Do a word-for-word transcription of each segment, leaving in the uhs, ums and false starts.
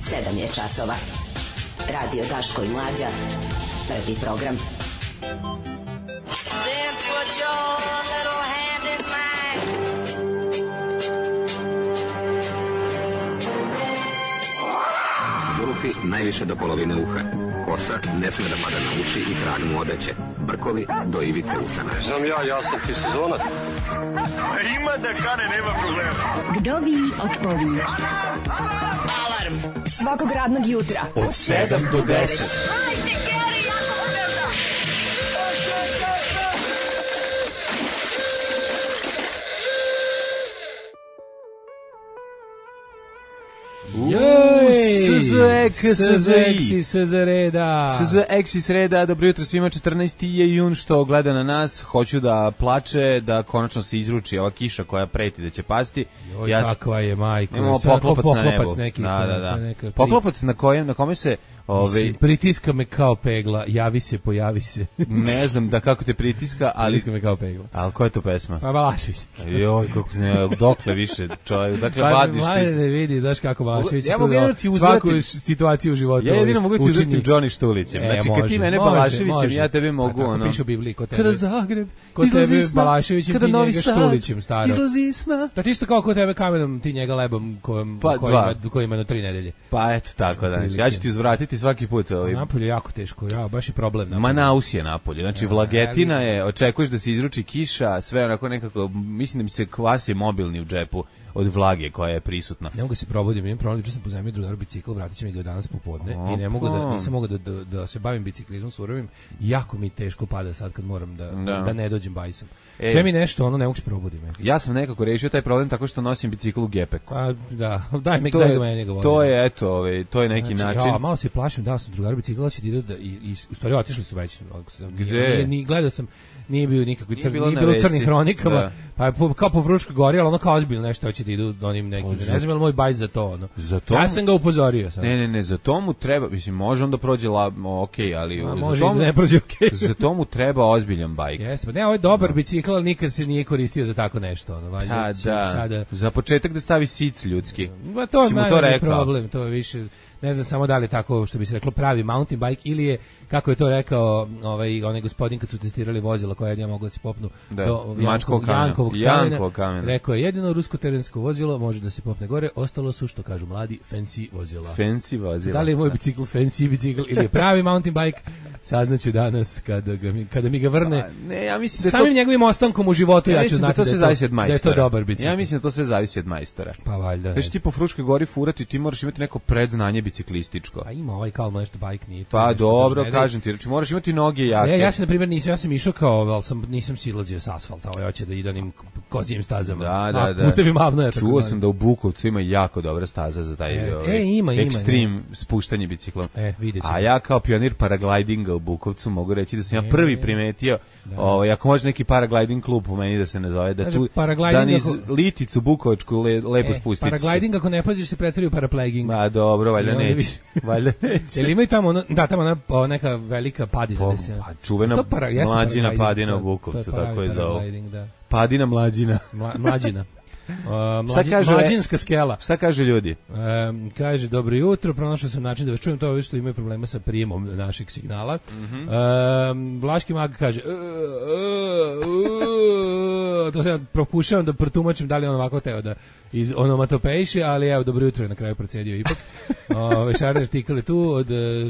sedam je časova. Radio Daško i Mlađa. Prvi program. Then put your little hand in mine. Zulufi najviše do polovine uha. Kosa ne sme da pada na uši i trag mu odeće. Brkovi do ivice usana. Znam ja, ja sam ti sezonac. Ima da kane, nema problema. Vdovi otpovi. Alarm svakog radnog jutra od sedam do deset. S Z X, S Z I, S Z Reda. S Z X iz Reda, dobro jutro svima, četrnaesti je jun što gleda na nas, hoću da plače, da konačno se izruči ova kiša koja preti da će pasti. Joj, ja, kakva je majko. Imamo poklopac na nebu. Neki, da, da, da. Poklopac na kojem, na kome se... Ove, pritiska me kao pegla, javi se, pojavi se. Ne znam da kako te pritiska, ali... Pritiska me kao pegla. Ali koja je to pesma? Pa Balašević. Joj, kako ne, dokle više čovjek, dakle pa, vadiš ti. Pa ne vidi, daš kako Balašević ja mogu uzvrati svaku situaciju u životu. Ja jedino mogu ti uzvrati Johnny Štulićem. E, znači, može, kad ti mene može, Balaševićem, može. ja tebe mogu, tako ono... piše u Bibliji, kod tebe. Kada Zagreb, kod tebe Balaševićem, ti njega Štulićem, staro. Izlazi sna. Da ti isto kao kod tebe kamenom, ti njega lebom kojem, pa, koji, ima, koji ima na tri nedelje. Pa eto tako, da ja ću ti uzvratiti svaki put. Ovaj. Napolje je jako teško, ja, baš je problem. Napolje. Manaus je napolje, znači ja, vlagetina je, očekuješ da se izruči kiša, sve onako nekako, mislim da mi se kvasi mobilni u džepu od vlage koja je prisutna. Ne mogu se probudim, imam problem, što sam pozajmio drugaru bicikl, vratit će mi ga danas popodne Opa. I ne mogu da, nisam mogu da, da, da se bavim biciklizmom surovim, jako mi teško pada sad kad moram da, da. da ne dođem bajsom. E, sve mi nešto, ono, ne mogu se probudim. Ja sam nekako rešio taj problem tako što nosim bicikl u gepeku. A, da, daj mi, daj ga meni ga volim. To je, eto, ovaj, to je neki znači, način. Ja, malo se plašim, da sam drugaru bicikl, da će da idu da, i, i u stvari otišli su već. Gde? Ni, gledao sam, nije bio nikakvi crni, nije bilo u crnim hronikama, da. Pa je po, kao po Vruškoj gori, ali ono kao ozbiljno nešto hoće da idu onim nekim, ne znam je li moj bajs za to, ono. Za to ja mu... sam ga upozorio. Sad. Ne, ne, ne, za to mu treba, mislim, može on da prođe la, ok, ali... A, za može tomu, da ne prođe ok. Za to mu treba ozbiljan bajk. Jesmo, ne, ovo je dobar no. bicikl, ali nikad se nije koristio za tako nešto, ono, valjda. Da, da, sada... za početak da stavi sic ljudski. Ma to je manje problem, to je više... Ne znam samo da li je tako što bi se reklo pravi mountain bike ili je kako je to rekao ovaj onaj gospodin kad su testirali vozila koja je mogla da se popnu da, do Jankovog kamena. Jankovog kamena. Rekao je jedino rusko terensko vozilo može da se popne gore, ostalo su što kažu mladi fancy vozila. Fancy vozila. Da li je moj bicikl fancy bicikl ili je pravi mountain bike? Saznaću danas kada ga mi, kada mi ga vrne. A, ne, ja mislim da samim to... njegovim ostankom u životu ja, ja ću znati da to sve zavisi od majstora. Da je to dobar bicikl. Ja mislim da to sve zavisi od majstora. Pa valjda. Znači ti po Fruškoj gori furati, ti moraš imati neko predznanje biciklističko. Pa ima ovaj kao nešto bike nije. Pa dobro, kažem ti, znači moraš imati noge jake. Ne, ja sam na primjer nisam, ja sam išao kao, al sam nisam silazio sa asfalta, ovaj hoće da ide onim kozijim stazama. Da, da, da. Putevima Avnoja. Čuo sam da u Bukovcu ima jako dobra staza za taj e, ovaj, e, ima, ekstrem ima, spuštanje biciklom. E, vidjet a ja kao pionir paraglidinga u Bukovcu mogu reći da sam ja prvi primetio, da. Ovaj, ako može neki paragliding klub po meni da se ne zove, da znači, tu da niz Liticu Bukovačku le, lepo e, spustiti. Paragliding ako ne paziš se pretvori u parapleging. A dobro, valjda neće. Valjda neće. Jel ima i tamo, ono, da, tamo ona, neka velika padina. Po, se, pa, čuvena para, mlađina padina u Bukovcu, tako je zove. Da. Padina mlađina. Mla, mlađina. Uh, mlađi, šta kaže, mlađinska skela. Šta kaže ljudi? Um, kaže, dobro jutro, pronašao sam način da vas čujem, to je što imaju problema sa prijemom našeg signala. Mm-hmm. um, Vlaški mag kaže, uh, uh, uh, to se propušavam da protumačim da li on ovako teo da iz onomatopejiše, ali evo, dobro jutro je na kraju procedio ipak. Ove, Šarni artikale tu, od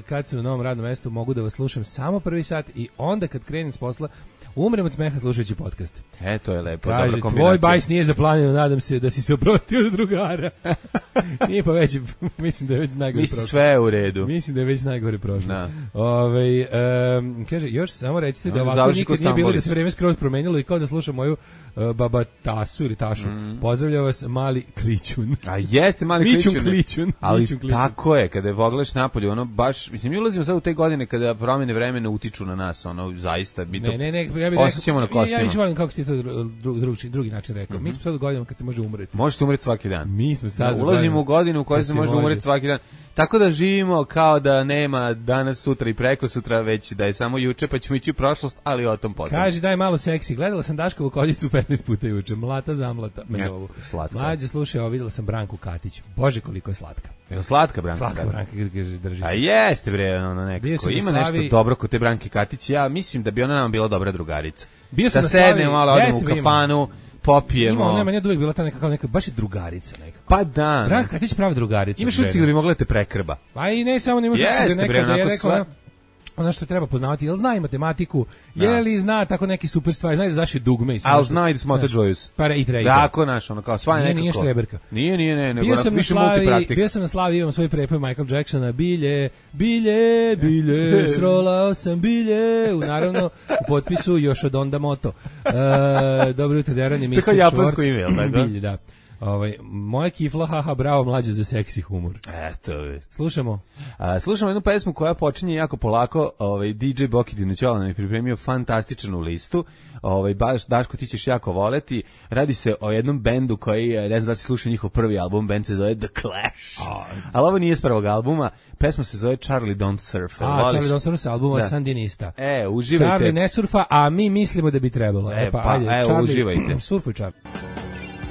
kad sam na novom radnom mestu mogu da vas slušam samo prvi sat i onda kad krenem s posla umrem od smeha slušajući podcast. E, to je lepo, kaže, dobra kombinacija. Tvoj bajs nije zaplanjeno, nadam se da si se oprostio od drugara. Nije pa već, mislim da je već najgore mislim, prošlo. Sve je u redu. Mislim da je već najgore prošlo. Da. Ove, um, kaže, još samo recite da ovako nikad nije bilo da se vreme skroz promenilo i kao da slušam moju uh, baba Tasu ili Tašu. Mm. Pozdravlja vas mali Klićun. A jeste mali Klićun. Klićun. Klićun. Ali Klićun, Klićun. tako je, kada je pogledaš napolje, ono baš, mislim, mi ulazimo sad u te godine kada promjene vremena utiču na nas, ono, zaista, mi to ne, ne, ne, ja bih osjećamo na kostima. Ja više volim kako si to dru, dru, drugi način rekao. Mm-hmm. Mi smo sad u godinama kad se može umreti. Može se umreti svaki dan. Mi smo sad da, ulazimo u godinu u kojoj se može umreti svaki dan. Tako da živimo kao da nema danas, sutra i preko sutra, već da je samo juče, pa ćemo ići u prošlost, ali o tom potom. Kaži, daj malo seksi. Gledala sam Daškovu koljicu petnaest puta juče. Mlata zamlata. Ja, slatko. Mlađe, slušaj, ovo videla sam Branku Katić. Bože, koliko je slatka. Je slatka Branka? Slatka Branka, kaže, drži se. A jeste bre, ono nekako. Ima nešto dobro kod te Branke Katić. Ja mislim da bi ona nam bila dobra drugarica. Bio sam da na Slavi, sednemo malo, odemo u kafanu, popijemo. Ima, nema, nije uvijek bila ta nekako, neka, baš je drugarica nekako. Pa da. Branka Katić prava drugarica. Imaš utisak da bi mogla te prekrba. Pa i ne samo, nemaš utisak da nekada je rekao, ono što treba poznavati, jel zna i matematiku, je li zna tako neki super stvari, zna da zaši dugme i sve. Al zna i da smota Joyce. Pa i trejka. Tako naš, ono kao sva nekako. Nije štreberka. Nije, nije, ne, nego bio sam više na Slavi, multipraktik. bio sam na Slavi, imam svoj prepoj Michael Jacksona, bilje, bilje, bilje, srolao sam bilje, u naravno u potpisu još od Onda Moto. E, dobro jutro, Deran je mister Švorc. Tako japansko ime, jel tako? Bilje, da. Ovaj moja kifla, haha, bravo, mlađe za seksi humor. Eto. Slušamo. A, slušamo jednu pesmu koja počinje jako polako. Ovaj D J Boki Dinoćola nam je pripremio fantastičnu listu. Ovaj baš Daško, ti ćeš jako voleti. Radi se o jednom bendu koji, ne znam da si slušao njihov prvi album, bend se zove The Clash. Oh. Ali ovo nije s prvog albuma. Pesma se zove Charlie Don't Surf. A, voliš? Charlie Don't Surf, albuma da. Sandinista. E, uživajte. Charlie ne surfa, a mi mislimo da bi trebalo. E, e pa, pa ajde, evo, Charlie, uživajte. Surfuj, Charlie.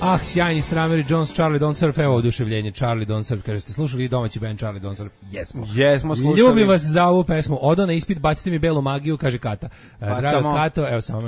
Ah, sjajni Stramer i Jones, Charlie Don't Surf, evo oduševljenje, Charlie Don't Surf, kaže, ste slušali domaći band Charlie Don't Surf? Jesmo. Jesmo slušali. Ljubim vas za ovu pesmu, odo na ispit, bacite mi belu magiju, kaže Kata. Pa, Drago samo... Kato, evo samo.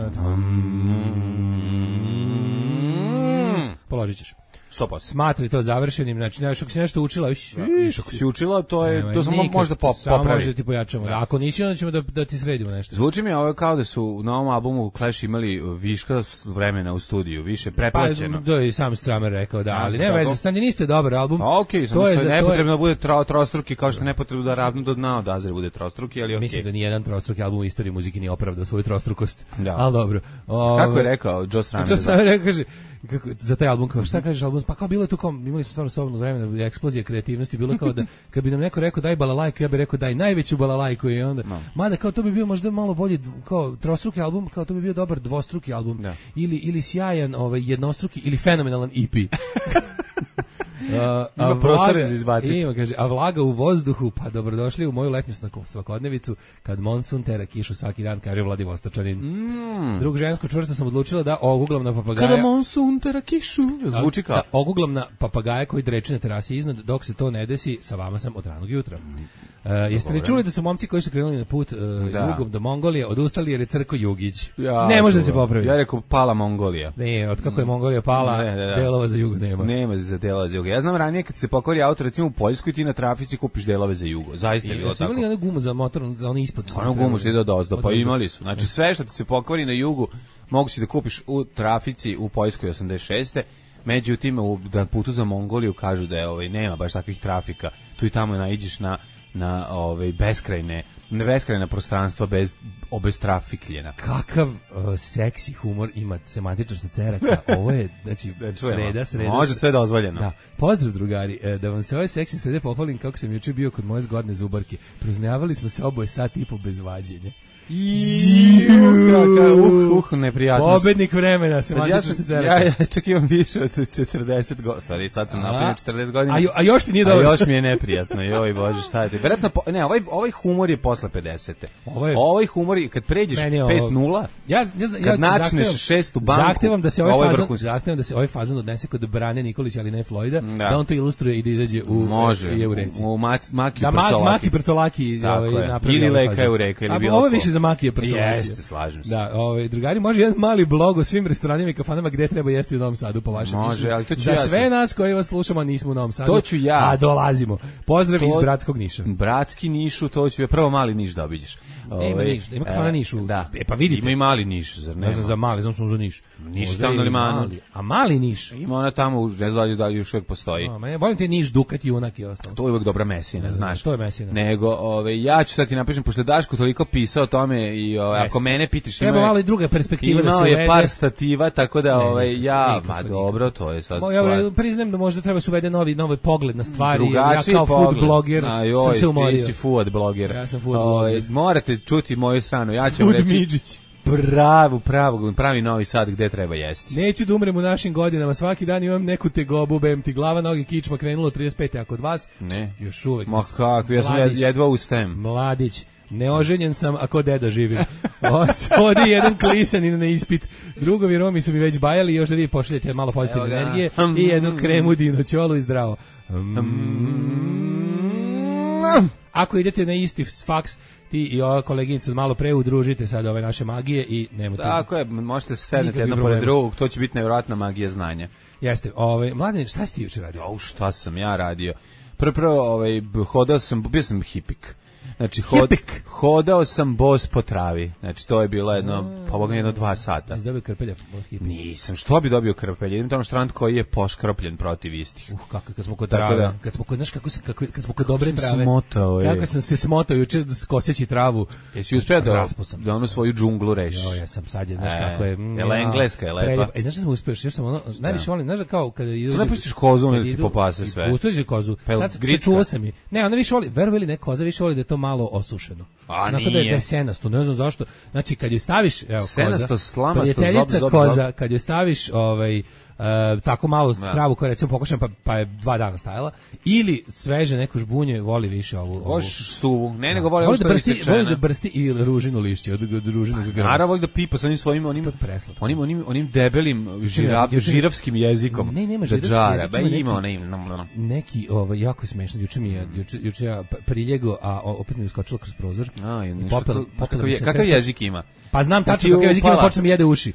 Mm. Položit ćeš. Stopa. Smatri to završenim, znači nešto ako si nešto učila, viš, viš ako si učila, to je ne, to samo možda pop, samo popravi. Može ti pojačamo. Da. Ako nisi, onda ćemo da da ti sredimo nešto. Zvuči mi ovo kao da su na ovom albumu Clash imali viška vremena u studiju, više preplaćeno. Pa to je i sam Stramer rekao, da, ali nema veze, Sandinista je dobar album. A okej, samo što je nepotrebno da bude tro, trostruki, kao što je nepotrebno da ravno do dna od Azre bude trostruki, ali okej. Mislim da ni jedan trostruki album u istoriji muzike nije opravdao svoju trostrukost. Al dobro. Kako je rekao Joe Stramer? Joe Stramer kaže kako za taj album, kao šta kažeš album, pa kao bilo je tu kao imali smo stvarno slobodno vremena, eksplozija kreativnosti, bilo kao da kad bi nam neko rekao daj balalajku, ja bih rekao daj najveću balalajku i onda no. Mada kao to bi bio možda malo bolji kao trostruki album, kao to bi bio dobar dvostruki album da. ili ili sjajan ovaj jednostruki ili fenomenalan E P. Uh, ima prostora za izbaciti. Ima, kaže, a vlaga u vozduhu, pa dobrodošli u moju letnju svakodnevicu, kad monsun tera kišu svaki dan, kaže Vladivostočanin. Mm. Drug žensko čvrsto sam odlučila da oguglam na papagaja. Kada monsun tera kišu, zvuči kao. Da oguglam na papagaja koji dreči na terasi iznad, dok se to ne desi, sa vama sam od ranog jutra. Uh, jeste li čuli da su momci koji su krenuli na put uh, da. jugom do Mongolije odustali jer je crko Jugić? Ja, ne može da se popraviti. Ja rekao pala Mongolija. Ne, od kako je Mongolija pala, ne, ne, da. delova za jugo nema. Nema za delova za jugo. Ja znam ranije kad se pokvari auto recimo u Poljskoj ti na trafici kupiš delove za jugo. Zaista je bilo tako. Imali one gumu za motor, za one ispod. Ono gumu što ide do ozdo, pa imali su. Znači sve što ti se pokvari na jugu moguće da kupiš u trafici u Poljskoj osamdeset šeste. Međutim u da putu za Mongoliju kažu da je ovaj nema baš takvih trafika. Tu i tamo naiđeš na na ovaj beskrajne ne beskrajna prostranstva bez obestrafikljena. Kakav uh, seksi humor ima semantičar sa ceraka. Ovo je znači sreda, sreda. Može sve dozvoljeno. Da. Pozdrav drugari, e, da vam se ovaj seksi srede pohvalim kako sam juče bio kod moje zgodne zubarke. Proznjavali smo se oboje sat i po bez vađenja. Uh, uh, neprijatnost. Pobednik vremena, se ja, ja, ja čak imam više od četrdeset godina, stvari, sad sam napunio četrdeset godina. A, a još ti nije dobro. A još mi je neprijatno, joj bože, šta je ti? Verovatno, ne, ovaj, ovaj humor je posle pedesete. Ovaj, ovaj humor je, kad pređeš pet nula, ja, ja, kad ja, načneš šestu banku, zahtevam da se ovaj fazon, zahtevam da se ovaj fazon odnese kod Brane Nikolića, ali ne Floyda, da. da on to ilustruje i da izađe u, može, je u reci. U, u Maki da, Prcolaki. Maki Prcolaki ovaj, napravi. Ili Leka je u reka, ili bilo ovo više za Makije Prcolaki. Jeste, slažem se. Da, ovaj drugari, može jedan mali blog o svim restoranima i kafanama gde treba jesti u Novom Sadu po vašem mišljenju. Može, ali to ću za ja. Za sve nas koji vas slušamo nismo u Novom Sadu. To ću ja. A dolazimo. Pozdrav to, iz Bratskog Niša. Bratski Nišu, to ću ja prvo mali Niš da obiđeš. Ne, ima Niš, ima kafana Nišu. Da. E pa vidite. Ima i mali Niš, zar ne? Ne znam za mali, znam sam za Niš. Niš tamo na limanu. Mali. A mali Niš? Ima ona tamo, ne znam da li još uvijek postoji. A, ma ja volim te Niš, Dukat i Junak i ostalo. To je uvijek dobra mesina, znaš. To je mesina. Nego, ove, ja ću sad ti napišem, pošto Daško toliko pisao o tome i ove, ako mene pitiš, treba malo i druga perspektiva da se uvede. Imao je par stativa, tako da ovaj ja, ma dobro, to je sad stvar. Ja priznajem da možda treba se uvede novi novi pogled na stvari. Drugačiji ja kao food bloger sam se umorio. Ti si food bloger. Ja sam food bloger. Morate čuti moju stranu, ja ću vam reći. Pravu, pravu, pravi Novi Sad gde treba jesti. Neću da umrem u našim godinama, svaki dan imam neku tegobu, bem ti glava, noge, kičma, krenulo trideset pete, a kod vas ne. Još uvek. Ma kako, ja sam jedva ustem. Mladić. Neoženjen sam, ako deda živim. Odi jedan klisanin na ispit. Drugovi Romi su mi već bajali, još da vi pošaljete malo pozitivne energije i jednu kremu dinoćolu i zdravo. Mm. ako idete na isti faks, ti i ova koleginica malo pre udružite sad ove naše magije i nemojte. Tako je, možete se sednete jedno pored drugog, to će biti nevjerojatna magija znanja. Jeste, ovaj Mladen, šta si ti juče radio? O, šta sam ja radio? Prvo, prvo ovaj, hodao sam, bio sam hipik. Znači, hod, hodao sam bos po travi. Znači, to je bilo jedno, pa boga jedno dva sata. Jesi dobio krpelja? Nisam, što bi dobio krpelja? Idem tamo štrand koji je poškropljen protiv istih. Uh, kako, kad smo kod trave, da, kad smo kod, znaš, kako se, kako, kad smo kod dobre trave. Smotao, kako sam se smotao juče koseći travu. Jesi uspio da, da onu svoju džunglu rešiš? Jo, ja sam sad, znaš e, kako je. Je la engleska, je lepa. E, znaš da sam uspio, još sam ono, najviše volim, znaš da kao kada idu. Tu ne pustiš kozu, ne ti popase sve. Pustiš kozu. Sad čuo sam i. Ne, ona više voli, verovali ne, koza više voli da je to malo osušeno. A nije. Da je senasto, ne znam zašto. Znači kad je staviš, evo, senasto, koza, slamasto, zob, zob, koza, zob. kad je staviš ovaj Uh, tako malo ja. travu koja recimo pokošam pa, pa je dva dana stajala ili sveže neko žbunje voli više ovu, ovu. Voš suvu, ne nego voli, voli da brsti, voli da brsti i ružinu lišće od, od ružinog grla. Naravno voli da pipa sa onim svojim onim, onim, onim, onim debelim žirav, žirafskim jezikom. Ne, nema žirafskim jezikom. Ba ima onaj neki ovaj jako smešno. Juče mi je juče juče ja priljego, a opet mi je iskočilo kroz prozor. A, popel, popel, kakav jezik ima? Pa znam tačno kakav jezik ima, počne mi jede uši.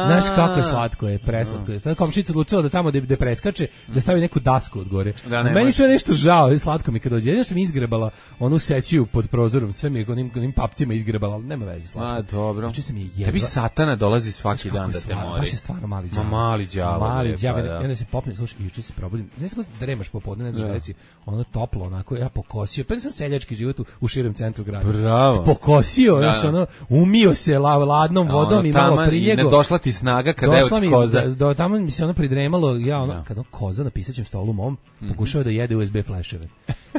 Znaš kako je slatko je, preslatko je. Sad komšinica odlučila da tamo da da preskače, da stavi neku dasku od gore. Da, meni sve nešto žao, je slatko mi kad dođe. Jedno što mi izgrebala onu sećiju pod prozorom, sve mi onim onim papcima izgrebala, ali nema veze, slatko. A dobro. Juče se mi jedva. Tebi satana dolazi svaki dan da te mori. Baš je stvarno mali đavo. Mali đavo. Mali đavo. Ja se popnem, slušaj, juče se probudim. Ne znam da dremaš popodne, ne znam da si ono toplo, onako ja pokosio. Pa sam seljački život u, u širem centru grada. Bravo. Pokosio, znači ono umio se ladnom vodom i malo priljego. Ne došla ti snaga kada je od koza. Do tamo mi se ono pridremalo, ja ono kad on koza na pisaćem stolu mom pokušava da jede U S B fleševe.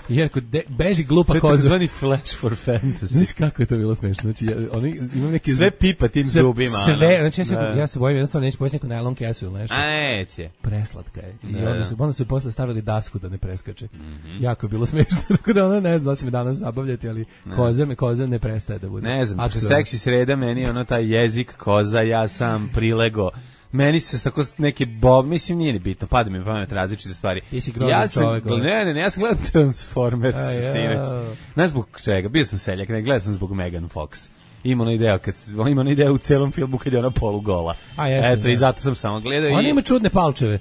Jer kod beži glupa koza. Zvani flash for fantasy. Znaš kako je to bilo smešno? Znači ja, oni imam neki sve pipa tim zubima. Sve, znači ja se, ja se bojim jednostavno neće pojesti neku najlon kesu ili nešto. A neće. Preslatka je. I onda su onda su posle stavili dasku da ne preskače. Jako je bilo smešno. Tako da ona ne zna da će me danas zabavljati, ali koza me koza ne prestaje da bude. Ne znam, što seksi sreda meni ono taj jezik koza, ja sam prilego. Meni se tako neki bob, mislim nije ni bitno, pada mi pamet različite stvari. Ja sam, čovjek, ne, ne, ne, ja sam gledao Transformers sinoć. Znaš zbog čega? Bio sam seljak, ne gledao sam zbog Megan Fox. Ima ona ideja kad ima ona ideja u celom filmu kad je ona polugola. A jeste, eto, da. I zato sam samo gledao. Ona i ima čudne palčeve.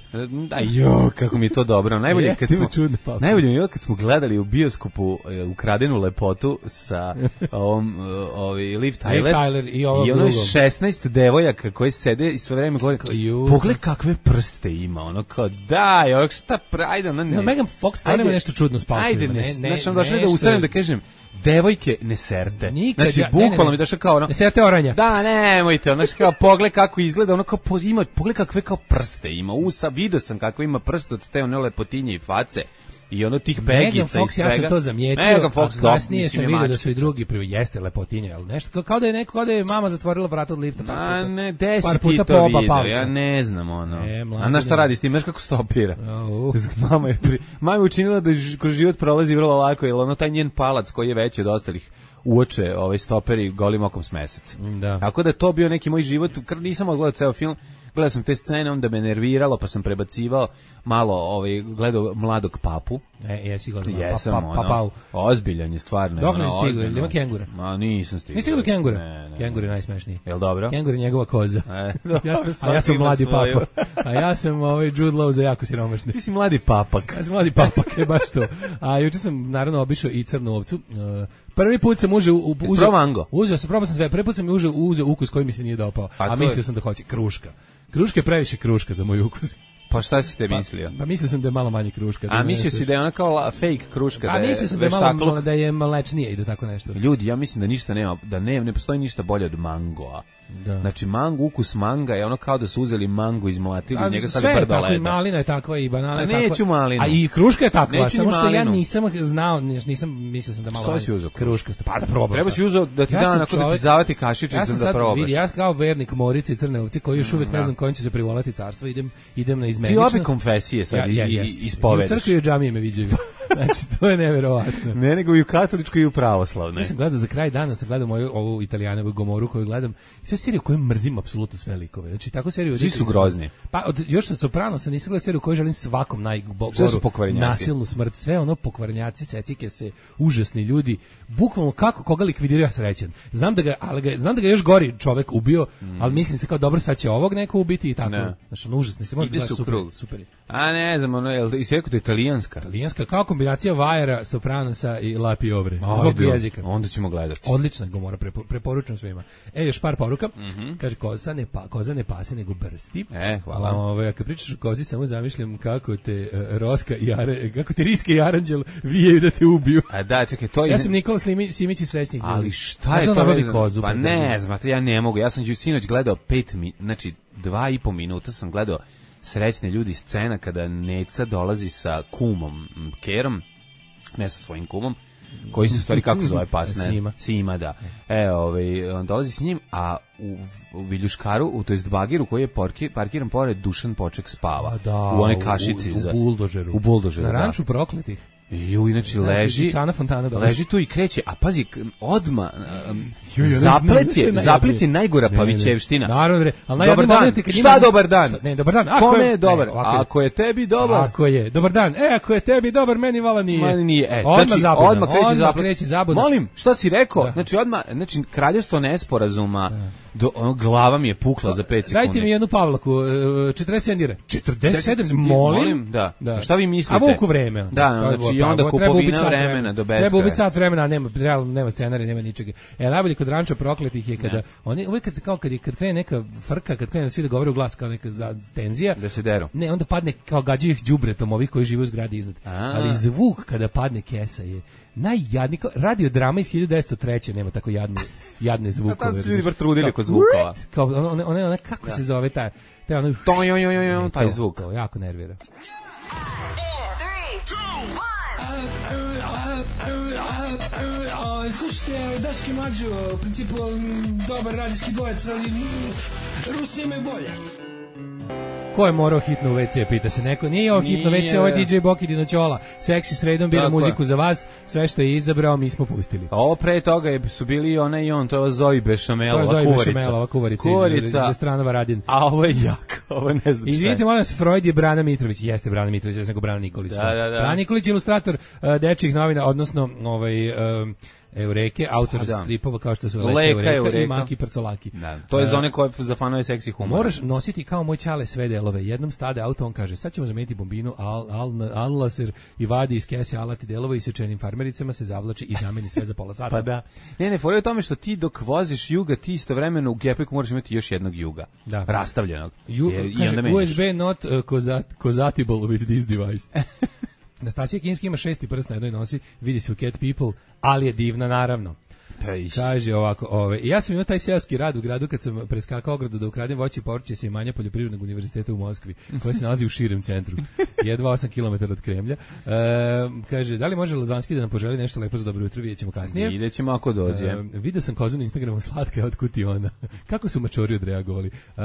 Aj jo, kako mi je to dobro. Najbolje jeste, kad smo čudne palčeve. Najbolje mi je kad smo gledali u bioskopu Ukradenu lepotu sa ovom ovi Liv Tyler. Liv Tyler i ovo I ono šesnaest devojaka koji sede i sve vreme govore pogled kakve prste ima, ono kao daj, ono šta ajde, ona ne. No, Megan Fox stvarno ima nešto čudno s palčevima. Ajde, ne, ne, znaš, došli da ustanem da kažem devojke ne serte. Nikad, znači, bukvalno mi došao kao ono... Ne serte oranja. Da, nemojte, ono, znači, kao pogled kako izgleda, ono kao, po, ima, pogled kakve kao prste ima, usa, vidio sam kako ima prste od te one lepotinje i face. I ono tih pegica i svega. Ja sam to zamijetio, Megan Fox, a kasnije sam vidio da su i drugi prvi jeste lepotinje, ali nešto, kao da je neko, kao da je mama zatvorila vrata od lifta. A ne, desi ti to vidio, ja ne znam, ono. E, a na šta radi s tim, znaš kako stopira? Uh. Mama je, pri, mama je učinila da kroz život prolazi vrlo lako, jer ono taj njen palac koji je veći od ostalih uoče ovaj stoperi golim okom s mesec. Da. Tako da to bio neki moj život, nisam odgledao ceo film, gledao sam te scene, onda me nerviralo, pa sam prebacivao malo, ovaj, gledao Mladog papu. E, jesi gledao Jesam, pa, pa, pa, ono, ozbiljan je stvarno. Dok ne stigu, ili ima kengura? Ma, nisam stigao. Nisi stigao do kengura? Ne, ne. Kengur je najsmešniji. Jel dobro? Kengur je njegova koza. E, dobro, ja, a ja sam mladi papa. A ja sam ovaj Jude Law za jako siromašni. Ti si mladi papak. Ja sam mladi papak, je baš to. A juče sam naravno obišao i Crnu ovcu. Uh, prvi put sam uzeo u uzeo mango. Uzeo sam, probao sam sve. Prvi put sam uzeo uzeo ukus koji mi se nije dopao, a, a mislio je... sam da hoće kruška. Kruška je previše kruška za moj ukus. Pa šta si te mislio? Pa, pa mislio sam da je malo manje kruška. A mislio si da je ona kao la, fake kruška, a da je. A mislio sam da je malo da je mlečnije i da tako nešto. Ljudi, ja mislim da ništa nema, da ne, ne postoji ništa bolje od mangoa. Da. Znači mango, ukus manga je ono kao da su uzeli mango, izmlatili i njega stavili brdo leda. Sve je tako, i malina je takva, i banana je takva. Neću malinu. A i kruška je takva, samo što ja nisam znao, nisam, mislio sam da malo kruška. Pa da probam. Treba si uzeo da ti da nakon da ti zavati kašičić ja da probaš. Vidi, ja kao vernik Morice i Crne ovce koji još uvijek ne znam kojim će se privolati carstvo, idem idem na izmenično. Ti obi konfesije sad i ispovedaš. U crkvi i džamije me viđaju. Znači, to je neverovatno. Ne, nego i u katoličkoj i u pravoslavnoj. Ja sam gledao za kraj dana, sam gledao moju ovu Italijanovu Gomoru koju gledam. I to je serija koju mrzim apsolutno sve likove. Znači, tako seriju... Svi su grozni. Pa, od, još sa Sopranosa nisam gledao seriju koju želim svakom najgoru, nasilnu smrt. Sve ono pokvarenjaci, secike se, užasni ljudi. Bukvalno kako koga likvidiraju, ja srećan. Znam da ga, ali ga, znam da ga još gori čovek ubio, mm. ali mislim se kao dobro, sad će ovog neko ubiti i tako. Ne. Znači, ono užasni se, može gledati super, super. A ne znam, ono, je li si rekao da je italijanska? Italijanska, kao kombinacija Vajera, Sopranosa i La Piovre. Zbog jezika. Onda ćemo gledati. Odlična Gomora, prepo, preporučujem svima. E, još par poruka. Mm -hmm. Kaže, koza ne, pa, koza ne pase, nego brsti. E, hvala. Ove, kad pričaš o kozi, samo zamišljam kako te uh, Roska i Are, kako te Riske i Aranđel vijaju da te ubiju. A da, čekaj, to je... Ja sam Nikola Slimi, Simić i Srećnik. Ali šta je to? Kozu, pa ne znam, ja ne mogu. Ja sam ju sinoć gledao pet mi, znači dva i po minuta sam gledao Srećne ljudi scena kada Neca dolazi sa kumom Kerom, ne sa svojim kumom, koji se u stvari kako zove pas, ne? Sima. Sima, da. E, ovaj, on dolazi s njim, a u, u Viljuškaru, u, to jest Bagiru, koji je porki, parkiran pored, Dušan Poček spava. Da, u one kašici. U, u, za, u buldožeru. U buldožeru, na da. ranču prokletih. I inače leži, Fontana leži tu i kreće, a pazi, odma um, zaplet je, zaplet je najgora Pavićevština. Naravno, ali dobar dan. Šta dobar dan? Šta, ne, dobar dan. Kome je dobar? Ne, ako je tebi dobar. Ako je, dobar dan. E, ako je tebi dobar, meni vala nije. Meni nije. E, odmah znači, zabudan. odmah kreće zaplet. Kreće zabudan. Molim, šta si rekao? Da. Znači, odmah, znači, kraljevstvo nesporazuma, do, ono, glava mi je pukla za pet sekundi. Dajte mi jednu Pavlaku, četrdeset sedam dira. četrdeset sedam, molim? Da. da. Šta vi mislite? A Vuku vreme. Da, znači, i onda kupovina vremena do beskraja. Treba ubiti sat vremena, nema, realno nema scenarija, nema ničega. E, najbolje kod Ranča prokletih je kada, oni, uvijek kad se kao, kad, je, kad krene neka frka, kad krene svi da govore u glas kao neka za, tenzija. Da se deru. Ne, onda padne kao gađaju ih đubretom ovih koji žive u zgradi iznad. A. Ali zvuk kada padne kesa je najjadniji, radio drama iz hiljadu devetsto treće nema tako jadne, jadne zvukove. Tad su ljudi bar trudili kod zvukova. Kao, one, one, one, kako da. se zove taj, taj, ono, to, jo, jo, jo, jo, taj zvuk. To, jako nervira. Slušajte, Daški Mađo, u principu dobar radijski dvojec, ali Rusi imaju bolje. Ko je morao hitno u ve ce, pita se neko. Nije ovo hitno ve ce, ovo je di džej Boki Dinoćola. Seksi sredom bira muziku za vas, sve što je izabrao mi smo pustili. A ovo pre toga je, su bili ona i on, to je Zoji Bešamelova kuvarica. To je Zoji Bešamelova kuvarica, kuvarica. Iz, iz Stranova Radin. A ovo je jak, ovo ne znam šta je. Izvinite, molim vas, Freud je Brana Mitrović, jeste Brana Mitrović, ja sam go Brana Nikolić. Da, da, da. Brana Nikolić je ilustrator uh, dečjih novina, odnosno ovaj... Um, Eureke, autor da. stripova kao što su Leka, Leka Eureka, Eureka i Maki Prcolaki. Da, to je za one koje za fanove seksi humora. Moraš nositi kao moj ćale sve delove. Jednom stade auto, on kaže, sad ćemo zameniti bombinu, al, al, al laser i vadi iz kese alati delova i sečenim farmericama se zavlači i zameni sve za pola sata. Pa da. Ne, ne, fora je u tome što ti dok voziš juga, ti istovremeno u gepeku moraš imati još jednog juga. Da. Rastavljenog. Ju, je, kaže, u es be not uh, compatible with this device. Nastasija Kinski ima šesti prst na jednoj nosi, vidi se u Cat People, ali je divna naravno. Kaže ovako, ove, ja sam imao taj seoski rad u gradu kad sam preskakao ogradu da ukradem voće i povrće sa imanja Poljoprivrednog univerziteta u Moskvi, koje se nalazi u širem centru, jedva osam kilometara od Kremlja. E, kaže, da li može Lazanski da nam poželi nešto lepo za dobro jutro, vidjet ćemo kasnije. Vidjet ćemo ako dođe. E, vidio sam kozu na Instagramu, slatka je otkud ti ona. Kako su mačori odreagovali. E,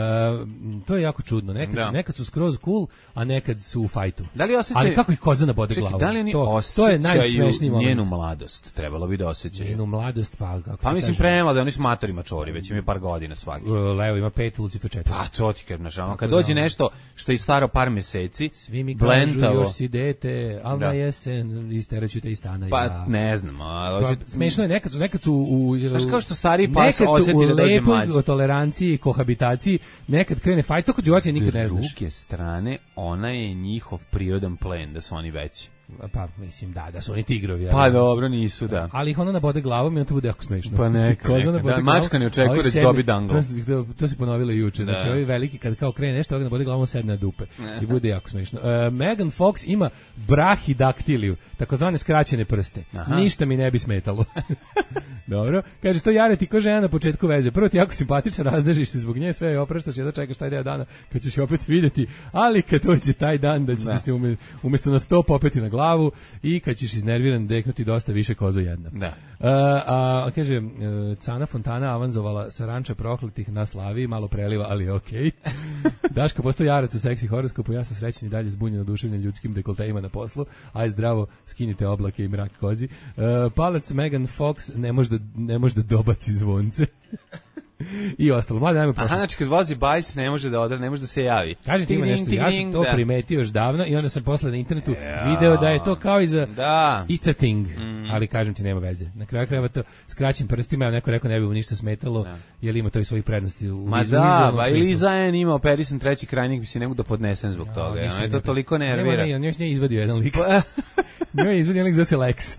to je jako čudno. Nekad, da. su, nekad su skroz cool, a nekad su u fajtu. Da li osjećaju... Ali kako ih koza nabode Čekaj, glavu? Da li oni to, to je najsmešniji moment. Njenu mladost, trebalo bi da osjećaju. Njenu mladost, pa kako pa mislim premlade, oni su matori mačori, već imaju par godina svaki. Levo ima pet, Lucifer četiri. Pa to ti kažem, znači, kad dođe nešto što je staro par meseci, svi mi kažu još si dete, al na jesen isteraću te iz stana. Pa ja. ne znam, a pa, smešno je, nekad su, nekad su u... Znaš kao što stari pas osjeti da dođe mlađi. Nekad su u toleranciji, kohabitaciji, nekad krene fajt, to kod životinja nikad ne znaš. S druge strane, ona je njihov prirodan plen, da su oni veći. Pa mislim da, da su oni tigrovi. Pa dobro, nisu, da. Ali ih ona nabode glavom i on to bude jako smešno. Pa neka, neka. Da, mačka ne očekuje da će dobi danglo. To, to se ponovilo juče. Da. Znači, ovi veliki kad kao krene nešto, ovdje nabode glavom sedne na dupe. I bude jako smešno. Uh, Megan Fox ima brahidaktiliju, takozvane skraćene prste. Aha. Ništa mi ne bi smetalo. Dobro. Kaže, to Jare ti ko žena na početku veze. Prvo ti jako simpatičan, raznežiš se zbog nje, sve je opraštaš, jedno čekaš taj deo dana kad ćeš opet vidjeti, ali kad dođe taj dan da će da se ume, umjesto na sto popeti na glavu i kad ćeš iznerviran deknuti dosta više kozo jedna. Da. a kaže, uh, Cana Fontana avanzovala sa ranča prokletih na Slaviji, malo preliva, ali okej. Okay. Daška postoji jarac u seksi horoskopu, ja sam srećen i dalje zbunjen oduševljen ljudskim dekoltejima na poslu, aj zdravo, skinite oblake i mrak kozi. Uh, palac Megan Fox ne može da, ne može da dobaci zvonce. I ostalo, mlade najme prošlost. Aha, znači kad vozi bajs ne može da odra, ne može da se javi. Kaže ti ima nešto, ja sam to da. primetio još davno i onda sam posle na internetu ja. video da je to kao i za da. It's a thing, mm. ali kažem ti nema veze. Na kraju krajeva to skraćim prstima, ja neko rekao ne bi mu ništa smetalo, da. jer ima to i svojih prednosti. U Ma da, ba ili Zajen ima operisan treći krajnik, bi se ne mogu da podnesem zbog ja, toga. Ja, je to toliko nervira. Ne, on još nije izvadio jedan lik. Njoj je izvadio lik zove se Lex.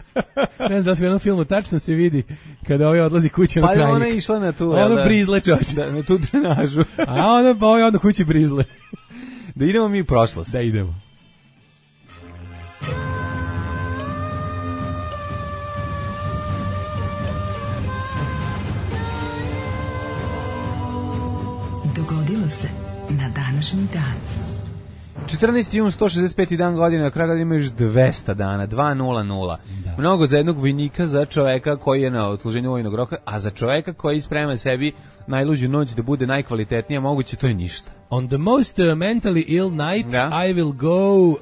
Ne znam da se u jednom filmu tačno se vidi kada ovaj odlazi kući na krajnik. Pa ona je išla na tu, ono brizle čoč. Da, na tu drenažu. A onda pa ovaj onda kući brizle. Da idemo mi u prošlost. Da idemo. Dogodilo se na današnji dan. četrnaesti jun, sto šezdeset peti dan godine, na kraju ima još dvesta dana, dvesta. Da. Mnogo za jednog vojnika, za čoveka koji je na odsluženju vojnog roka, a za čoveka koji sprema sebi najluđu noć da bude najkvalitetnija moguće, to je ništa. On the most uh, mentally ill night da. I will go, uh,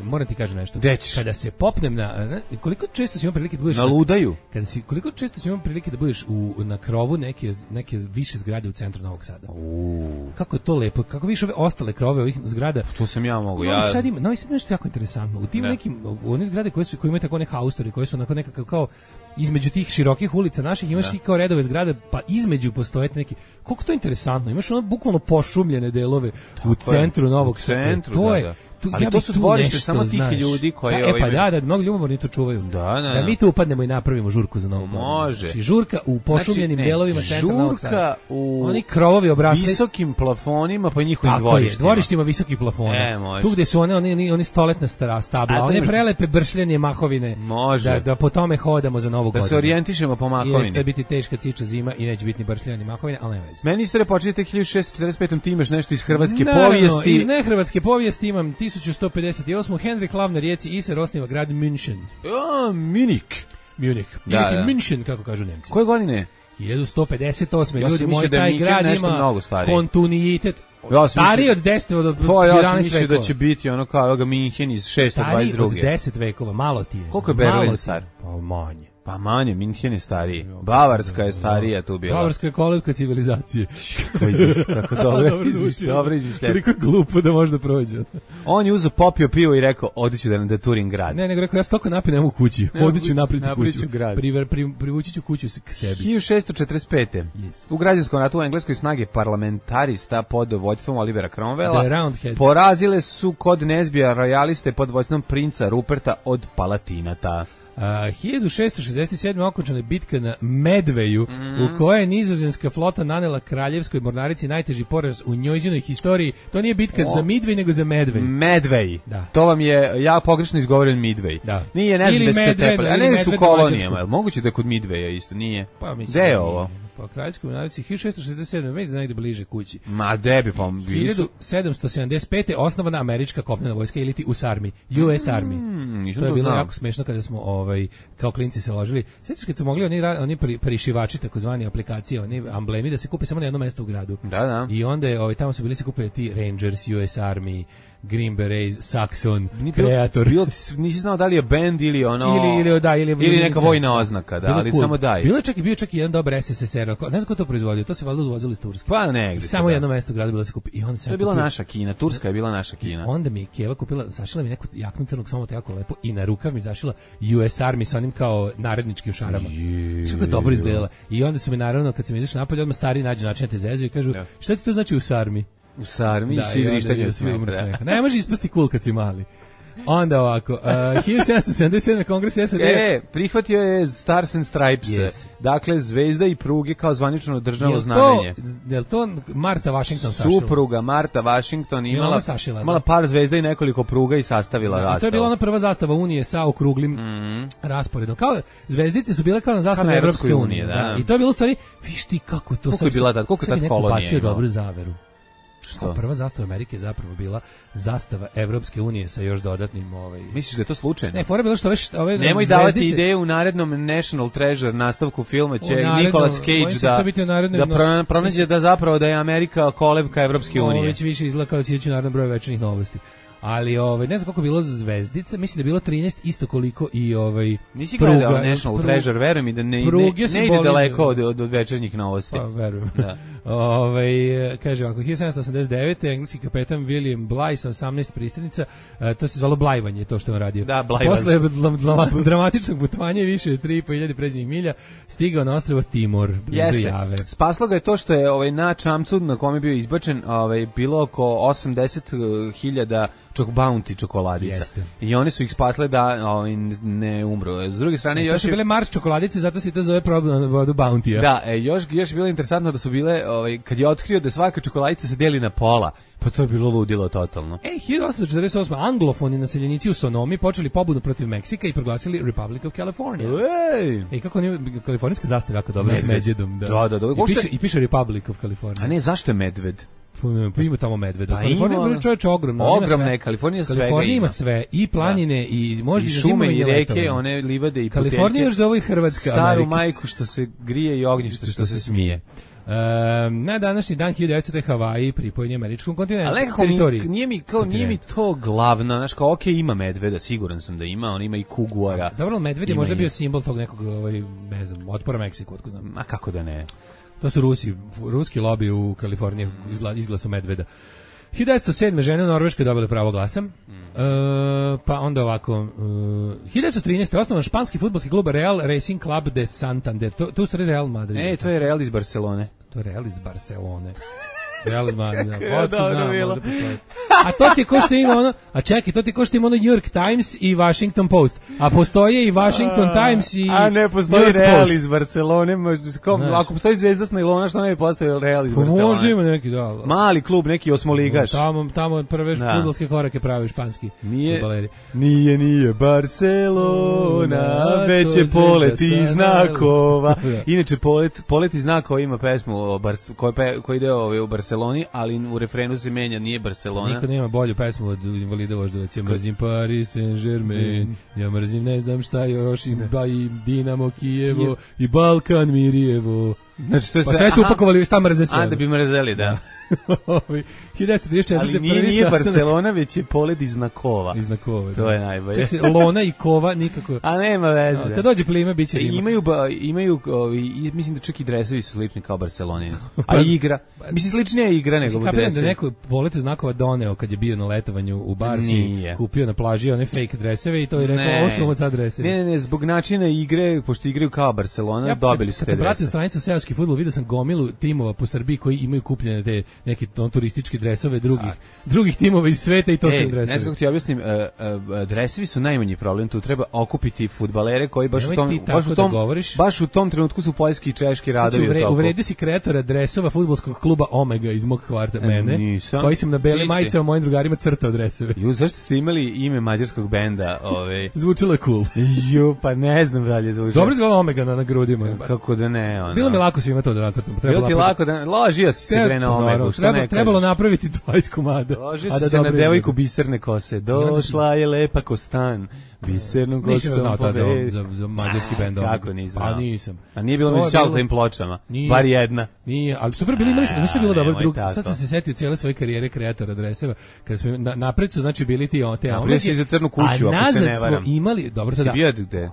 moram ti kažem nešto. Deč. Kada se popnem na, uh, koliko često si imao prilike da budeš... Na ludaju. Na, kada si, koliko često si imao prilike da budeš u, na krovu neke, neke više zgrade u centru Novog Sada. Uuu. Kako je to lepo, kako više ove ostale krove ovih zgrada. To sam ja mogu. Novi ja... Sad ima, Novi Sad nešto jako interesantno. U tim ne. nekim, u one zgrade koje, su, koje imaju tako one haustori, koje su onako nekako kao između tih širokih ulica naših, imaš ti kao redove zgrade, pa između postoje neki, koliko to je interesantno, imaš ono bukvalno pošumljene delove tako u centru je. Novog Sada. To da, je, da. tu, ali ja to su dvorište samo tih znaš. ljudi koji... Da, e pa da, da, mnogo ljubomorni to čuvaju. Da, da, da mi tu upadnemo i napravimo žurku za Novu godinu. Može. Znači, žurka u pošumljenim znači, delovima centra Novog Sada. Žurka u oni krovovi obrasli visokim plafonima pa njihovim dvorištima. Dvorištima visokih plafona. E, tu gde su one, one, one stoletna stara stabla, one može... prelepe bršljanje mahovine. Može. Da, da po tome hodamo za Novu da godinu. Da se orijentišemo po mahovini. Jeste biti teška ciča zima i neće biti ni bršljanje ni mahovine, ali ne veze. Meni istorija počinje tek hiljadu šessto četrdeset pete. Ti imaš nešto iz hrvatske Naravno, povijesti. Iz nehrvatske povijesti imam tisuću sto pedeset osam. Henrik Lav na rijeci Iser osniva grad München. Ja, Munich. Munich. Da, Ili da. München, kako kažu Nemci. Koje godine? hiljadu sto pedeset osam. Ja Ljudi, moj taj grad ima kontinuitet. Ja stariji od deset od jedanaest vekova. Ja sam mislio da će biti ono kao ovoga Minhen iz šesto dvadeset druge. Stariji od deset vekova, malo ti je. Koliko je Berlin star? Pa manje. Pa manje, Minhen je stariji. Bavarska je starija tu bila. Bavarska je kolevka civilizacije. Kako dobro izmišljeno. Dobro izmišljeno. Koliko je glupo da možda prođe. On je uzeo, popio pivo i rekao, odiću da nam da turim grad. Ne, nego rekao, ja stoko napinem u kući. Odiću napriti kuću. Priver, pri, privući ću kuću k sebi. hiljadu šessto četrdeset pete. Yes. U građanskom ratu u Engleskoj snage parlamentarista pod vođstvom Olivera Cromwella porazile su kod Nezbija rojaliste pod vođstvom princa Ruperta od Palatinata. Uh, hiljadu šessto šezdeset sedme. okončana je bitka na Medveju, mm. u kojoj je nizozemska flota nanela kraljevskoj mornarici najteži poraz u njezinoj historiji. To nije bitka o. za Midvej, nego za Medvej. Medvej. Da. To vam je, ja pogrešno izgovoren Midvej. Da. Nije, ne znam da se tepali. A ne su kolonijama. Moguće da je kod Midveja isto, nije. Pa mislim. Gde je ovo? Pa kraljevskoj mornarici hiljadu šessto šezdeset sedme. Već da negde bliže kući. Ma debi pa hiljadu sedamsto sedamdeset pete. osnovana američka kopnena vojska ili ti U S Army, U S Army. Mm, to je bilo znam. jako smešno kada smo ovaj kao klinci se ložili. Sećaš kad su mogli oni oni prišivači takozvani aplikacije, oni amblemi da se kupe samo na jednom mestu u gradu. Da, da. I onda je ovaj tamo su bili se kupili ti Rangers, U S Army, Green Berets, Saxon, Creator. Bilo, nisi znao da li je band ili ono ili ili da ili, ili neka vojna oznaka, da, ali cool. samo daj. Bilo je čak i bio čak i jedan dobar S S S R. Ne znam ko to proizvodio, to se valjda uvozilo iz Turske. Pa negde. Samo jedno mesto u gradu bilo se kupi i onda se to je bila kupio. Naša Kina, Turska je bila naša Kina. I onda mi je Keva kupila, zašila mi neku jaknu crnog samo jako lepo i na rukav mi zašila U S Army sa onim kao naredničkim šarama. Kako je dobro izgledala. I onda su mi naravno kad sam izašao napolje odmah stari nađu način te zezu i kažu ja. Šta ti to znači U S Army? U Sarmi, svi vrištanje od smeha. Ne može ispasti cool kad si mali. Onda ovako, uh, hiljadu sedamsto sedamdeset sedme. kongres S A D. E, prihvatio je Stars and Stripes. Yes. Dakle, zvezda i pruge kao zvanično državno znamenje. Je li to Marta Washington sašila? Supruga Marta Washington imala, sašila, imala par zvezda i nekoliko pruga i sastavila rastavu. To je bila ona prva zastava Unije sa okruglim mm. rasporedom. Kao, zvezdice su bile kao na zastavi kao Evropske unije. Da. Da. I to je bilo u stvari, viš ti kako to koliko je bila tad, koliko je tad kolonija bacio dobru zaveru. Što? Prva zastava Amerike je zapravo bila zastava Evropske unije sa još dodatnim ovaj. Misliš da je to slučajno? Ne, fora je bilo što ove ove Nemoj davati ideje u narednom National Treasure nastavku filma će Nicolas Cage da da pro, pronađe da zapravo da je Amerika kolevka Evropske unije. Ovo već više izgleda kao da će ići u narednom broju večernjih novosti. Ali ovaj ne znam koliko je bilo zvezdica, mislim da je bilo trinaest isto koliko i ovaj nisi gledao National prug, Treasure, veruj mi da ne ne, ne ide daleko od, od, od večernjih novosti. Pa verujem. Da. Ovaj kaže ovako hiljadu sedamsto osamdeset devete engleski kapetan William Bligh sa osamnaest pristanica, to se zvalo blajvanje, to što on radio. Da, posle dramatičnog putovanja više od tri i po hiljade pređenih milja stigao na ostrvo Timor blizu Jave. Spaslo ga je to što je ovaj na čamcu na kome je bio izbačen, ovaj bilo oko osamdeset hiljada čok bounty čokoladica. Jeste. I oni su ih spasle da ovaj ne umru. S druge strane e, još su bile Mars čokoladice, zato se to zove problem na vodu bounty. Da, e, još još je bilo interesantno da su bile ovaj kad je otkrio da svaka čokoladica se deli na pola. Pa to je bilo ludilo totalno. E, hiljadu osamsto četrdeset osme anglofoni naseljenici u Sonomi počeli pobudu protiv Meksika i proglasili Republic of California. Ej! E, kako nije kalifornijska zastava jako dobra s medvedom. Da, da, da. da. I, piše, I piše Republic of California. A ne, zašto je medved? Pa ima tamo medveda. Pa Kalifornija je čovječe ogromna. Ogromna je, Kalifornija sve Kalifornija ima sve, i planine, da. i može i šume i reke, one livade i potenke. Kalifornija još zove Hrvatska Staru Amerika. Majku što se grije i ognjište što, što se smije. Um, na današnji dan hiljadu devetsto Havaji pripojen američkom kontinentu. Ali nekako mi, nije, mi, kao, nije mi to glavno, znaš kao, ok, ima medveda, siguran sam da ima, on ima i kuguara. Dobro, medved je možda bio simbol tog nekog, ovaj, ne znam, otpora Meksiku, otko znam. A kako da ne? To su Rusi, ruski lobby u Kaliforniji izgla, izglasu medveda. hiljadu devetsto sedme žene u Norveškoj dobile pravo glasa. Mm. E, pa onda ovako, uh, hiljadu devetsto trinaeste osnovan španski fudbalski klub Real Racing Club de Santander. To, to su Real Madrid. E, to je Real iz Barcelone. To je Real iz Barcelone. Real Madrid. Ja, dobro bilo. A to ti ko što ima ono, a čekaj, to ti ko što ima ono New York Times i Washington Post. A postoje i Washington a, Times i A ne postoji Real iz Barcelone, možda kom, ako postoji Zvezda s nailona, što ne bi postavio Real iz Barcelone. Možda ima neki, da. Mali klub, neki osmoligaš. Tamo tamo prve fudbalske korake pravi španski fudbaleri. Nije, nije Barcelona, već je polet iz znakova. Inače polet, polet iz znakova ima pesmu o Bar, koji koji ide ovaj u Barceloni, ali u refrenu se menja, nije Barcelona. Niko nema bolju pesmu od Invalida Voždovac. Ja mrzim Paris Saint-Germain, mm. ja mrzim ne znam šta još, i, ba, i Dinamo Kijevo, Kijev. I Balkan Mirjevo. Znači, to je pa sve su upakovali šta mrze sve. A, da bi mrzeli, da. hiljadu devetsto trideset četvrte Ali nije, nije Barcelona, već je polet iz znakova. Iz znakova, to da. je najbolje. Čekaj, Lona i Kova nikako. A nema veze. No, kad dođe plime, bit će Rima. Imaju, imaju ovi, mislim da čak i dresovi su slični kao Barceloni. A igra, mislim sličnija je igra nego dresovi. dresovi. Da neko polete znakova doneo kad je bio na letovanju u Barsi, nije. Kupio na plaži one fake dreseve i to je rekao, ovo su ovo sad dresevi. Ne, ne, ne, zbog načina igre, pošto igraju kao Barcelona, ja, dobili su te dresove. Kad se pratio stranicu seoski fudbal, vidio sam gomilu timova po Srbiji koji imaju kupljene te neke turističke dresove drugih drugih timova iz sveta i to su dresovi. Ne znam kako ti objasnim, uh, uh, dresovi su najmanji problem, tu treba okupiti fudbalere koji baš u tom baš u tom da baš u tom trenutku su poljski i češki radovi uvre, u toku. Uvredi si kreatora dresova fudbalskog kluba Omega iz mog kvarta, e, mene, nisam, koji sam na belim majicama mojim drugarima crtao dresove. Ju, zašto ste imali ime mađarskog benda? Ovaj zvučilo je cool. Ju, pa ne znam dalje zvuči. Dobro izgleda Omega na, na grudima. Kako da ne, ono. Bilo mi lako svima to da nacrtam. Bilo ti lako da ložio si se bre na Omegu, što ne trebalo napraviti dvadeset komada. Ložio si se na devojku biserne kose. Došla je lepa ko stan. Bisernu kosom. Nisam znao tad za, za, za mađarski bend. Kako nisam? A nisam. A nije bilo mi šal tim pločama. Nije, bar jedna. Nije, ali super bili, imali smo, znaš što je bilo dobro drug. Sad sam se setio cijele svoje karijere kreatora dreseva, kada smo na, napred su znači bili ti te Omega. Si za crnu kuću, ako se ne varam. Smo imali, dobro sada.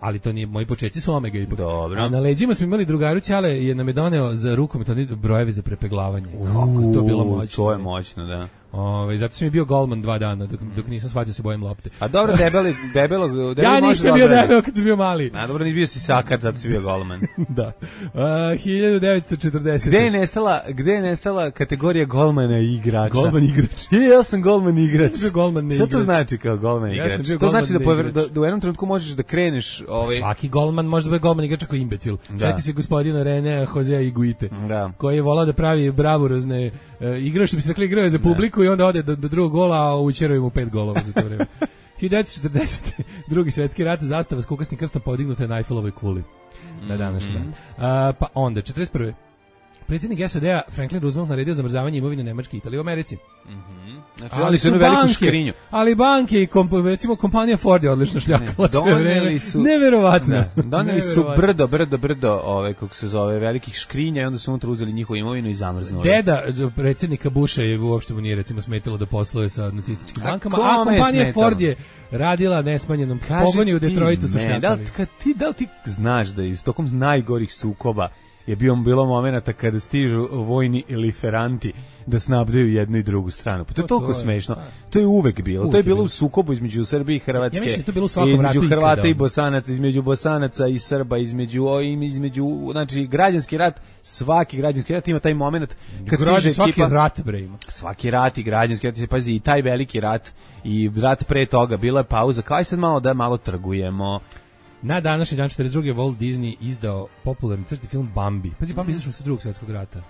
Ali to nije, moji početci su Omega ipak. Dobro. A na leđima smo imali drugaru Ćale, je nam je doneo za rukometni brojevi za prepeglavanje. Kako to bilo moćno. To je moćno, da. Ove, zato sam mi bio golman dva dana, dok, dok nisam shvatio se bojim lopte. A dobro, debeli, debelo... debelo ja nisam bio debelo kad sam bio mali. A dobro, nisi bio si sakar, zato si bio golman. Da. Uh, hiljadu devetsto četrdesete Gde je nestala, gde je nestala kategorija golmana i igrača? Golman igrač. Je, ja sam golman igrač. Ja golman ne Šta igrač. to znači kao golman ja igrač? To znači da, pover, da, da u jednom trenutku možeš da kreneš... Ovaj... Svaki golman može da bude golman igrač ako imbecil. Sjeti se gospodina Renea Josea Iguite, da. Koji je volao da pravi bravurozne uh, igrače, što bi se rekli igrao za publiku da. I onda ode do, do drugog gola, a učeraju mu pet golova za to vreme. hiljadu devetsto četrdesete Drugi svetski rat, zastava s kukasnim krstom podignuta je na Eiffelovoj kuli. Na današnji dan. Uh, pa onda, četrdeset prve Predsjednik S A D-a Franklin Roosevelt naredio zamrzavanje imovine Nemačke i Italije u Americi. Mhm. Znači, ali su banke, ali banke i komp, recimo kompanija Ford je odlično šljakala sve vreme. Su, neverovatno. Da, doneli su brdo, brdo, brdo, ove, kako se zove, velikih škrinja i onda su unutra uzeli njihovu imovinu i zamrznuli. Deda predsjednika Busha je uopšte mu nije recimo smetilo da posluje sa nacističkim a bankama, a kompanija Ford je radila nesmanjenom pogoni u Detroitu su šljakali. Da li, ti, da li ti znaš da je tokom najgorih sukoba je bio bilo momenata kada stižu vojni liferanti da snabdaju jednu i drugu stranu. Pa to je toliko smešno. To je uvek bilo. To je bilo u sukobu između Srbije i Hrvatske. Ja mislim to bilo u svakom između ratu Hrvata i Bosanaca, između Bosanaca i Srba, između između znači građanski rat, svaki građanski rat ima taj momenat kad stiže svaki ekipa, rat bre ima. Svaki rat i građanski rat, pazi, i taj veliki rat i rat pre toga bila je pauza. Kao aj sad malo da malo trgujemo. Na današnji dan četrdeset druge Walt Disney izdao popularni crtani film Bambi. Pazi, Bambi izašao sa drugog svjetskog rata.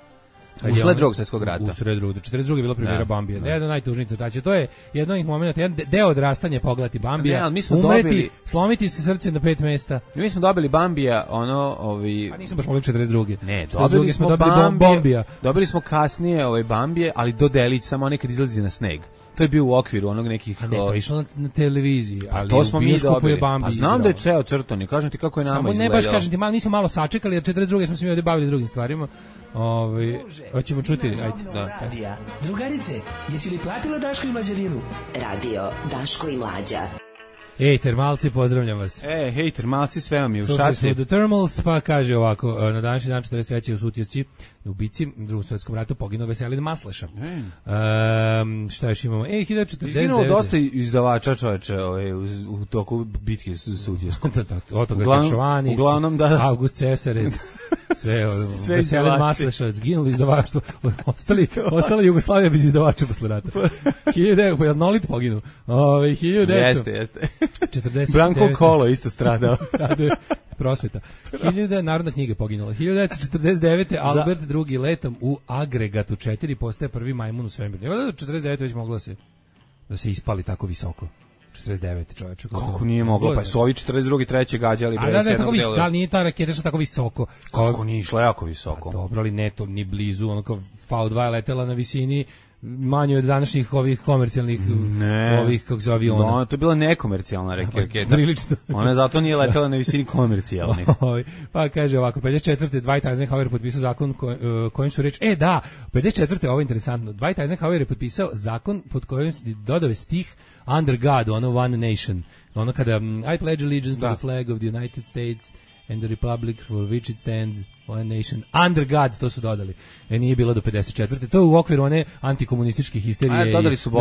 Usled drugog svjetskog rata. Usled drugog. četrdeset druge je bila premijera Bambija. Da. Jedan od najtužnijih crtača. To je jedan od njih momenata, jedan deo odrastanja pogledati Bambija. Ne, umreti, dobili, slomiti se srce na pet mesta. Mi smo dobili Bambija, ono, ovi... A nismo baš mogli četrdeset druge. Ne, dobili smo, smo dobili Bambija, Bambija. Dobili smo kasnije ovaj Bambije, ali do delić, samo nekad izlazi na sneg. To je bio u okviru onog nekih... A ne, to je išlo na, na televiziji, ali pa to smo u bioskopu je Bambi. Pa znam da je ceo crtani, kažem ti kako je nama samo izgledalo. Ne baš kažem ti, malo, mi smo malo sačekali, jer četrdeset druge smo se mi ovdje bavili drugim stvarima. Ove, hoćemo čuti, ajde. Da. Drugarice, jesi li platila Daško i Mlađarinu? Radio Daško i Mlađa. Ej, termalci, pozdravljam vas. E, hej, termalci, sve vam je u Slušali šaci. Slušali smo The Thermals, pa kaže ovako, na današnji dan četrdeset treće u Sutjevci, u bici, u drugom svjetskom ratu, poginuo Veselin Masleša. Um, šta još imamo? E, hiljadu četrdeset devet. Izginuo dosta izdavača, čoveče, ovaj, u, u toku bitke s Sutjevskom. Od toga je Kašovani, uglavnom, da, da. August Cesarec, sve, sve Veselin Masleša, zginuli izdavaštvo, ostali, ostala Jugoslavija bez izdavača posle rata. hiljadu devet, pa je Nolit poginu. Ove, hiljadu devet. Jeste, jeste. četrdeset devet. Branko Kolo isto stradao. Prosveta. Hiljada narodna knjiga poginula. hiljadu devetsto četrdeset devete. Albert drugi letom u agregatu četiri postaje prvi majmun u svemiru. Evo da četrdeset devete već moglo se da se ispali tako visoko. četrdeset devete čoveče. Kako nije moglo? Pa su ovi četrdeset drugi treći gađali bez jednog dela. A da, tako da nije ta raketa što tako visoko. Kako nije išla jako visoko? A dobro, ali ne to ni blizu, ono kao V dva je letela na visini manje od današnjih ovih komercijalnih ne. ovih kako se aviona. No, to je bila nekomercijalna raketa. Prilično. Ona zato nije letela na visini komercijalnih. Pa kaže ovako, pedeset četvrte Dwight Eisenhower potpisao zakon ko, uh, kojim su reč, e da, pedeset četvrte ovo je interesantno, Dwight Eisenhower je potpisao zakon pod kojim dodao stih Under God, ono One Nation, ono kada um, I pledge allegiance da. to the flag of the United States and the republic for which it stands, one nation, under God, to su dodali. E, nije bilo do pedeset četvrte. To je u okviru one antikomunističke histerije i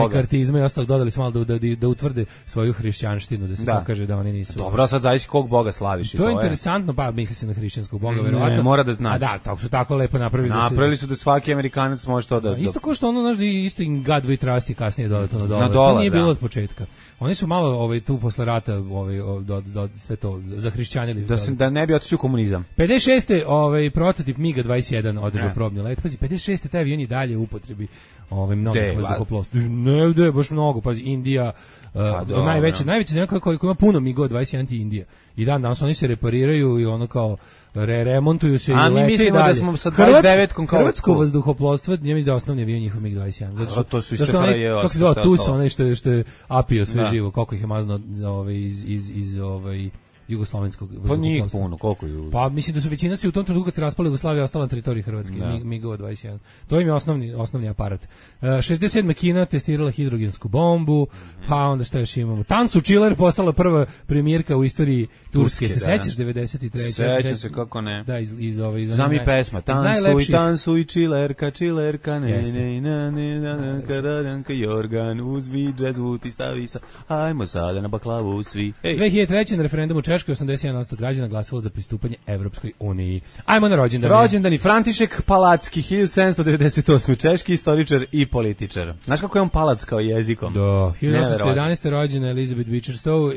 mekartizma i ostalog, dodali su malo da, da, da utvrde svoju hrišćanštinu, da se da. pokaže da oni nisu... Dobro, sad zavisi kog Boga slaviš. To, to je interesantno, pa misli se na hrišćanskog Boga, ne, verovatno. Ne, mora da znači. A da, tako su tako lepo napravili. Napravili da se, su da svaki Amerikanac može to da... da isto kao što ono, znaš, isto in God we trust i kasnije dodato na dolar. Na dolar, to nije da. bilo od početka. Oni su malo ovaj, tu posle rata ovaj, do, do, sve to zahrišćanili. Da, se, da ne bi otišao komunizam. pedeset šeste ovaj, prototip MiG dvadeset jedan održao probni let. Pazi, pedeset šeste taj avion i dalje u upotrebi ovaj, mnogih vazduhoplovstva. Ne, ne, baš mnogo. Pazi, Indija, uh, do, najveća, najveća zemlja koja, koja ima puno MiG dvadeset jedan ti Indija. I dan danas oni se repariraju i ono kao re, remontuju se a i lete mislimo dalje. Da smo sa dvadeset devetkom kao Hrvatsko vazduhoplovstvo, ja mislim da je osnovni avion njihov MiG dvadeset jedan. Zato što, to su i S F R J. Kako se zove, tu su onaj što je, što je apio sve da. živo, koliko ih je mazno ovaj, iz, iz, iz ovaj, jugoslovenskog pa nije puno, koliko je? Pa mislim da su većina se u tom trenutku kad se raspala Jugoslavija ostala na teritoriji Hrvatske, MiG dvadeset jedan. To im je osnovni, osnovni aparat. Uh, šezdeset sedme Kina testirala hidrogensku bombu, mm-hmm. pa onda šta još imamo? Tansu Chiller postala prva premijerka u istoriji Turske, se sećaš, devedeset treće Sećam se, kako ne. Da, iz, iz ove... Iz Zami pesma, tansuj, tansuj, Chillerka, Chillerka, ne, ne, ne, ne, ne, kadaranka, Jorgan, uzmi džezvu, ti stavi sa, hajmo sada na baklavu svi. dve hiljade treće na referendumu Češkoj osamdeset jedan posto građana glasalo za pristupanje Evropskoj uniji. Ajmo na rođendane. Rođendani František Palacki, hiljadu sedamsto devedeset osme češki istoričar i političar. Znaš kako je on Palac kao jezikom? Da, hiljadu osamsto jedanaeste rođena Elizabeth Beecher-Stowe,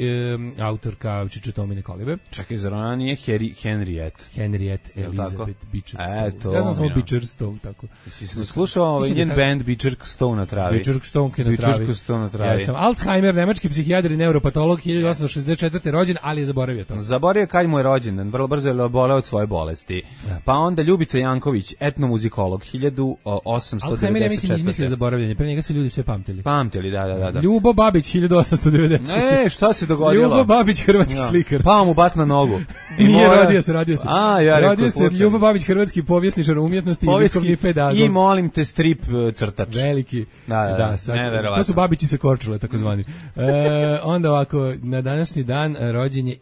e, autorka Čičetomine kolibe. Čekaj, zar ona nije Harry, Henriette? Henriette Elizabeth Beecher-Stowe. Eto, ja znam samo Beecher-Stowe, tako. Si slušao ovaj njen da band Beecher-Stowe na travi? Beecher-Stowe na travi. Beecher-Stowe na travi. Ja sam Alzheimer, nemački psihijatar i neuropatolog, hiljadu osamsto šezdeset četvrte rođen, ali je zaboravio zaboravio to. Zaboravio kad mu je rođendan, vrlo brzo je oboleo od svoje bolesti. Ja. Pa onda Ljubica Janković, etnomuzikolog, hiljadu osamsto devedeset četvrte. Alzheimer, ja mislim, izmislio zaboravljanje, pre njega su ljudi sve pamtili. Pamtili, da, da, da. Ljubo Babić, hiljadu osamsto devedesete. E, šta se dogodilo? Ljubo Babić, hrvatski ja. slikar. Pa mu bas na nogu. I Nije, mora... rodio se, rodio se. A, ja rodio se Ljubo Babić, hrvatski povjesničar umjetnosti i likovni pedagog. I molim te strip crtač. Veliki. Da, da, da sad, to su Babići sa Korčule, takozvani. e, onda ovako, na današnji dan rođen je...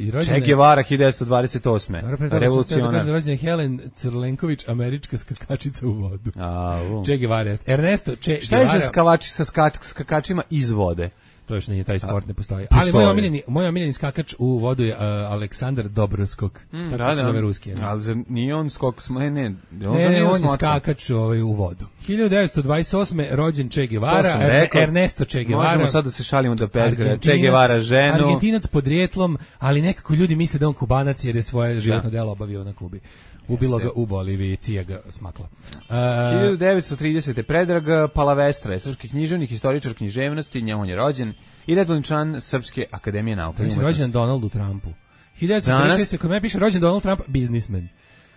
I rođen Che Guevara, hiljadu devetsto dvadeset osme. Revolucionar. Rođen je Helen Crlenković, američka skakačica u vodu. A, u. Che Guevara. Ernesto Che Šta Guevara. Šta je za skavači, sa skač, skakačima iz vode? To još nije, taj sport ne postoji. Ali moj omiljeni, moj omiljeni skakač u vodu je uh, Aleksandar Dobroskok. Mm, tako da, se zove ruski. Ne? Ali nije on skok, ne, ne, on, ne, ne, on je skakač ovaj, u vodu. hiljadu devetsto dvadeset osme rođen Che Guevara, rekao, Ernesto Che Guevara. Možemo sad da se šalimo da pezgre Che Guevara ženu. Argentinac podrijetlom, ali nekako ljudi misle da on Kubanac jer je svoje životno delo obavio na Kubi. Ubilo ga u Boliviji, cija ga smakla. Uh, hiljadu devetsto tridesete Predrag Palavestra je srpski književnik, historičar književnosti, njemu je rođen i redovni član Srpske akademije nauka. Da je rođen Donaldu Trumpu. hiljadu devetsto četrdeset šeste kod mene piše rođen Donald Trump, biznismen.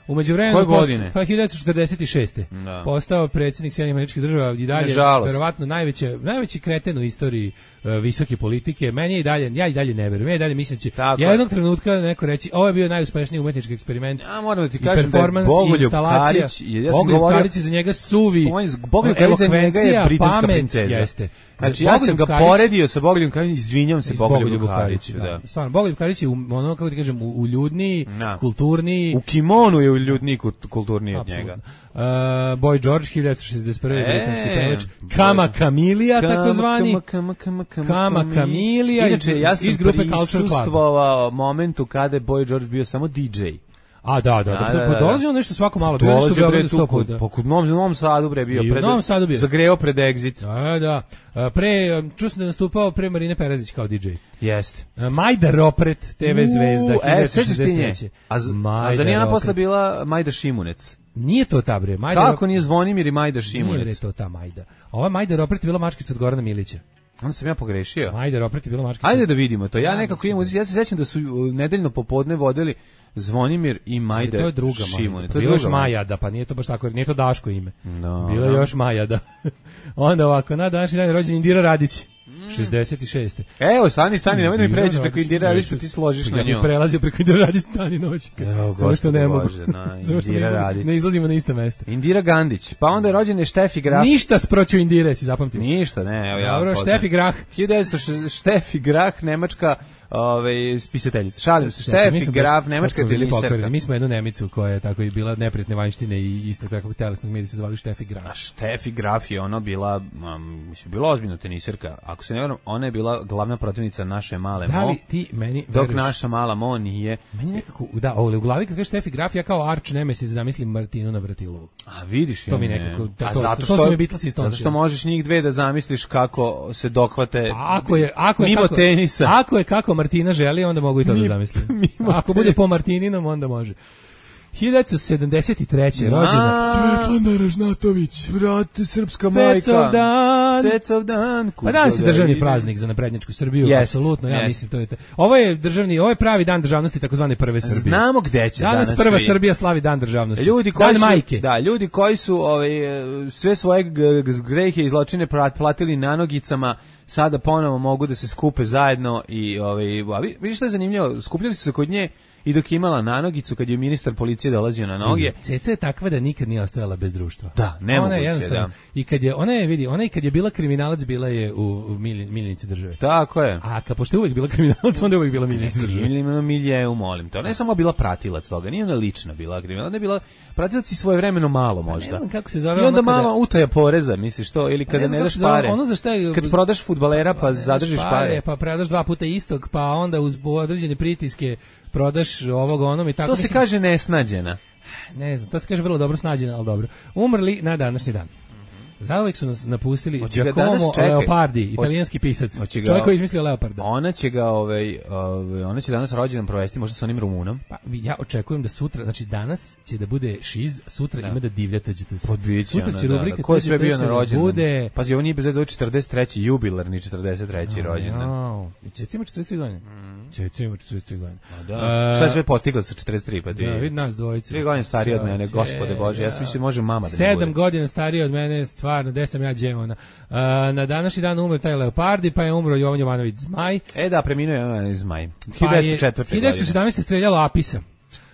U međuvremenu koje godine? Pa hiljadu devetsto četrdeset šeste Da. Postao predsjednik Sjedinjenih Američkih Država i dalje verovatno najveće najveći kreten u istoriji uh, visoke politike. Meni je i dalje ja i dalje ne verujem. Ja i dalje mislim će jednog trenutka neko reći ovo je bio najuspešniji umetnički eksperiment. Ja moram da ti kažem da je Bogoljub Karić, ja sam govorio Karić za njega suvi. Bogoljub Karić za njega je britanska princeza. Jeste. Znači ja sam ga Karić, poredio sa Bogoljubom Karićem, izvinjavam se Bogoljubu Kariću, da. Stvarno Bogoljub Karić je ono kako ti kažem uljudniji, kulturniji. U kimonu je uljudniji, kulturniji od njega. Uh, Boy George, hiljadu devetsto šezdeset prve E, britanski pevač. Kama Kamilija, takozvani. Kama, kama, kama, Kama Kamilija. Inače, ja sam prisustvovao momentu kada je Boy George bio samo D J. A da, da, da, da, da, dolazi on nešto svako malo, bio nešto u Beogradu sto puta. Pa kod Novom, Novom Sadu bre bio, pred, bio. zagreo pred Exit. Da, da, pre, čuo sam da je nastupao pre Marine Perazić kao D J. Jeste. Majda Ropret, te ve zvezda, hiljadu devetsto šezdeset treće A, a za njena posle bila Majda Šimunec. Nije to ta bre, Majda. Kako nije Zvonimir i Majda Šimunec? Nije to ta Majda. Ova Majda Ropret je bila mačkica od Gorana Milića. Onda sam ja pogrešio. Majda Ropret je bila mačkica. Ajde da vidimo to. Ja, ja nekako imam, ja se sećam da su nedeljno popodne vodili Zvonimir i Majda. To je druga Majda. To je još Majada, pa nije to baš tako, nije to Daško ime. No, bilo je no. još Majada. Onda ovako, na današnji dan je rođen Indira Radić. šezdeset šeste Evo, stani, stani, nemoj da mi pređeš preko Indira Radić, ti složiš na nju. Ja bih prelazio preko Indira Radić stani noći. Samo što ne mogu. Indira Radić. Ne izlazimo na ista mesta. Indira Gandić, pa onda je rođen je Štefi Grah. Ništa sproću Indire, si zapamtio. Ništa, ne, evo ja. Dobro, Štefi Grah. hiljadu devetsto šezdeset Štefi Grah, nemačka Ove spisateljica. Šalim se, Štefi Graf, nemačka teniserka. Mi smo jednu Nemicu koja je tako i bila neprijatne vanjštine i isto takvog telesnog medija se zvali Štefi Graf. A Štefi Graf je ona bila, um, mislim, bila ozbiljna teniserka. Ako se ne varam, ona je bila glavna protivnica naše male Mo. Da li ti meni dok veruješ? Naša mala Mo nije. Meni nekako, da, ovdje u glavi kad kaže Štefi Graf, ja kao arč nemesis zamislim Martinu Navratilovu. A vidiš, to mi nekako, to, a zato to, što, to su mi Beatlesi iz zato što možeš njih dve da zamisliš kako se dohvate pa ako je, ako je mimo kako, tenisa. Ako je kako Martina želi, onda mogu i to Mi, da zamislim. Ako bude po Martininom, onda može. hiljadu devetsto sedamdeset treće rođena Svetlana Ražnatović, brate, srpska majka. Cecov dan. Cecov dan. Pa danas je državni praznik za naprednjačku Srbiju, yes, apsolutno, ja yes. mislim to je te. Ovo je državni, ovo je pravi dan državnosti takozvane prve Srbije. Znamo gde će danas. Danas prva svi. Srbija slavi dan državnosti. Ljudi koji dan su, majke. Da, ljudi koji su ovaj sve svoje grehe i zločine platili na nogicama, sada ponovo mogu da se skupe zajedno i ovaj a vidiš što je zanimljivo, skupljali su se kod nje i dok imala nanogicu kad je ministar policije dolazio na noge. Ceca je takva da nikad nije ostajala bez društva. Da, nemoguće, da. I kad je ona je vidi, ona i kad je bila kriminalac bila je u, u miljenici države. Tako je. A kad pošto je uvijek bila kriminalac, onda je uvijek bila miljenica države. Miljenica milje, molim to. Ne samo bila pratilac toga, nije ona lična bila kriminalac, ona je bila pratilac i svojevremeno malo možda. Ne znam kako se zove. I onda malo utaja poreza, misliš to, ili kada ne, ne daš pare. Ono za šta je, kad prodaš fudbalera pa zadržiš pare, pare, pa predaš dva puta istog, pa onda uz određene pritiske prodaš ovog onom i tako. To se mislim, kaže nesnađena. Ne znam, to se kaže vrlo dobro snađena, ali dobro. Umrli na današnji dan. Zauvek su nas napustili Hoće ga Giacomo danas, čekaj. Leopardi, italijanski pisac. Hoće ga- Čovjek koji je izmislio Leoparda. Ona će ga, ovaj, ovaj, ona će danas rođendan provesti možda sa onim Rumunom. Pa vi- ja očekujem da sutra, znači danas će da bude šiz, sutra ima da divljate ćete se. Podbiće Sutra ona, će da, rubrika da. Ko je sve Tuđi bio se na da rođendan? bude- Pazi, ovo nije bez veze, četrdeset treći jubilarni četrdeset treći rođendan. Jao, i Ceca ima četrdeset tri godine. Ceca ima četrdeset tri godine. Da. E, Šta je sve postigla sa četrdeset tri, pa ti? Da, vidi nas dvojice. Tri godine stariji od mene, gospode Bože, ja sam mislio može mama da mi Sedam bude. godina stariji od mene, stvarno, gde sam ja džemona. Uh, na današnji dan umro taj Leopardi, pa je umro Jovan Jovanović Zmaj. E da, preminuo je ona iz Maj. Pa je hiljadu devetsto četvrte godine. hiljadu devetsto sedamnaeste. streljalo Apisa.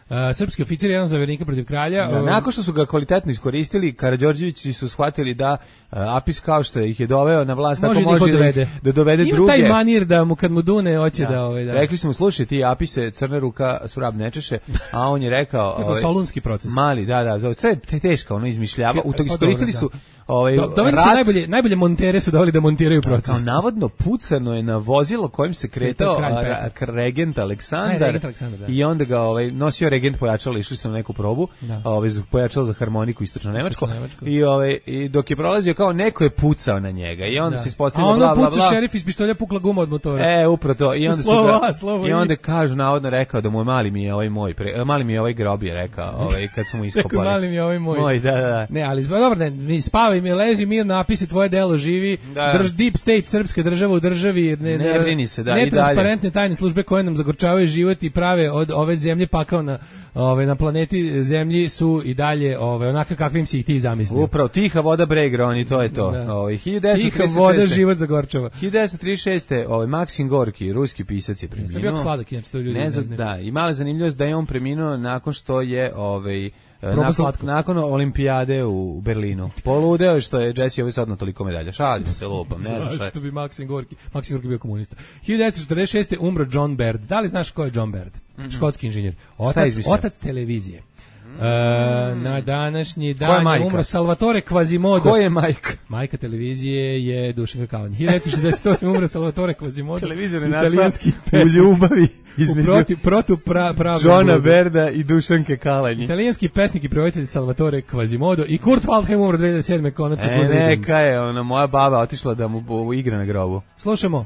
Uh, srpski oficir, jedan zavernika protiv kralja. Da, uh, nakon što su ga kvalitetno iskoristili, Karađorđevići su shvatili da uh, Apis kao što ih je doveo na vlast, Može tako da ih može da, odvede. ih- da dovede Ima druge. taj manir da mu kad mu dune hoće da, Da. ovaj da. Rekli smo, slušaj ti Apise, crna ruka surab ne češe, a on je rekao... To je solunski proces. Mali, da, da, to je te- teško, ono izmišljava. U to Pa iskoristili dobro, su da. ovaj, Do, doveli su rat- najbolje, najbolje montere su doveli da montiraju proces. Kao navodno pucano je na vozilo kojim se kretao Kralj a, Petar. ra- k- regent Aleksandar, Ne, regent Aleksandar, da. i onda ga ovaj, nosio regent pojačalo, išli su na neku probu, Da. ovaj, za- pojačalo za harmoniku istočno Nemačko, Istočno-nemačko. i, ovaj, i dok je prolazio kao neko je pucao na njega i onda Da. se A ispostavilo ono bla bla puca bla. šerif iz pištolja, pukla guma od motora. E, upravo to. I onda su Slovo ga, A, slovo i I. onda kažu, navodno rekao da mu je mali mi je ovaj moj, pre, e, mali mi je ovaj grob je rekao, ovaj, kad su mu iskopali. Rekao, mali mi je ovaj moj. Moj, da, da, da. Ne, ali zba- dobro, ne, mi spavaj mi, leži mir, napisi tvoje delo, živi, Da. drž deep state srpske države u državi, ne, Ne brini se, da, i netransparentne tajne službe koje nam zagorčavaju život i prave od ove zemlje pakao na, ove, na planeti zemlji su i dalje ove, onaka kakvim si ih ti zamislio. Upravo, tiha voda Bregroni, to je to. Da. Ovaj, hiljadu devetsto Tiha trideset voda, šeste. život zagorčava. hiljadu devetsto trideset šeste. ovaj Maksim Gorki, ruski pisac je Jeste bio preminuo. sladak, inače to ljudi Ne ne znam, znaju. da, i mala zanimljivost da je on preminuo nakon što je ovaj Probao nakon, slatko. nakon olimpijade u Berlinu. Poludeo je što je Jesse ovaj sad na toliko medalja. Šalim se lupam, ne znam šta je. Zašto bi Maksim Gorki, Maksim Gorki bio komunista. hiljadu devetsto četrdeset šeste. umro John Baird. Da li znaš ko je John Baird? Škotski inženjer. Šta je Otac, izmislio? otac televizije. E, na današnji Ko je dan je majka? umro Salvatore Quasimodo. Ko je majka? Majka televizije je Dušanka Kalan. hiljadu devetsto šezdeset osme. umro Salvatore Quasimodo. Televizor je italijanski nastao u pesnik. ljubavi U između proti, protu pra, pravnog Johna bluda. Berda i Dušanke Kalanji. Italijanski pesnik i prevojitelj Salvatore Quasimodo i Kurt Waldheim umro dve hiljade sedme. konačno. E, Good riddance. neka je, ona moja baba otišla da mu bu- igra na grobu. Slušamo.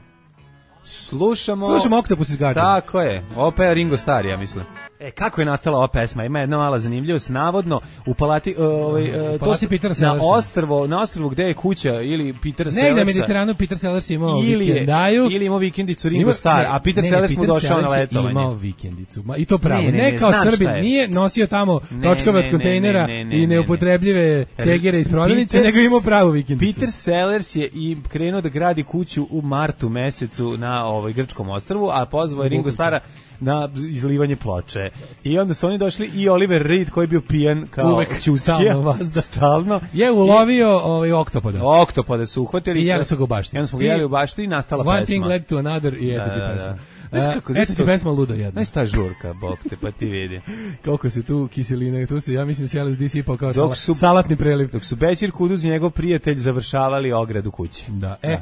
Slušamo... Slušamo Octopus iz Gardena. Tako je, opet je Ringo Starr, ja mislim. E, kako je nastala ova pesma? Ima jedna mala zanimljivost. Navodno, u palati... Uh, ovaj, uh, to palati su- Petera na Sellersa. ostrvo, na ostrvu gde je kuća ili Peter Negde Sellersa. na Mediteranu Peter Sellers imao ili je, vikendaju. ili imao vikendicu Ringo Ima- Starr, ne, a Peter ne, Sellers mu Peter došao na Sellers je letovanje. imao vikendicu. Ma, i to pravo. Ne, Ne, ne, ne, kao znam Srbin. šta je. Nije nosio tamo Ne, točkove ne, od kontejnera ne, ne, ne, i ne, ne. neupotrebljive cegere iz prodavnice, Peter- nego je imao pravu vikendicu. Peter Sellers je i krenuo da gradi kuću u martu mesecu na ovaj grčkom ostrvu, a pozvao je Ringo Moguće. Starra na izlivanje ploče. I onda su oni došli i Oliver Reed koji je bio pijan kao Uvek, ćuskija. stalno vazda. Stalno. Je ulovio ovaj oktopoda. Oktopode su uhvatili. I jeli su ga u bašti. I onda smo ga I- jeli u bašti i nastala One pesma. thing led to another i eto Da, ti da, pesma. da. Znaš E, kako, eto zašto- ti pesma ludo jedna. Znaš ta žurka, bok te, pa ti vidi. Koliko se tu kiseline, tu se, ja mislim, se L S D sipao kao Dok sala- su- salatni preliv. Dok su Bećir Kuduz i njegov prijatelj završavali ogradu kuće. Da, e,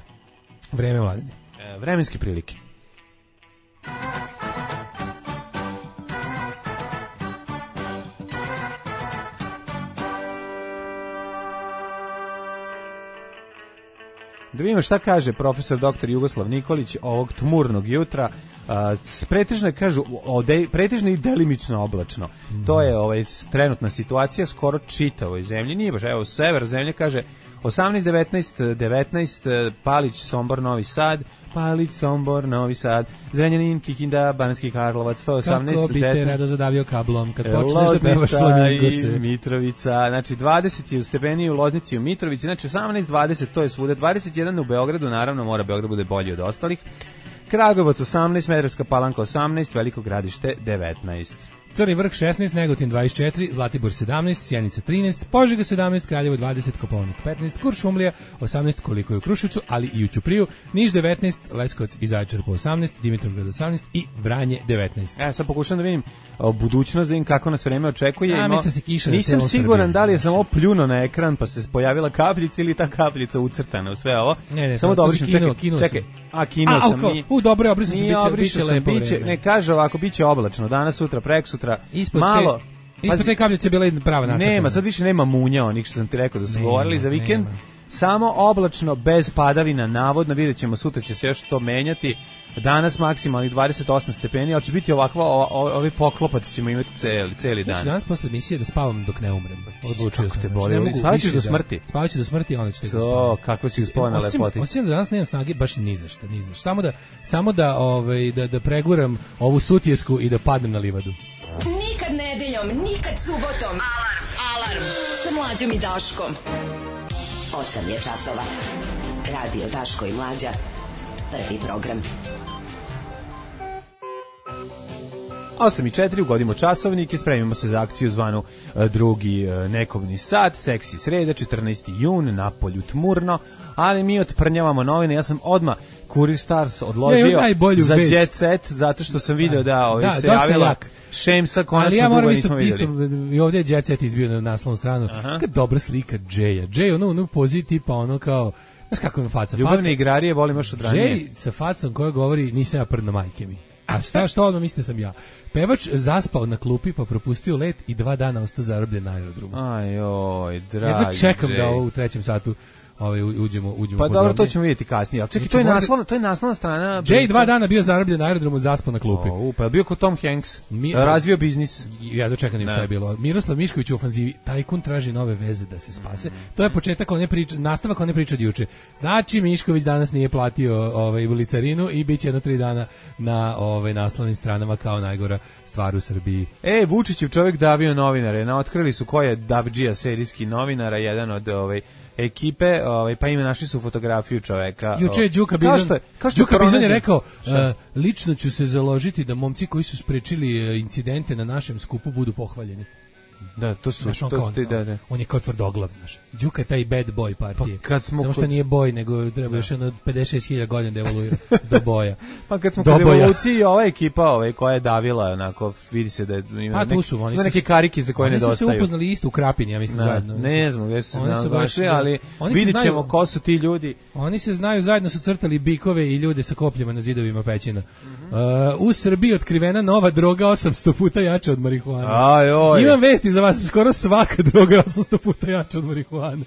vreme vladine. E, vremenske prilike. Da vidimo šta kaže profesor doktor Jugoslav Nikolić ovog tmurnog jutra. A, s- pretežno je, kažu, ode, pretežno i delimično oblačno. To je ovaj, s- trenutna situacija skoro čitavoj zemlji. Nije baš, evo, sever zemlje kaže osamnaest, devetnaest, devetnaest, Palić, Sombor, Novi Sad, Palić, Sombor, Novi Sad, Zrenjanin, Kikinda, Banatski Karlovac, sto osamnaest, Kako bi te devetnaest, rado zadavio kablom kad počneš da pevaš Loznica flamingose. i Mitrovica, znači dvadeset je u Stepeni, u Loznici i u Mitrovici, znači osamnaest, dvadeset, to je svuda, dvadeset jedan u Beogradu, naravno mora Beograd bude bolji od ostalih, Kragujevac osamnaest, Smederevska Palanka osamnaest, Veliko Gradište devetnaest. Crni vrh šesnaest, Negotin dvadeset četiri, Zlatibor sedamnaest, Sjenica trinaest, Požega sedamnaest, Kraljevo dvadeset, Kopaonik petnaest, Kuršumlija osamnaest, koliko je u Kruševcu, ali i u Ćupriju, Niš devetnaest, Leskovac i Zaječar po osamnaest, Dimitrovgrad osamnaest i Vranje devetnaest. Ja sad pokušam da vidim o, budućnost, da vidim kako nas vreme očekuje. A, Ima- mislim da se kiša na Nisam celom siguran Srbiji. da li je samo pljuno na ekran pa se pojavila kapljica ili ta kapljica ucrtana u sve ovo. Ne, ne, samo to- to dobro si čekaj, kinuo, kinuo čekaj. sam. A kinuo A, sam. kao, nije- u, dobro, obrisao sam, Nije biće- obrišao biće sam, lepo biće- vreme. Ne, kaže ovako, biće oblačno, danas, sutra, preksutra, Ispod malo. te, ispod Pazi, te kapljice bila je prava nacrtana. nema, sad više nema munja onih što sam ti rekao da su Nema, govorili za vikend. nema. samo oblačno, bez padavina, navodno, vidjet ćemo, sutra će se još to menjati. Danas maksimalnih dvadeset osam stepeni, ali će biti ovakva, o, o, ovi poklopac ćemo imati celi, celi dan. Znači danas posle emisije da spavam dok ne umrem. Odlučio Kako sam. te Znači, boli? ne mogu Spavaćeš više do da- smrti? Spavaću do smrti, a onda ću tek da To, spavam. kako si uspela na Osim- lepoti. Osim da danas nemam snage baš ni za šta, ni za šta. Samo da, samo da, ovaj, da, da preguram ovu sutjesku i da padnem na livadu. Nikad nedeljom, nikad subotom. Alarm, alarm. Sa mlađom i Daškom. osam je časova. Radio Daško i Mlađa. Prvi program. osam i četiri, ugodimo časovnik i spremimo se za akciju zvanu e, drugi e, nekobni sat, seksi sreda, četrnaesti jun, napolju tmurno, ali mi otprnjavamo novine. Ja sam odmah Kurir Stars odložio Ne, daj bolju za vest. Jet Set, zato što sam video da ovaj Da, se dosta javila jak. Šemsa, Ali konačno ja dugo moram nismo isto, vidjeli. isto, i ovdje je Jet Set izbio na naslovnu stranu. Kad dobra slika Jaya. Jay, ono, ono poziji tipa ono kao, znaš kako ima faca? Ljubavne faca, igrarije volim još od ranije. Jay sa facom koja govori nisam ja prdno majke mi. A šta, što odmah mislite sam ja? Pevač zaspao na klupi pa propustio let i dva dana ostao zarobljen na aerodromu. Aj, oj, dragi Jedva čekam Jay. da ovo u trećem satu ovaj, u- uđemo, uđemo Pa dobro, to podrobnije. ćemo vidjeti kasnije. Ali čekaj, Znači, to je možda- naslovna, to je naslovna strana. Jay dva dana bio zarobljen na aerodromu, zaspao na klupi. O, pa je bio kod Tom Hanks. Mi- Razvio biznis. Ja dočekam im šta Ne. je bilo. Miroslav Mišković u ofanzivi, tajkun traži nove veze da se spase. To je početak one priče, nastavak one priče od juče. Znači Mišković danas nije platio ovaj licarinu i biće jedno tri dana na ovaj naslovnim stranama kao najgora stvar u Srbiji. E, Vučićev čovjek davio novinare. Na otkrili su ko je Davdžija, serijski novinara, jedan od ovaj ekipe, ovaj pa im našli su fotografiju čoveka. Juče je Đuka Kao Bizon, što je, kao što je Đuka Bizon je pronađen- rekao, Šta? e, lično ću se založiti da momci koji su sprečili e, incidente na našem skupu budu pohvaljeni. Da, to su Znaš, on, to, kao, ti- da, da. on je kao tvrdoglav, znaš. Đuka je taj bad boy partije. Pa kad smo Samo što kod- nije boj, nego treba još jedno pedeset šest hiljada godina da evoluira do boja. Pa kad smo Do kod boja. revolucije, ova ekipa ovaj, koja je davila, onako, vidi se da je, ima, A, tu nek- su, oni ima su neke se- karike za koje Oni su se nedostaju. upoznali isto u Krapini, ja mislim, Da, zajedno. ne znam gdje su se Oni su baš, našli, da. ali Oni se vidit ćemo znaju- ko su ti ljudi. Oni se znaju, zajedno su crtali bikove i ljude sa kopljama na zidovima pećina. Mhm. Uh, u Srbiji otkrivena nova droga osamsto puta jača od marihuane. Aj, oj. Imam vesti za vas, skoro svaka droga je osamsto puta jača od marihuane.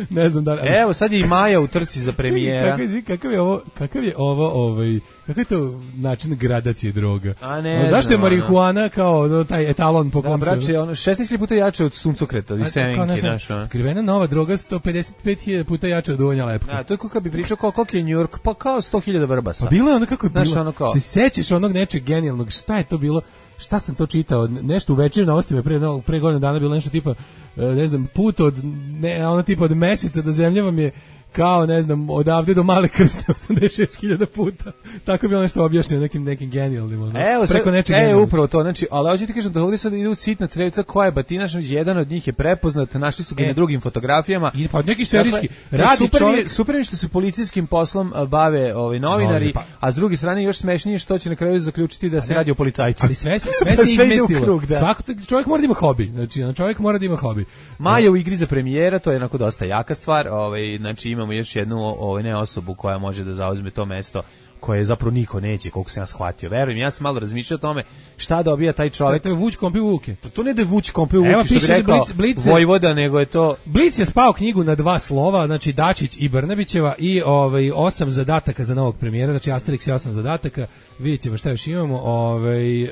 Ne znam da li... Evo, sad je i Maja u trci za premijera. Kakav, je- kakav je ovo, kakav je ovo, ovaj, kakav je to način gradacije droga? A ne Ono, zašto je znam, marihuana kao ono, taj etalon po Da, kom se... braće, ono, šesnaest puta jače od suncokreta, A, i kao, ne semenke, znam, znaš, ono. otkrivena nova droga sto pedeset pet hiljada puta jača od uvanja lepka. Da, to je kako bi pričao, kao, koliko je New York, pa kao sto hiljada vrbasa. Pa bilo je ono kako je Znaš, bilo. ono kao- Se sećaš onog nečeg genijalnog, šta je to bilo? Šta sam to čitao? Nešto u večernjim novostima pre no, pre godinu dana bilo nešto tipa e, ne znam, put od ne, ono tipa od meseca do zemlje vam je kao, ne znam, odavde do Male Krsne osamdeset šest hiljada puta. Tako je bilo nešto objašnjeno nekim nekim genijalnim, ono. Evo, preko sad, nečeg e, genijalnog. upravo to, znači, ali hoću ti kažem da ovdje sad idu sitna crevca koja je batinaš, jedan od njih je prepoznat, našli su ga E. na drugim fotografijama. I pa neki serijski Dakle, radi super mi je- čovjek. super mi je što se policijskim poslom a, bave ovaj novinari, Novinari, pa- a s druge strane još smešnije što će na kraju zaključiti da se ne, radi o policajcu. Ali sve se sve Pa se sve ide u izmestilo. krug, da. Svako čovjek mora da ima hobi. Znači, ono, čovjek mora da ima hobi. Maja u igri za premijera, to je onako dosta jaka stvar, ovaj, znači imamo još jednu ovaj, ne osobu koja može da zauzme to mesto koje zapravo niko neće, koliko sam ja shvatio. Verujem, ja sam malo razmišljao o tome šta dobija taj čovjek. To je Vuč Kompi Vuke. To ne da je Vuč kompe u Evo, Vuki, što bi piše da rekao Blic- Blic- Vojvoda, nego je to... Blic je spao knjigu na dva slova, znači Dačić i Brnabićeva i ovaj osam zadataka za novog premijera, znači Asterix i osam zadataka. Vidjet ćemo šta još imamo. Ovaj e,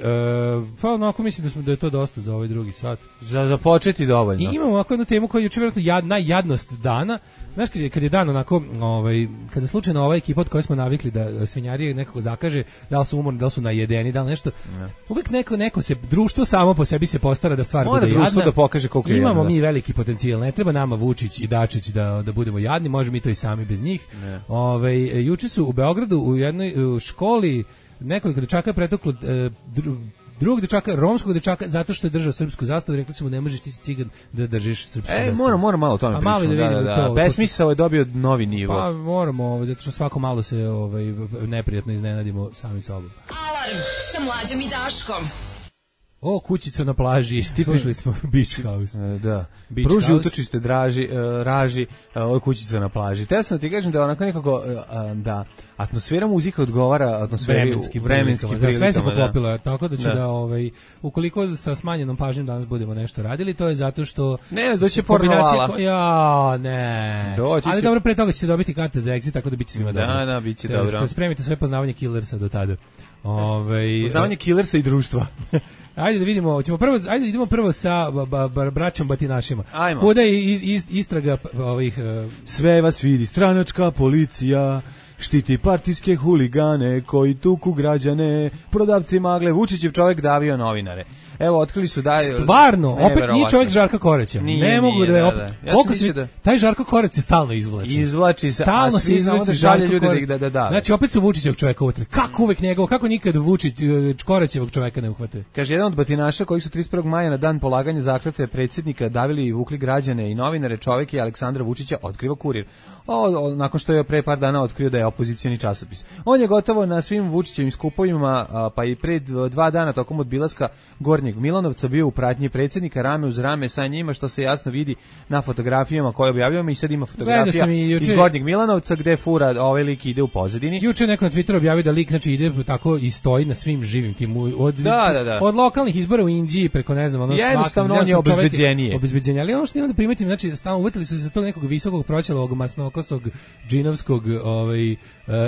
pa onako mislim da smo da je to dosta za ovaj drugi sat. Za, za početi dovoljno. I imamo ovako jednu temu koja je juče vjerojatno jad, najjadnost dana. Znaš, kad je, kad je dan onako, ovaj, kada slučajno ova ekipa od koje smo navikli da svinjarije nekako zakaže, da li su umorni, da li su najedeni, da li nešto, Ne. uvijek neko, neko se, društvo samo po sebi se postara da stvar Mora bude društvo jadna. da pokaže koliko je Imamo jadno, da. mi veliki potencijal, ne treba nama Vučić i Dačić da, da budemo jadni, možemo mi to i sami bez njih. Ovaj, juče su u Beogradu u jednoj u školi nekoliko dečaka je pretuklo e, dru, drugog dečaka, romskog dečaka, zato što je držao srpsku zastavu, rekli su mu ne možeš ti si cigan da držiš srpsku E, zastavu. moram, moram malo o tome A malo pričamo. da Da, da, vidimo da. to. Besmisao je dobio novi nivo. Pa moramo, ovaj, zato što svako malo se ovaj, neprijatno iznenadimo sami sobom. Alarm sa Mlađom i Daškom. O, kućica na plaži, slušali smo Beach House. E, da. Beach Pruži House. utočište draži, uh, raži, uh, ovo je kućica na plaži. Te sam da ti kažem da onako nekako, uh, da atmosfera muzika odgovara atmosferi Vremenskim, vremenskim prilikama. Da, sve se prilikama, poklopilo, da. Tako da ću da, Da. ovaj, ukoliko sa smanjenom pažnjom danas budemo nešto radili, to je zato što... Ne, doći će kombinacija pornovala. ko- Ja, ne. Doći Ali će- dobro, pre toga ćete dobiti karte za exit, tako da biće svima Da, dobro. da, biće Te- dobro. Spremite sve poznavanje Killersa do tada. Ovaj Uznavanje killersa i društva. Ajde da vidimo, hoćemo prvo, ajde idemo prvo sa ba, ba, ba, braćom batinašima. Ajmo. Kuda je iz, iz, istraga p- ovih uh, Sve vas vidi stranačka policija, štiti partijske huligane koji tuku građane, prodavci magle, Vučićev čovjek davio novinare. Evo, otkrili su da je... stvarno, opet nije Neverovatno. čovjek Žarka Koreća. Nije, ne mogu nije, da, je da, opet. da. Ja sam Koliko se mislio da- taj Žarko Koreć se stalno izvlači. Izvlači se, Stalno a se svi znamo izvlači da žalje Žarko ljude da Koreć. ih da, da, da. Znači opet su Vučićevog čoveka uhvatili. Kako uvek njegov, kako nikad Vučić uh, Korećevog čoveka ne uhvate? Kaže, jedan od batinaša koji su trideset prvog maja na dan polaganja zakletve predsjednika davili i vukli građane i novinare, čovjek je Aleksandra Vučića, otkriva Kurir. O, o, nakon što je pre par dana otkrio da je opozicioni časopis. On je gotovo na svim Vučićevim skupovima, a, pa i pred dva dana tokom odbilaska Gornjeg Milanovca bio u pratnji predsjednika rame uz rame sa njima, što se jasno vidi na fotografijama koje objavljujemo i sad ima fotografija sam i juče- iz Gornjeg Milanovca gde fura ovaj lik ide u pozadini. Juče neko na Twitteru objavio da lik znači ide tako i stoji na svim živim tim u- od Da, da, da. od lokalnih izbora u Inđiji preko ne znam ono Jednostavno, svakog- on je ja sam čovek- obezbeđenije. obezbeđenje, ali ono što imam da primetim znači stalno uvetili su se za tog nekog visokog proćelovog masnokosog džinovskog ovaj uh,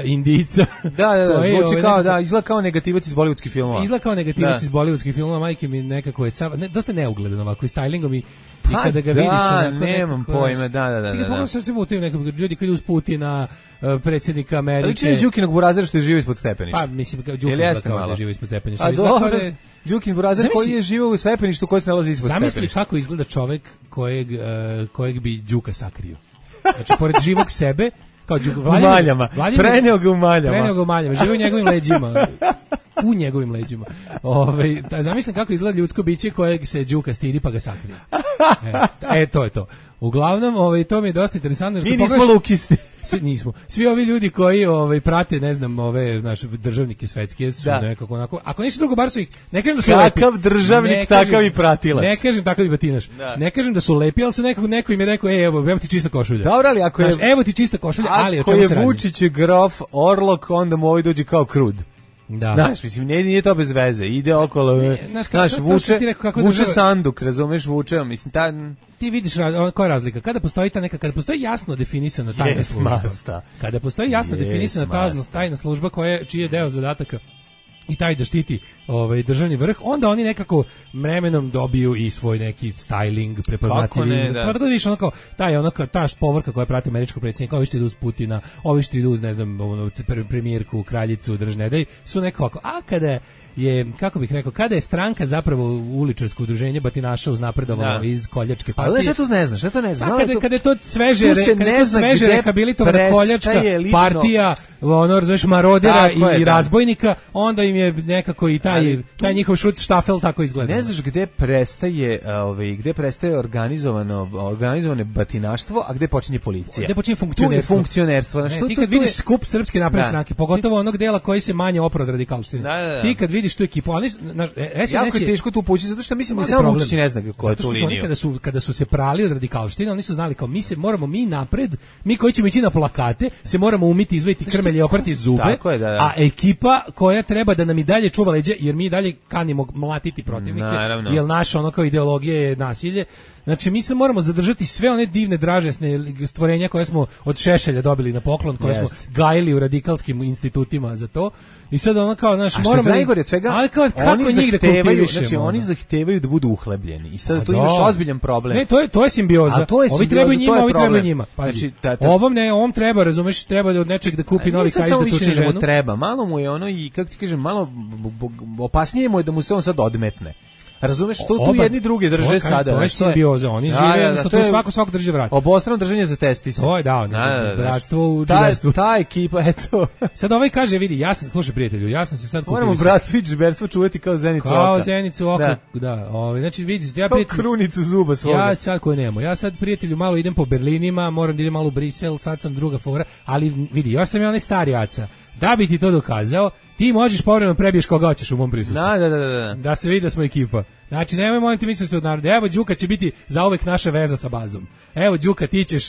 Indica. Da, da, da, koji, zvuči ovaj, kao, nekako- da, izgleda kao negativac iz bollywoodskih filmova. Izgleda kao negativac Da. iz bollywoodskih filmova, majke mi nekako je sav, ne, dosta neugledan ovako i stylingom i, i Pa kada ga da, vidiš onako nemam nekako, pojma, znaš, da, da, da, ti da, ga pogledaš recimo u tim nekom ljudi koji idu uz Putina, uh, predsjednika Amerike. Ali čini Đukinog burazera što je živo ispod stepeništa. Pa mislim kao Đukin Jel izgleda jeste kao da malo? je živo ispod stepeništa. A Izgleda kao dobro, da je- Đukin burazer Zamisli- koji je živio u stepeništu koji se nalazi ispod Zamisli stepeništa. kako izgleda čovek kojeg, uh, kojeg bi Đuka sakrio. Znači, pored živog sebe, kao Đuka, U maljama. Preneo ga u maljama. Preneo ga u maljama, živi u njegovim leđima. U njegovim leđima. Ove, da, zamislim kako izgleda ljudsko biće kojeg se Đuka stidi pa ga sakrije. E, e, to je to. Uglavnom, ovaj, to mi je dosta interesantno. Mi nismo lukisti. Svi, nismo. Svi ovi ljudi koji ovaj, prate, ne znam, ove naše državnike svetske su Da. nekako onako, ako ništa drugo, bar su ih, ne kažem da su Kakav lepi. državnik, Ne kažem- takav i pratilac. Ne kažem takav i batinaš. Da. Ne kažem da su lepi, ali se nekako, neko im je rekao, ej, evo, evo ti čista košulja. Dobro, ali ako je... Znaš, evo ti čista košulja, ali o Ako čemu je se radi? Vučić je grof, Orlok, onda mu ovaj dođe kao krud. Da. Znaš, mislim, nije, nije to bez veze. Ide okolo, Ne, ne, znaš, kako- znaš, to- to vuče, što ti rekao, kako vuče država- sanduk, razumeš, vuče, mislim, ta... Ti vidiš ra- koja je razlika kada postoji ta neka kada postoji jasno definisana tajna Jes služba. masta. Kada postoji jasno Jes definisana tajna, masta. tajna služba koja je čiji je deo zadataka i taj da štiti ovaj državni vrh, onda oni nekako vremenom dobiju i svoj neki styling, Kako prepoznatljiv ne, izgled. da. Pa da vidiš ono kao taj ono kao ta povorka koja prati američkog predsjednika, ovi što idu uz Putina, ovi što idu uz ne znam ono pre- premijerku, kraljicu, državne dej, su nekako ovako. A kada je, kako bih rekao, kada je stranka zapravo uličarsko udruženje batinaša uznapredovalo Da. iz koljačke Ali partije. šta tu ne znaš, šta to ne znaš? A Malo kada, to- kada je to sveže, tu se re, kada je ne to zna sveže gde rehabilitovana prestaje koljačka lično- partija, ono, razumeš, marodera Tako i, je, i da. razbojnika, onda im je nekako i taj, Ali tu- taj njihov šut štafel tako izgleda. Ne znaš gde prestaje, ovaj, gde prestaje organizovano, organizovane batinaštvo, a gde počinje policija. Gde počinje Tu je funkcionerstvo? funkcionerstvo. Ne, Znaš, ti tu- kad tu je- vidiš skup srpske napredne Da. stranke, pogotovo onog dela koji se manje opro od radikalštine. Da, da, da. Ti kad vidiš tu ekipu, oni, znaš, S N Jako S je je teško tu poći, zato što mislim da Mali samo problem. Vučić ne zna ko je Zato tu što su oni liniju. kada su, kada su se prali od radikalštine, oni su znali kao mi se moramo mi napred, mi koji ćemo ići na plakate, se moramo umiti, izvaditi krmelje i oprati zube, Tako je, da, da. a ekipa koja treba da nam i dalje čuva leđa, jer mi i dalje kanimo mlatiti protivnike, Naravno. jer naša ono kao ideologija je nasilje. Znači mi se moramo zadržati sve one divne dražesne stvorenja koje smo od Šešelja dobili na poklon, koje Jest. smo gajili u radikalskim institutima za to. I sad ono kao, znaš, A što moramo... je najgore od svega, ali kao, kako oni njih da zahtevaju, kultivišemo, znači oni ono? zahtevaju da budu uhlebljeni. I sad A tu da. imaš ozbiljan problem. Ne, to je to je simbioza. A to je ovi simbioza, trebaju to njima, je ovi problem. trebaju njima. Pazi, Znači, ta- ta- ovom ne, ovom treba, razumeš, treba da od nečeg da kupi A novi nije sad kaiš samo da više tuče da mu ženu. treba, malo mu je ono i kako ti kažem, malo b- b- opasnije mu je da mu se on sad odmetne. Razumeš, to tu Oba- jedni druge to drže kažem, sada. To je znaš, je- simbioza, oni Da, žive, da, da, jednostavno, to to je svako svako drži vrat. Obostrano držanje za testise. To je, da, ne, bratstvo u Ta, džiberstvu. ta ekipa, eto. Sad ovaj kaže, vidi, ja sam, slušaj prijatelju, ja sam se sad kupio. Moramo brat svi džiberstvo čuvati kao zenicu oka. Kao zenicu oko, Da. da. ovaj, znači, vidi, ja Kao prijatelju, krunicu zuba svoga. ja sad koje nemo, ja sad prijatelju malo idem po Berlinima, moram da idem malo u Brisel, sad sam druga fora, ali vidi, još sam ja onaj stari aca. Da bi ti to dokazao, ti možeš povremeno prebiješ koga hoćeš u mom prisustvu. Da, da, da, da. Da se vidi da smo ekipa. Znači, nemoj molim ti misliti se od naroda. Evo, Đuka će biti zauvek naša veza sa bazom. Evo, Đuka, ti ćeš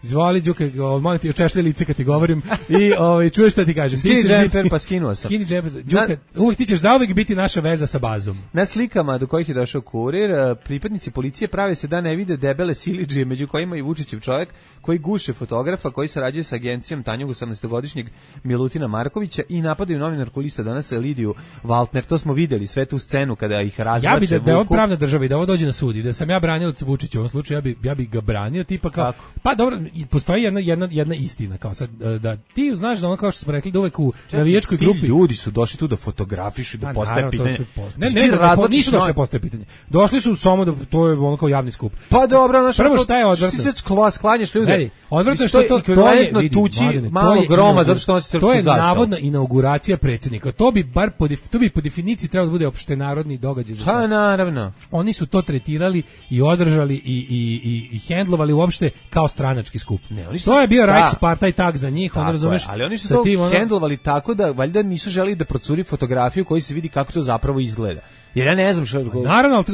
izvoli, Đuka, molim ti, očešlji lice kad ti govorim i ovaj, čuješ šta ti kažem. Skini džemper, pa skinuo sam. Skini džemper, Đuka, uvijek ti ćeš zauvek biti naša veza sa bazom. Na slikama do kojih je došao kurir, pripadnici policije prave se da ne vide debele silidžije, među kojima i Vučićev čovjek, koji guše fotografa, koji sarađuje sa agencijom Tanjug osamnaestogodišnjeg Milutina Markovića i napadaju novinarku Lista danas Lidiju Valtner. To smo videli, sve tu scenu kada ih razvlače. Ja bi da, da je ovo pravna država i da ovo dođe na sud i da sam ja branio Vučića u ovom slučaju, ja bi, ja bi ga branio, tipa kao, kako? Pa dobro, postoji jedna, jedna, jedna istina, kao sad, da ti znaš da ono kao što smo rekli, da uvek u navijačkoj grupi... Ti ljudi su došli tu da fotografišu, da postaje pitanje. Post... Ne, ne, ne, ne, nisu došli da postaje pitanje. Došli su samo da, to je ono kao javni skup. Pa dobro, znaš, prvo šta je odvrtno? Ti se sklanjaš ljude. Vedi, odvrtno što to, to je, vidi, tući Mladene, malo groma, zato što nosi srpsku zastavu. To je zastavu. navodna inauguracija predsjednika. To bi bar po, to bi po definiciji trebalo da bude opštenarodni događaj za sve. Pa naravno. Oni su to tretirali i održali i, i, i, i hendlovali uopšte kao stranački skup. Ne, oni su, to je bio Reichspartei za njih, on razumeš. Ali oni su to tim, ono... hendlovali tako da valjda nisu želeli da procuri fotografiju koji se vidi kako to zapravo izgleda. Jer ja ne znam što... Naravno,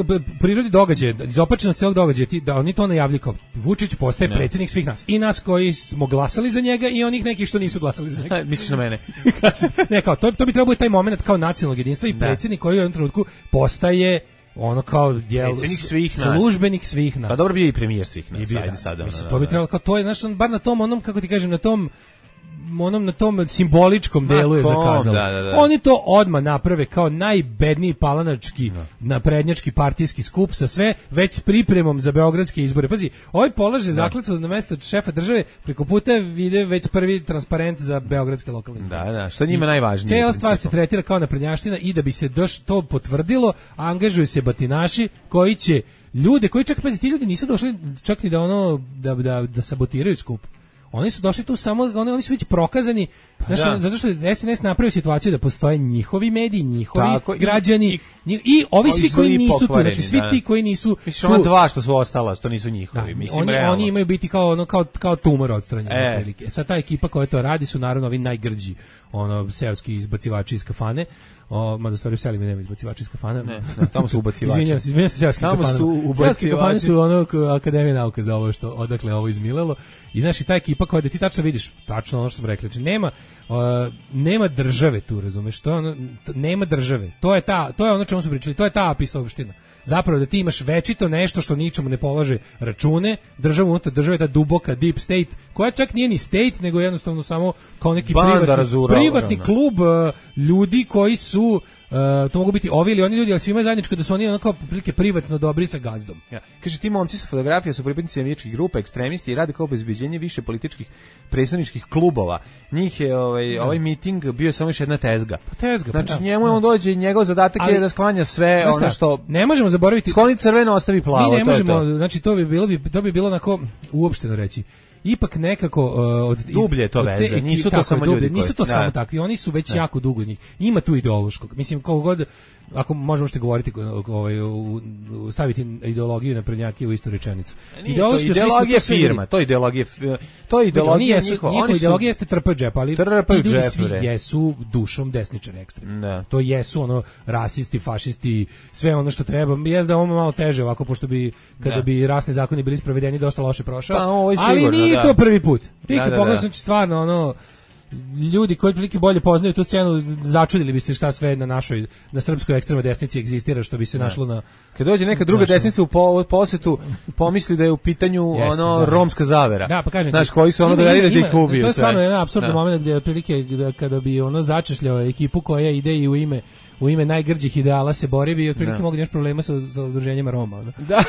prirodi događaja, izopačenost celog događaja, da oni to najavljaju kao Vučić postaje ne. predsjednik svih nas. I nas koji smo glasali za njega i onih nekih što nisu glasali za njega. Misliš na mene? Ne, kao, to, to bi trebalo biti taj moment kao nacionalnog jedinstva i predsjednik koji u jednom trenutku postaje ono kao jel, svih službenik svih nas. Pa dobro bio i premijer svih nas. Ajde sada. Mislim, to bi trebalo kao, to je, znaš, bar na tom, onom, kako ti kažem, na tom onom na tom simboličkom delu je zakazalo. Da, da, da. Oni to odmah naprave kao najbedniji palanački, da. naprednjački partijski skup sa sve, već s pripremom za beogradske izbore. Pazi, ovaj polaže zakletvu na mesto šefa države, preko puta vide već prvi transparent za beogradske lokalne izbore. Da, da, što njima I najvažnije. Cijela stvar se tretira kao naprednjaština i da bi se doš, to potvrdilo, angažuju se batinaši koji će ljude, koji čak, pazi, ti ljudi nisu došli čak ni da ono, da, da, da sabotiraju skup. Oni su došli tu samo, oni, oni su već prokazani, znaš, da. zato što S N S napravio situaciju da postoje njihovi mediji, njihovi Tako, građani i, i, i ovi svi koji nisu tu, znači svi da. ti koji nisu Misliš, tu. Misliš, dva što su ostala, što nisu njihovi. Da, Mislim, oni, oni imaju biti kao, ono, kao, kao tumor odstranjeni. E. Prilike. Sad ta ekipa koja to radi su naravno ovi najgrđi, ono, seoski izbacivači iz kafane. O, mada stvari u seli mi nema izbacivači iz kafane. Ne, ne, tamo su ubacivači. Izvinjam se, izvinjam se seoski kafane. Seoski kafane su ono Akademija nauka za ovo što, odakle ovo izmilelo. I znaš, i ta ekipa koja da ti tačno vidiš, tačno ono što smo rekli, znači nema, uh, nema države tu, razumeš, to je ono, nema države. To je ta, to je ono čemu smo pričali, to je ta apisovština. Zapravo da ti imaš večito nešto što ničemu ne polaže račune, država unutar države, ta duboka deep state, koja čak nije ni state, nego jednostavno samo kao neki Banda privatni, razura, privatni klub uh, ljudi koji su Uh, to mogu biti ovi ili oni ljudi, ali svi imaju zajedničko da su oni onako prilike privatno dobri sa gazdom. Ja. Kaže, ti momci sa fotografija su pripadnici navijačkih grupa, ekstremisti i rade kao obezbeđenje više političkih predstavničkih klubova. Njih je ovaj, ja. ovaj miting bio samo još jedna tezga. Pa tezga, znači pa, njemu ja. on dođe i njegov zadatak ali, je da sklanja sve ono šta, što... Ne možemo zaboraviti... Skloni crveno, ostavi plavo. Mi ne to možemo, je to. znači to bi bilo, bi, to bi bilo onako uopšteno reći. Ipak nekako uh, od dublje to veze, te, nisu to samo dublje, ljudi koji, nisu to da. samo takvi, oni su već ne. jako dugo uz njih. Ima tu ideološkog. Mislim, kako god, ako možemo što govoriti, ovaj, staviti ideologiju na prednjake u istu rečenicu. Ideološki ideologija firma, to je ideologija, to je ideologija njihova. Njihova ideologija jeste trpaju džep, ali trpaju ti džep, svi jesu dušom desničari ekstremni. Da. To jesu ono rasisti, fašisti, sve ono što treba. Jeste da ovo malo teže ovako, pošto bi kada da. bi rasni zakoni bili sprovedeni dosta loše prošao. Pa, ovo je ali sigurno, nije da. to prvi put. Ti da, kad da, pogledaš, da. znači stvarno ono ljudi koji prilike bolje poznaju tu scenu začudili bi se šta sve na našoj na srpskoj ekstremnoj desnici egzistira što bi se ne. našlo na kad dođe neka druga našo... desnica u po, posetu pomisli da je u pitanju Jeste, ono da. romska zavera. Da, pa kažem. Znaš koji su ono dovedili da ih ubiju. To je stvarno jedan apsurdan moment gdje otprilike da, kada bi ono začešljao ekipu koja ide i u ime u ime najgrđih ideala se bori bi i otprilike mogu imaš problema sa, sa udruženjima Roma. Da. da.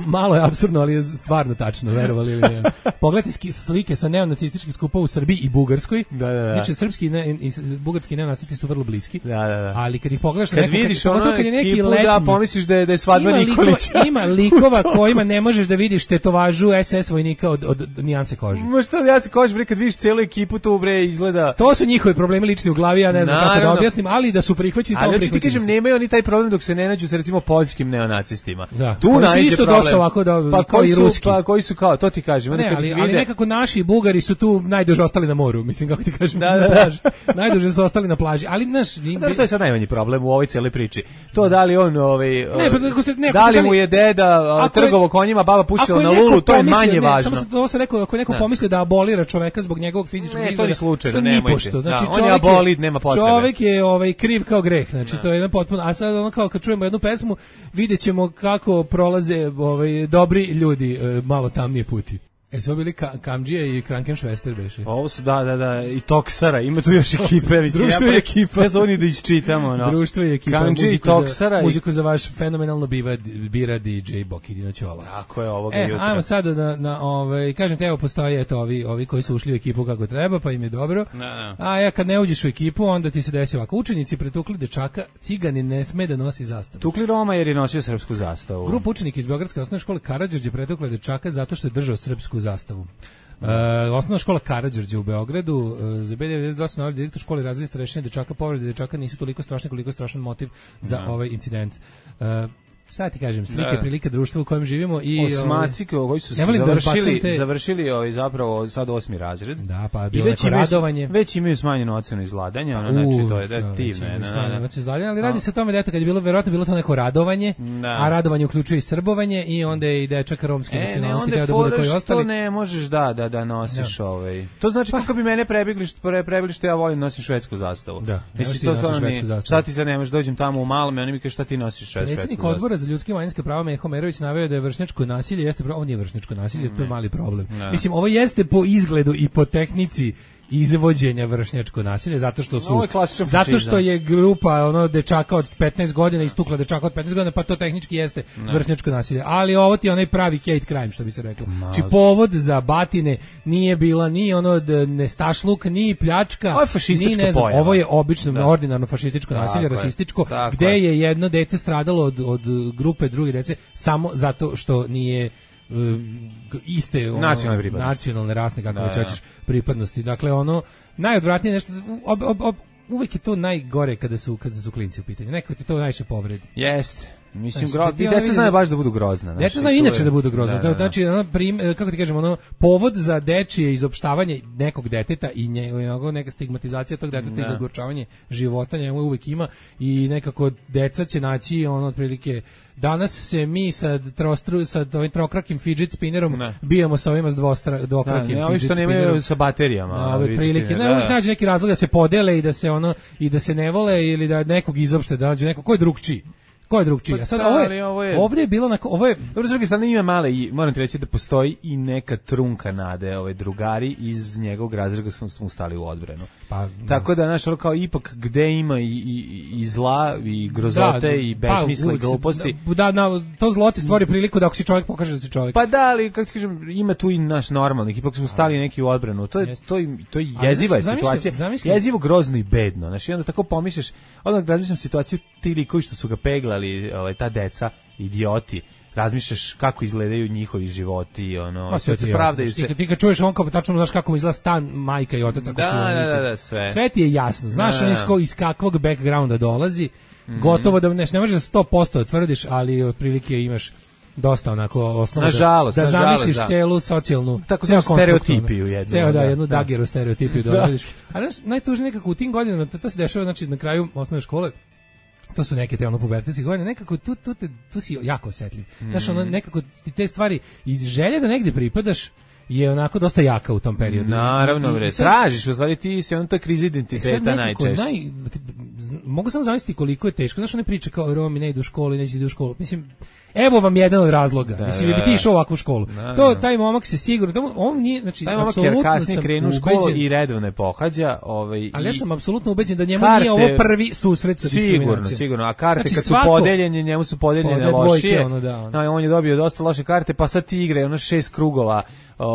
Malo je apsurdno, ali je stvarno tačno, verovali ili ne. Pogledajte slike sa neonacističkih skupova u Srbiji i Bugarskoj. Da, da, da. Znači, srpski ne, i bugarski neonacisti su vrlo bliski. Da, da, da. Ali kad ih pogledaš... Kad neko, vidiš kad, ono kad je neki ekipu, letnji, da, pomisliš da je, da je svadba ima Nikolića. Likova, ima likova kojima ne možeš da vidiš tetovažu S S vojnika od, od, od nijanse kože. Ma šta, ja se kožem, bre, kad vidiš celu ekipu, to bre izgleda... To su njihovi problemi lični u glavi, ja ne znam Naravno. kako da objasnim, ali da su prihvaćeni ali hoću ti prihvaćeni kažem, su. nemaju oni taj problem dok se ne nađu sa recimo poljskim neonacistima. Da. Tu Koji su naiđe isto problem. dosta ovako da- pa kao koji i su, ruski. Pa koji su kao, to ti kažem. onda Ne, kad ali, ih ali vide- nekako naši Bugari su tu najduže ostali na moru, mislim kako ti kažem, Da, da, na da. plaži. Najduže su ostali na plaži, ali znaš, im- Dobro, to je sad najmanji problem u ovoj cijeloj priči. To da li on, ovaj, Ne, pa ako ste- ne, ako da li ste mu dali- je deda Ako je- trgovo konjima, baba pušila Ako na neko lulu, to je pomisli- manje ne, važno. Samo sam, ovo sam rekao, ako je neko Da. pomisli da abolira čoveka zbog njegovog fizičkog Ne, to izgleda, ni slučajno, to nemojte. nipošto. Znači, Da, on je čovek abolid, nema potrebe. Čovek je ovaj, kriv kao greh, znači to je jedan potpuno, a sad ono kao kad čujemo jednu pesmu, vidjet ćemo kako prolaze ovaj, dobri ljudi e, malo tamnije puti. E, su ovo bili ka, Kamđija i Krankenšvester beše. Ovo su, da, da, da, i Toksara, ima tu još ekipe. Mislim, Društvo ja, i ekipa. Ne znam ni da iščitamo. No. Društvo i ekipa, Kamđija i muziku, za, Toksara. i- muziku za vaš fenomenalno biva, bira D J Bokidino Ćola. Tako je ovoga E, jutra. ajmo sada na, na ovaj, kažem te, evo postoje eto, ovi, ovi koji su ušli u ekipu kako treba, pa im je dobro. Da, da. A ja kad ne uđeš u ekipu, onda ti se desi ovako. Učenici pretukli dečaka, ciganin ne sme da nosi zastavu. Tukli Roma jer je nosio srpsku zastavu. Grupa učenika iz Beogradske osnovne škole Karađorđe pretukla dečaka zato što je držao srpsku zastavu. Uh, osnovna škola Karađorđe u Beogradu, uh, za B devedeset dva su naveli direktor škole razvili rešenje dečaka, povrede dečaka nisu toliko strašne koliko je strašan motiv za Da. ovaj incident. Uh, Šta ti kažem, slike Da. prilike društva u kojem živimo i Osmaci koji su ne volim da završili, bacam te- završili ovaj, zapravo sad osmi razred. Da, pa je I bilo već neko imaju, radovanje. već imaju smanjenu ocenu izladanja, ono, znači to je da, divno. je, da, da, da. Ali radi se o tome da eto kad je bilo verovatno bilo to neko radovanje, Da. a radovanje uključuje i srbovanje i onda je i dečak romske E, ne, nacionalnosti onda je teo da bude fora koji što ostali. ne možeš da, da, da nosiš ovaj. To znači kako bi mene prebegli što, pre, prebegli što ja volim nosim švedsku zastavu. Da, ne možeš Mislim, ti to nosiš stvarno švedsku nije- zastavu. Šta ti sad ne možeš, dođem tamo u malom i oni mi kažu šta ti nosiš švedsku zastavu. Predsjednik odbora za ljudske i manjinska prava Meho Merović naveo da je vršnjačko nasilje jeste pro- on je vršnjačko nasilje, to je mali problem. Da. Mislim, ovo jeste po izgledu i po tehnici izvođenja vršnjačko nasilje zato što su Ovo je klasičan zato fašizam. što je grupa ono dečaka od petnaest godina istukla dečaka od petnaest godina, pa to tehnički jeste vršnjačko nasilje, ali ovo ti je onaj pravi hate crime što bi se reklo. Znači povod za batine nije bila ni ono d- nestašluk, ni pljačka, Ovo je fašistička ni ne znam, pojava. ovo je obično Da. ordinarno fašističko Tako nasilje, je. rasističko, Tako gde je. je jedno dete stradalo od, od grupe druge dece samo zato što nije um, iste ono, Nacionalne pripadnosti. nacionalne rasne kako Da, već da. hoćeš pripadnosti. Dakle ono najodvratnije nešto ob, ob, ob, uvek je to najgore kada su kada su klinci u pitanju. Neko ti to najviše povredi. Jeste. Mislim, Znači, gro... ti i ono deca vidi znaju da- baš da budu grozna. Deca znači, znaju to inače je- da budu grozne. Da, da, da. Znači, ono, prim, kako ti kažemo, ono, povod za dečije izopštavanje nekog deteta i njegov, neka stigmatizacija tog deteta Da. i zagorčavanje života njemu uvek ima i nekako deca će naći ono otprilike danas se mi sa trostru sa ovim trokrakim fidget spinnerom Ne. bijemo sa ovima s dvostra, Da, dvokrakim ne, ovi fidget što nemaju spinnerom. sa baterijama. Na ove vidiš, prilike, da, ne, uvijek nađe neki razlog da se podele i da se ono i da se ne vole ili da nekog izopšte, da nađu neko ko je drugčiji. Ko je drugčiji? Pa A sad da, ovo ali je, ovo je- ovdje je bilo na ovo je Dobro, s druge strane ima male i moram ti reći da postoji i neka trunka nade, ovaj drugari iz njegovog razreda su mu stali u odbranu. pa Tako da, znaš, ono kao ipak gde ima i, i, i zla, i grozote, i besmisla, i uvek se- gluposti. Da, da, na, to zlo ti stvori priliku da ako si čovjek pokaže da si čovjek. Pa da, ali, kako ti kažem, ima tu i naš normalnih, ipak smo stali neki u odbranu. To je, Jeste. to je, to je Ali, jeziva je znaš, zamisli- situacija, zamisli- jezivo, grozno i bedno. Znaš, i onda tako pomisliš, onda razmišljam situaciju ti likovi što su ga peglali, ovaj, ta deca, idioti, razmišljaš kako izgledaju njihovi životi, ono, Ma, sve ti se je pravdaju jasno. se. Ti, ti kad čuješ on kao tačno znaš kako mu izgleda stan majka i otac ako Da, su oni da, tu. da, da, sve. Sve ti je jasno. Znaš Da, da, on iz, da. ko- iz kakvog backgrounda dolazi. Gotovo da ne, ne možeš sto posto tvrdiš, ali otprilike imaš dosta onako osnova Nažalost, da, da nažalost, zamisliš da. celu socijalnu Tako ceo samo konstrukt, stereotipiju ono. jednu, Ceo da, da, jednu da. dageru stereotipiju Da. da vidiš. A znaš, najtužnije nekako u tim godinama to, to se dešava znači na kraju osnovne škole. To su neke te ono pubertetske godine, nekako tu, tu, te, tu si jako osetljiv. Znaš, ono, nekako ti te stvari iz želje da negde pripadaš je onako dosta jaka u tom periodu. Naravno, I- i- bre, i sad- tražiš, u stvari ti se ono to je kriza E sad identiteta nekako najčešće. Naj, z- mogu sam zamisliti koliko je teško. Znaš one priče kao Romi ne idu u školu, neće idu u školu. Mislim, evo vam jedan od razloga. Da, Mislim, da, bi ti da. išao u ovakvu školu. Da, to, da. taj momak se sigurno, to, on nije, znači, Taj momak jer apsolutno kasnije sam krenu u školu ubeđen- i redovne pohađa. Ovaj, ali ja i- sam apsolutno ubeđen da njemu karte- nije ovo prvi susret sa Sigurno, diskriminacijom. sigurno. A karte Znači, kad su svako- podeljene, njemu su podeljene Pode dvojke, lošije. ono, da, ono. No, on je dobio dosta loše karte, pa sad ti igra ono šest krugova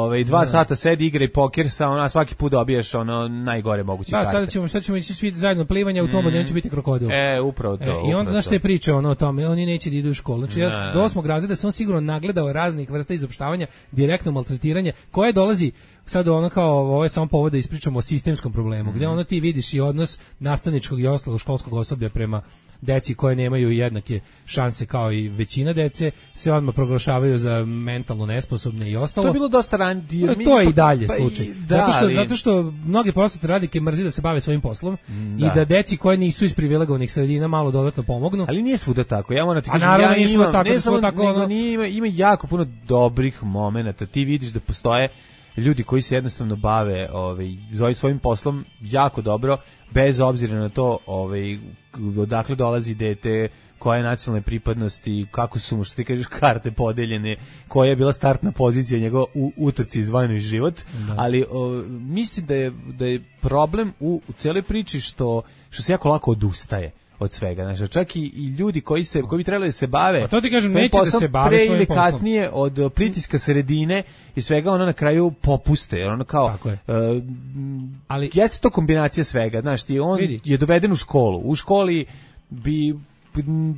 Ovaj dva sata sedi igra i poker sa ona svaki put dobiješ ono najgore moguće karte. Da, sada ćemo sad ćemo ići svi zajedno plivanje, u tom bazenu će biti krokodil. E, upravo to. E, I onda znaš te priče ono o tome, oni neće da idu u školu. Znači ja do osmog razreda sam sigurno nagledao raznih vrsta izopštavanja, direktno maltretiranje koje dolazi sad ono kao ovo je samo povod da ispričamo o sistemskom problemu, gde ono ti vidiš i odnos nastavničkog i ostalog školskog osoblja prema deci koje nemaju jednake šanse kao i većina dece, se odmah proglašavaju za mentalno nesposobne i ostalo. To je bilo dosta ranije. To je i dalje pa, slučaj. Pa, da, zato, što, ali... zato što mnogi prosvetne radnike mrzi da se bave svojim poslom da. I da deci koje nisu iz privilegovanih sredina malo dodatno pomognu. Ali nije svuda tako. Ja moram ti kažem, ja nije imam, tako, ne samo tako, nego ono... nije, ima, ima jako puno dobrih momenata. Ti vidiš da postoje ljudi koji se jednostavno bave ovaj svojim poslom jako dobro, bez obzira na to ovaj odakle dolazi dete, koja je nacionalne pripadnosti, kako su mu, što ti kažeš, karte podeljene, koja je bila startna pozicija njegova u utrci zvani život, da. Ali o, mislim da je, da je problem u, u cijeloj priči što, što se jako lako odustaje od svega, znači čak i, i ljudi koji se koji bi trebali da se bave, a to ti kažem neće da se bave pre svojim ili poslom. Kasnije od pritiska sredine i svega ono na kraju popuste, jer ono kao je. Uh, ali jeste to kombinacija svega, znaš ti on vidi. Je doveden u školu, u školi bi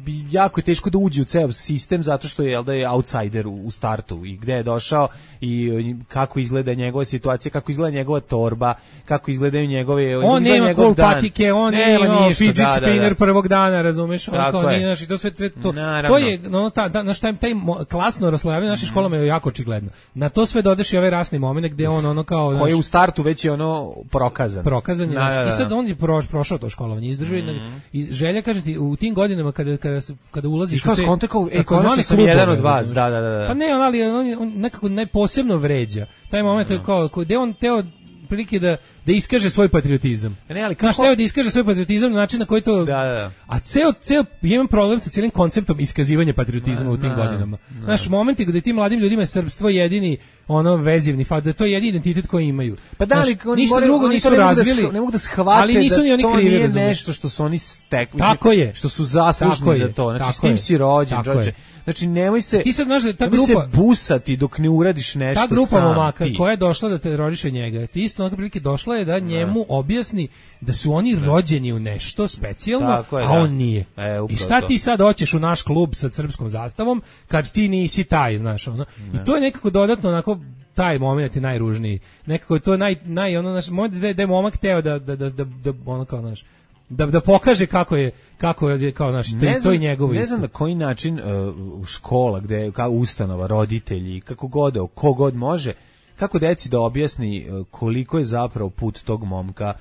bi jako je teško da uđe u ceo sistem zato što je jel da je outsider u, u startu i gde je došao i kako izgleda njegova situacija, kako izgleda njegova torba, kako izgledaju njegove on nema cool patike, on nema fidget da, spinner da, da. prvog dana, razumeš, on kao je. nije naš i to sve to, Naravno. To je no ta da naš taj, taj klasno raslojavanje naših školama je jako očigledno. Na to sve dodeš i ovaj rasni momenat gde on ono kao koji je u startu već je ono prokazan. Prokazan je da, da, da. I sad on je pro, prošao to školovanje, izdržao mm. i želja kažem ti u tim godinama kada kada kada ulaziš u te kontakao e konačno sam jedan od vas, da da da. Pa ne, on ali on, on nekako najposebno vređa. Taj moment je kao gde on teo prilike da da iskaže svoj patriotizam. Ne, ali kako teo da iskaže svoj patriotizam na način na koji to da, da, da. A ceo ceo imam problem sa celim konceptom iskazivanja patriotizma u tim na, godinama. Na. Naš momenti gde tim mladim ljudima je srpstvo jedini ono vezivni fakt, da to je jedini identitet koji imaju. Pa da, ali oni ništa drugo nisu razvili, ne mogu da shvate ali nisu da ni oni to krivi, nije razumiješ. Nešto što su oni stekli, tako je, što su zaslužni za to. Znači s tim si rođen, Đorđe. Znači nemoj se ti sad znaš da ta grupa se busati dok ne uradiš nešto sam. Ta grupa sam, momaka ti. koja je došla da teroriše njega, ti isto onako prilike došla je da njemu objasni da su oni rođeni u nešto specijalno, je, a da. on nije. E, I šta to. ti sad hoćeš u naš klub sa srpskom zastavom kad ti nisi taj, znaš, ono. Ne. I to je nekako dodatno onako taj moment je najružniji. Nekako je to naj naj ono naš moment da je momak teo da da da da, da ono kao naš da da pokaže kako je kako je kao naš to, to je njegovo. Ne znam na koji način uh, škola gde kao ustanova, roditelji, kako god, kogod može, kako deci da objasni uh, koliko je zapravo put tog momka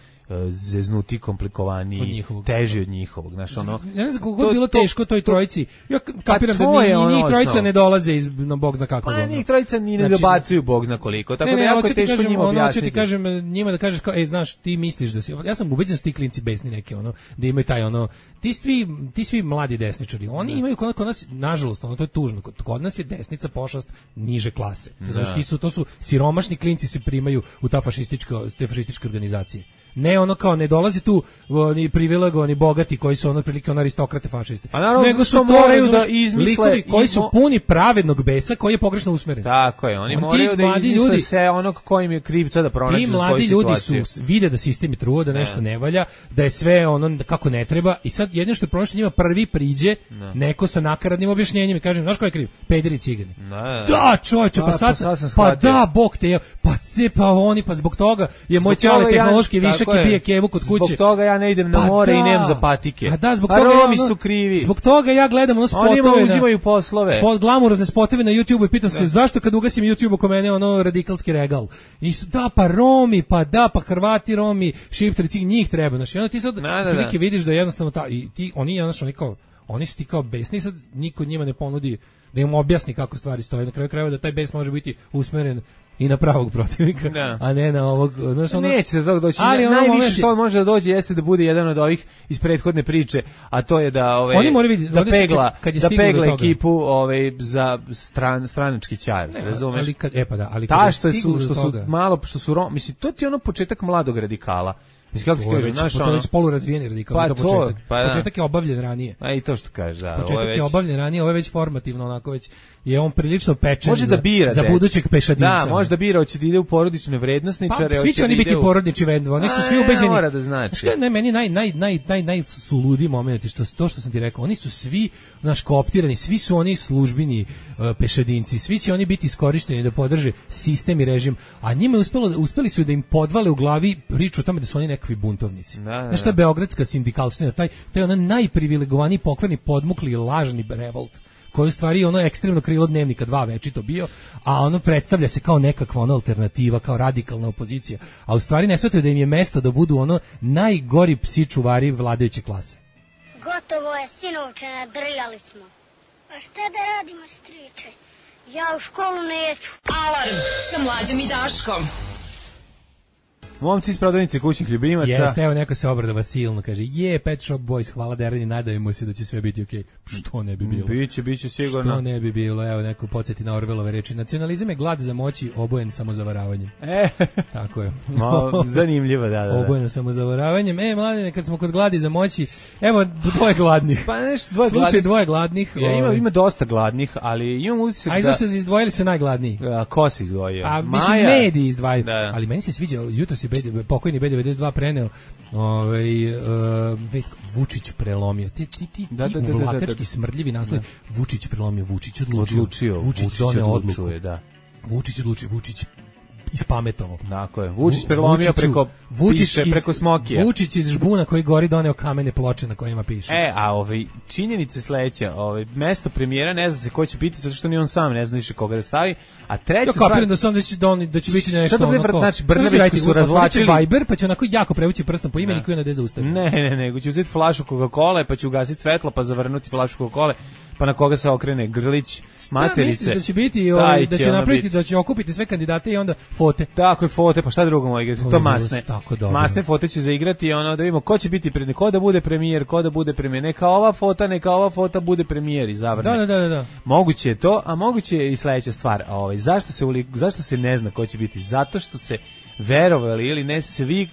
zeznuti, komplikovaniji, teži od njihovog, znaš, ono. Ja ne znam kako je bilo teško toj trojici. Ja kapiram da ni, ni, ni trojica ne dolaze iz na bog zna kako. Pa ni trojica ni ne znači, dobacuju bog zna koliko. Tako ne, ne, da jako je teško kažem, njima objasniti. Ono, ti kažem njima da kažeš kao, ej, znaš, ti misliš da si, ja sam ubeđen da su ti klinci besni neki, ono, da imaju taj ono, ti svi, ti svi mladi desničari, oni ne. imaju kod, kod nas, nažalost, ono to je tužno, kod, kod nas je desnica pošast niže klase. Znači, ti su, to su siromašni klinci se primaju u ta fašistička, te fašističke organizacije. Ne ono kao ne dolazi tu oni privilegovani bogati koji su ono otprilike on aristokrate fašisti. Naravno, nego su to moraju da izmisle koji su puni pravednog besa koji je pogrešno usmeren. Tako je, oni on moraju da izmisle ljudi, se onog kojim je krivca da pronađu svoju situaciju. Ti mladi ljudi su vide da sistem je truo, da nešto ne. ne valja, da je sve ono kako ne treba i sad jedino što je pronašao njima prvi priđe ne. neko sa nakaradnim objašnjenjem i kaže znaš ko je kriv? Pederi cigani. Ne. Da, čoveče, pa, pa sad, pa, sad pa da, bog te, pa se pa oni pa zbog toga je moj ćale tehnološki višak i bije kevu kod kuće. Zbog toga ja ne idem na pa more da. i nemam za patike. A da, zbog a toga Romi ja, ono, su krivi. Zbog toga ja gledam ono spotove. Oni uzimaju poslove. Spot glamurozne spotove na YouTubeu i pitam da. se zašto kad ugasim YouTube oko mene ono radikalski regal. I su, da pa Romi, pa da pa Hrvati, Romi, Šiptari, njih treba. Znači, ono ti sad prilike vidiš da jednostavno ta i ti oni jednostavno oni kao oni su ti kao besni, sad niko njima ne ponudi da im objasni kako stvari stoje. Na kraju krajeva da taj bes može biti usmeren i na pravog protivnika, da. a ne na ovog, znaš, ono... Neće se doći. Ali najviše momenti... što on može da dođe jeste da bude jedan od ovih iz prethodne priče, a to je da ove Oni moraju vidjeti da pegla, kad je da pegla ekipu ovaj za stran stranački ćar, razumeš? Ali kad e pa da, ali ta što su što su malo što su rom, mislim to ti je ono početak mladog radikala. Mislim, kako ti kažeš, znaš, ono... To je već polurazvijeni radikal, pa to, to početak. Pa da. Početak je obavljen ranije. A i to što kaže, da. Početak ovo je, već... je obavljen ranije, ovo je već formativno, onako već je on prilično pečen može da bira, za, za budućeg pešadinca. Da, može da bira, hoće da ide u porodične vrednosničare. Pa, svi će oni biti u... porodični vendova, oni su svi A, ubeđeni. Mora da znači. Ne, meni naj, naj, naj, naj, naj su ludi momenti, što, to što sam ti rekao, oni su svi naš kooptirani, svi su oni službeni uh, pešadinci, svi će oni biti iskorišteni da podrže sistem i režim, a njima je uspelo, uspeli su da im podvale u glavi priču o tome da su oni nekakvi buntovnici. Da, da, znaš šta je beogradska sindikalština, taj, taj onaj najprivilegovaniji, pokvarni, podmukli, lažni revolt, koji u stvari ono ekstremno krilo Dnevnika dva večito bio, a ono predstavlja se kao nekakva ono alternativa, kao radikalna opozicija, a u stvari ne shvataju da im je mesto da budu ono najgori psi čuvari vladajuće klase. Gotovo je, sinovče, nadrljali smo. A šta da radimo, striče? Ja u školu neću. Alarm sa Mlađom i Daškom. Momci iz prodavnice kućnih ljubimaca. Jeste, evo neko se obradova silno, kaže, je, Pet Shop Boys, hvala Dereni, nadavimo se da će sve biti okej. Okay. Što ne bi bilo? Biće, biće sigurno. Što ne bi bilo, evo neko podsjeti na Orvelove reči. Nacionalizam je glad za moći, obojen samozavaravanjem. E. Tako je. Malo zanimljivo, da, da, da. Obojen samozavaravanjem. E, mladine, kad smo kod gladi za moći, evo, dvoje gladnih. Pa nešto, dvoje Slučaj gladnih. dvoje gladnih. Ja, ima, ima dosta gladnih, ali imam utisak da... A izda se izdvojili se najgladniji. A, ko se izdvojio? A, Maja. mislim, mediji izdvajaju. Da. Ali meni se sviđa, jutro si bedi, pokojni B devedeset dva preneo, ovaj, uh, Vučić prelomio. Ti, ti, ti, da, da, ti da, uvlakački da, da. smrdljivi naslov. Vučić prelomio, Vučić odlučio. Odlučio. Vučić, Vučić doneo odlučuje, odluku. da. Vučić odlučio, Vučić ispametovo. Tako je. Vučić prelomio preko Vučić piše, iz, preko Smokija. Vučić iz žbuna koji gori doneo kamene ploče na kojima piše. E, a ovaj činjenice sledeća, ovaj mesto premijera ne zna se ko će biti zato što ni on sam ne zna više koga da stavi, a treća ja kapiram da su onda će doni da će biti nešto onako. Sad znači Brnabić su razvlačili Viber, pa će onako jako prevući prstom po imeniku i onda da zaustavi. Ne, ne, nego će uzeti flašu Coca-Cole, pa će ugasiti svetlo, pa zavrnuti flašu Coca-Cole, pa na koga se okrene Grlić, materice. Da, da će biti, ovaj, da će napraviti, da će okupiti sve kandidate i onda fote. Tako je, fote, pa šta drugo može igrati? To masne. Tako masne fote će zaigrati, ono da vidimo ko će biti pred, ko da bude premijer, ko da bude premijer. Neka ova fota, neka ova fota bude premijer i zavrne. Da, da, da, da. Moguće je to, a moguće je i sledeća stvar. A ovaj zašto se uli, zašto se ne zna ko će biti? Zato što se verovali ili ne svi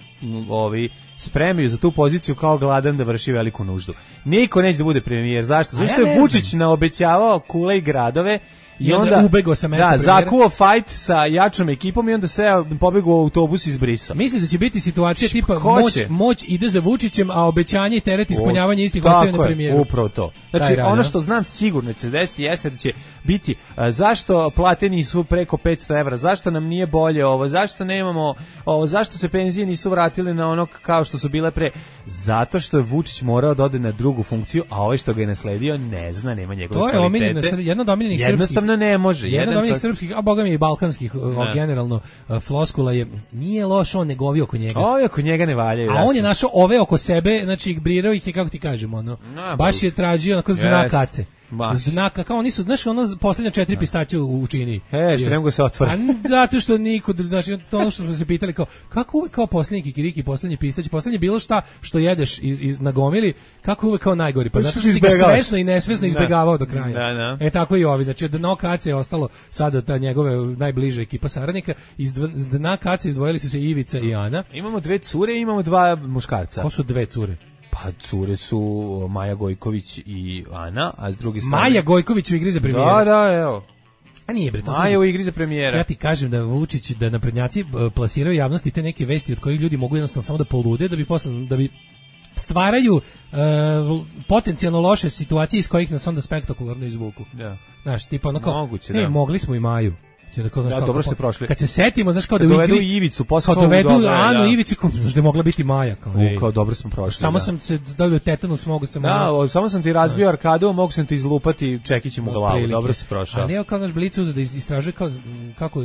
ovi spremaju za tu poziciju kao gladan da vrši veliku nuždu. Niko neće da bude premijer. Zašto? Zato što ja je Vučić naobećavao kule i gradove i, I onda, onda ubegao sa mesta da, premijera. zakuo fight sa jačom ekipom i onda se pobegao u autobus iz Brisa. Misliš da će biti situacija Š, tipa moć, moć ide za Vučićem, a obećanje i teret ispunjavanja istih ostaje na premijeru. Upravo to. Znači, Taj, ono što znam sigurno će se desiti jeste da će biti uh, zašto plate nisu preko petsto evra, zašto nam nije bolje ovo, zašto nemamo ovo, zašto se penzije nisu vratile na ono kao što su bile pre, zato što je Vučić morao da ode na drugu funkciju, a ovaj što ga je nasledio ne zna, nema njegove kvalitete. To je omiljena, jedna od omiljenih jednostavno ne može. Jedan od omiljenih srpskih, a boga mi i balkanskih, o, generalno uh, floskula je, nije loš on nego ovi oko njega. Ovi oko njega ne valjaju. A jasno. On je našao ove oko sebe, znači brirao ih je, kako ti kažemo, ono, no, baš je tražio onako s dna kace. Znaka, kao oni su, znaš, ono poslednja četiri pistaće u, u čini. E, što ne mogu se otvore. A zato što niko, znači, to ono što smo se pitali, kao, kako uvek kao poslednji kikiriki, poslednji pistać, poslednji bilo šta što jedeš iz, iz, na gomili, kako uvek kao najgori, pa zato što si ga svesno i nesvesno izbegavao do kraja. Da, da. E, tako i ovi, znači, od dna kace je ostalo sada ta njegove najbliže ekipa saradnika, iz dna kace izdvojili su se Ivica i Ana. Imamo dve cure i imamo dva muškarca. Ko su dve cure? Pa cure su Maja Gojković i Ana, a s druge strane... Maja Gojković u igri za premijera. Da, da, evo. A nije bre, to Maja u igri za premijera. Ja ti kažem da Vučić, da naprednjaci plasiraju javnosti te neke vesti od kojih ljudi mogu jednostavno samo da polude, da bi posle, da bi stvaraju uh, potencijalno loše situacije iz kojih nas onda spektakularno izvuku. Da. Znaš, tipa ono kao, moguće, ne, da. mogli smo i Maju. Da, kao, da, dobro ste prošli. Kad se setimo, znaš kao kad da dovedu igri, Ivicu, posle kao dovedu Anu Ivicu, kao znaš da je mogla biti Maja, kao. U, kao dobro smo prošli. Samo da. sam se dobio tetanus, mogu sam. Da, ono, samo sam ti razbio da. arkadu, mogu sam ti izlupati čekićem u glavu. Prilike. Dobro si prošao. Ali evo kao naš Blic uzeo da istražuje kao kako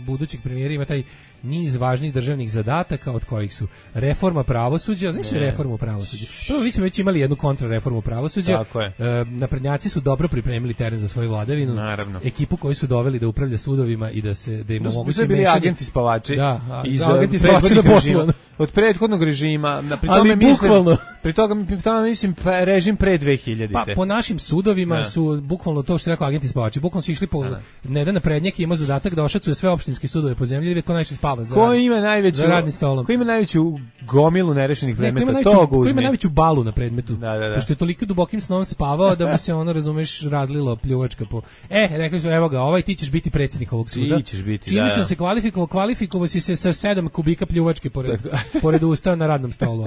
budućeg premijera ima taj niz važnih državnih zadataka, od kojih su reforma pravosuđa, znaš li reformu pravosuđa? Prvo, mi smo već imali jednu kontrareformu pravosuđa. Tako je. E, naprednjaci su dobro pripremili teren za svoju vladavinu. Naravno. Ekipu koju su doveli da upravlja sudovima i da se da im omogući mešanje. Bili agenti spavači. Da, a, iz da, agenti spavači na poslu. od prethodnog režima, na pri Ali tome mislim, bukvalno. pri toga pri tome mislim pa, režim pre dve hiljadite. Pa po našim sudovima Da. su bukvalno to što je rekao agenti spavači, bukvalno su išli po ne da na prednjak ima zadatak da ošacuje sve opštinske sudove po zemlji, ko najviše spava za. Ko ima najveću za radnim stolom? Ko ima najveću gomilu nerešenih Ne, ko ima predmeta, najveću, to ga ko ima uzme. najveću balu na predmetu. Da, da, da. Pošto je toliko dubokim snom spavao da mu se ono, razumeš, razlilo pljuvačka po. E, rekli su, evo ga, ovaj ti ćeš biti predsjednik ovog suda. Ti ćeš biti, Čini da, sam da. se kvalifikovao, kvalifikovao si se sa sedam kubika pljuvačke pored, pored usta na radnom stolu.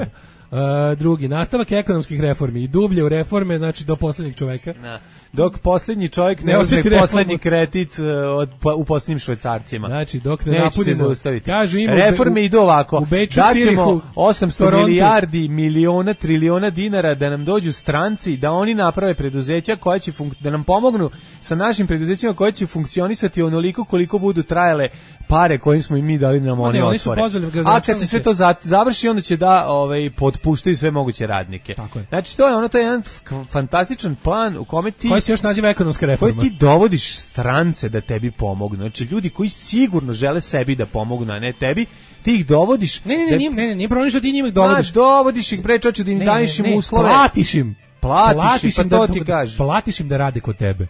Uh, drugi, nastavak ekonomskih reformi i dublje u reforme, znači do poslednjeg čoveka. Da. Dok posljednji čovjek ne, Ne uzme osjeti reformu. poslednji kredit uh, od, po- u posljednjim švajcarcima. Znači, dok ne Neće napunimo, se zaustaviti. kažu ima u Reforme Be- idu ovako. u Beču, Daćemo Cirihu, osamsto Torontu. milijardi, miliona, triliona dinara da nam dođu stranci, da oni naprave preduzeća koja će funk- da nam pomognu sa našim preduzećima koje će funkcionisati onoliko koliko budu trajale pare koje smo im mi dali nam oni ne, oni su otvore. pozvali A kad se gradonačelnike. sve to za- završi, onda će da ovaj, potpuštaju sve moguće radnike. Tako je. Znači, to je ono, to je jedan f- fantastičan plan u kome ti koji se još naziva ekonomska koji reforma. ti dovodiš strance da tebi pomognu. Znači, ljudi koji sigurno žele sebi da pomognu, a ne tebi, ti ih dovodiš... Ne, ne, ne, da, nije, ne, ne, nije problem što ti njima ih dovodiš. dovodiš. dovodiš ih, bre, čoče, da im Ne, daješ ne, im ne, uslove. Platiš im. Platiš im, pa im to da, ti kažeš. Platiš im da rade kod tebe.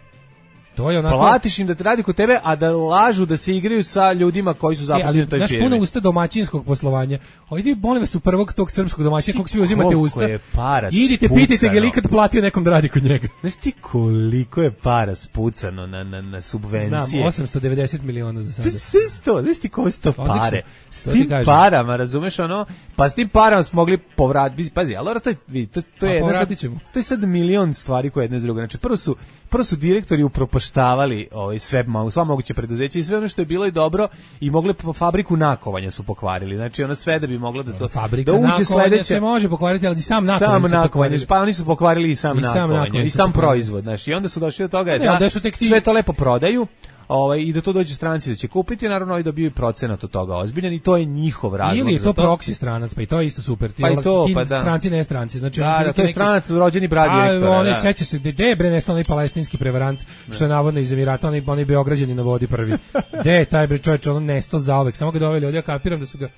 To je onako... Platiš im da te radi kod tebe, a da lažu da se igraju sa ljudima koji su E, zaposleni ali u toj naš firmi. puno usta domaćinskog poslovanja. Ojdi, molim vas, u prvog tog srpskog domaćina, kog svi uzimate koliko usta. je para Idite, spucano. pitajte ga je li ikad platio nekom da radi kod njega. Znaš ti koliko je para spucano na, na, na subvencije? Znam, osamsto devedeset miliona za sada. Pa sve sto, znaš ti koje su to Odlično, pare? S to ti tim kažem. parama, razumeš ono? Pa s tim parama smo mogli povratiti. Pazi, ali to je, vidi, to, to A je, jedna sad, povratit ćemo. to je sad milion stvari koje jedno iz druga. Znači, prvo su, prvo su direktori upropaštavali ovaj, sve, ma- sva moguće preduzeća i sve ono što je bilo i dobro i mogli po fabriku nakovanja su pokvarili. Znači, ono sve da bi moglo da to... Fabrika da uđe nakovanja sledeće, se može pokvariti, ali i sam nakovanje Sam su nakovanje, pokvarili. pa oni su pokvarili i sam I sam nakovanje, nakovanje i su sam pokvarili. proizvod, znači, i onda su došli do toga Ne, da, ali da su tek ti- sve to lepo prodaju, ovaj, i da to dođe stranci da će kupiti, naravno i dobiju procenat od toga ozbiljan i to je njihov razlog. Ili je za to proksi stranac, pa i to je isto super. Ti, Pa i to, ti pa da. stranci, ne stranci. Znači, Da, oni da, prilike to je neki- stranac, rođeni brat A, direktora. oni da. seća se, gde je bre nešto onaj palestinski prevarant, što je navodno iz Emirata, onaj, onaj Beograđani na vodi prvi. Gde je taj bre čovječ, ono nesto zaovek, samo ga doveli ovdje, ja kapiram da su ga,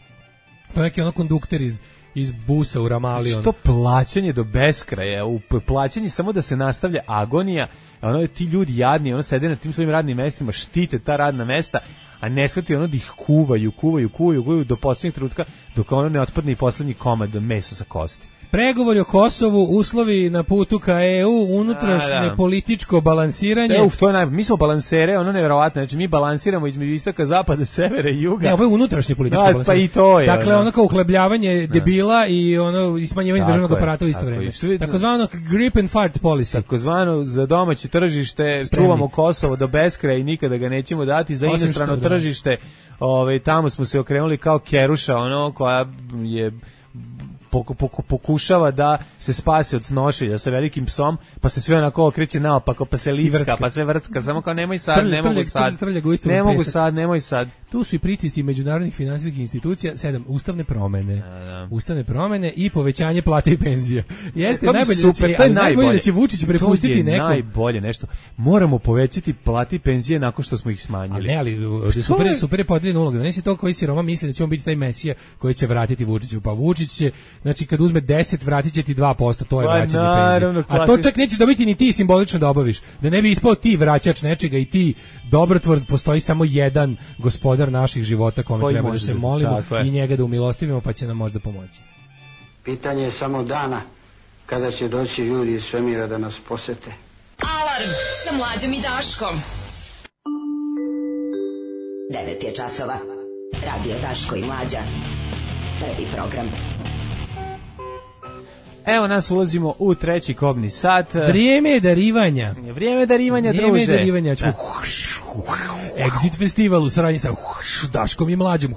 to je neki ono kondukter iz, iz busa u Ramali. ono. Što plaćanje do beskraja, u p- plaćanje samo da se nastavlja agonija, ono ti ljudi jadni, ono sede na tim svojim radnim mestima, štite ta radna mesta, a ne shvati ono da ih kuvaju, kuvaju, kuvaju, kuvaju do posljednjeg trenutka dok ono ne otpadne i posljednji komad mesa sa kosti. Pregovori o Kosovu, uslovi na putu ka E U, unutrašnje A, da. političko balansiranje. E, uf, to je naj... Mi smo balansere, ono nevjerovatno, znači mi balansiramo između istoka, zapada, severa i juga. Ne, ovo je unutrašnje političko Da, balansiranje. pa i to je, Dakle, ono. ono kao uhlebljavanje debila i ono i smanjivanje Tako državnog je, aparata u isto tako vreme. je. Što vi- Takozvano grip and fart policy. Takozvano za domaće tržište Spremni. čuvamo Kosovo do beskraja i nikada ga nećemo dati, za Osim inostrano što, da. tržište, ovaj tamo smo se okrenuli kao keruša, ono koja je poku- poku- pokušava da se spasi od snošenja sa velikim psom, pa se sve onako okreće naopako, pa se licka, vrcka. pa sve vrcka, samo kao nemoj sad, Trlja, ne mogu trlja, sad, trlja ga u istu ne mogu pesak. sad, nemoj sad. Tu su i pritisci međunarodnih finansijskih institucija, sedam, ustavne promene. da. Ustavne promene i povećanje plate i penzije. Jeste To bi najbolje super, da će, to je ali najbolje najbolje. da će Vučić prepustiti to je nekom. najbolje nešto. Moramo povećati plate i penzije nakon što smo ih A smanjili. ne, ali uh, super, je, je? super je podijeljena uloga. Ne si to koji si Roma misli da će on biti taj mesija koji će vratiti Vučiću. Pa Vučić će, znači kad uzme deset, vratit će ti dva posto, to je Pa vraćanje naravno, penzije. A to klasič- čak nećeš dobiti ni ti simbolično da obaviš. Da ne bi ispao ti vraćač nečega i ti dobrotvor, postoji samo jedan gospodar naših života kome Koji treba da može se da- molimo tako je. i njega da umilostivimo pa će nam možda pomoći. Pitanje je samo dana kada će doći ljudi iz svemira da nas posete. Alarm sa mlađom i Daškom. devet je časova. Radio Daško i Mlađa. Prvi program. Evo nas ulazimo u treći kobni sat. Vrijeme je darivanja. Vrijeme darivanja, Vrijeme je druže. darivanja. Ćemo Exit festival u saradnji sa Daškom i Mlađom.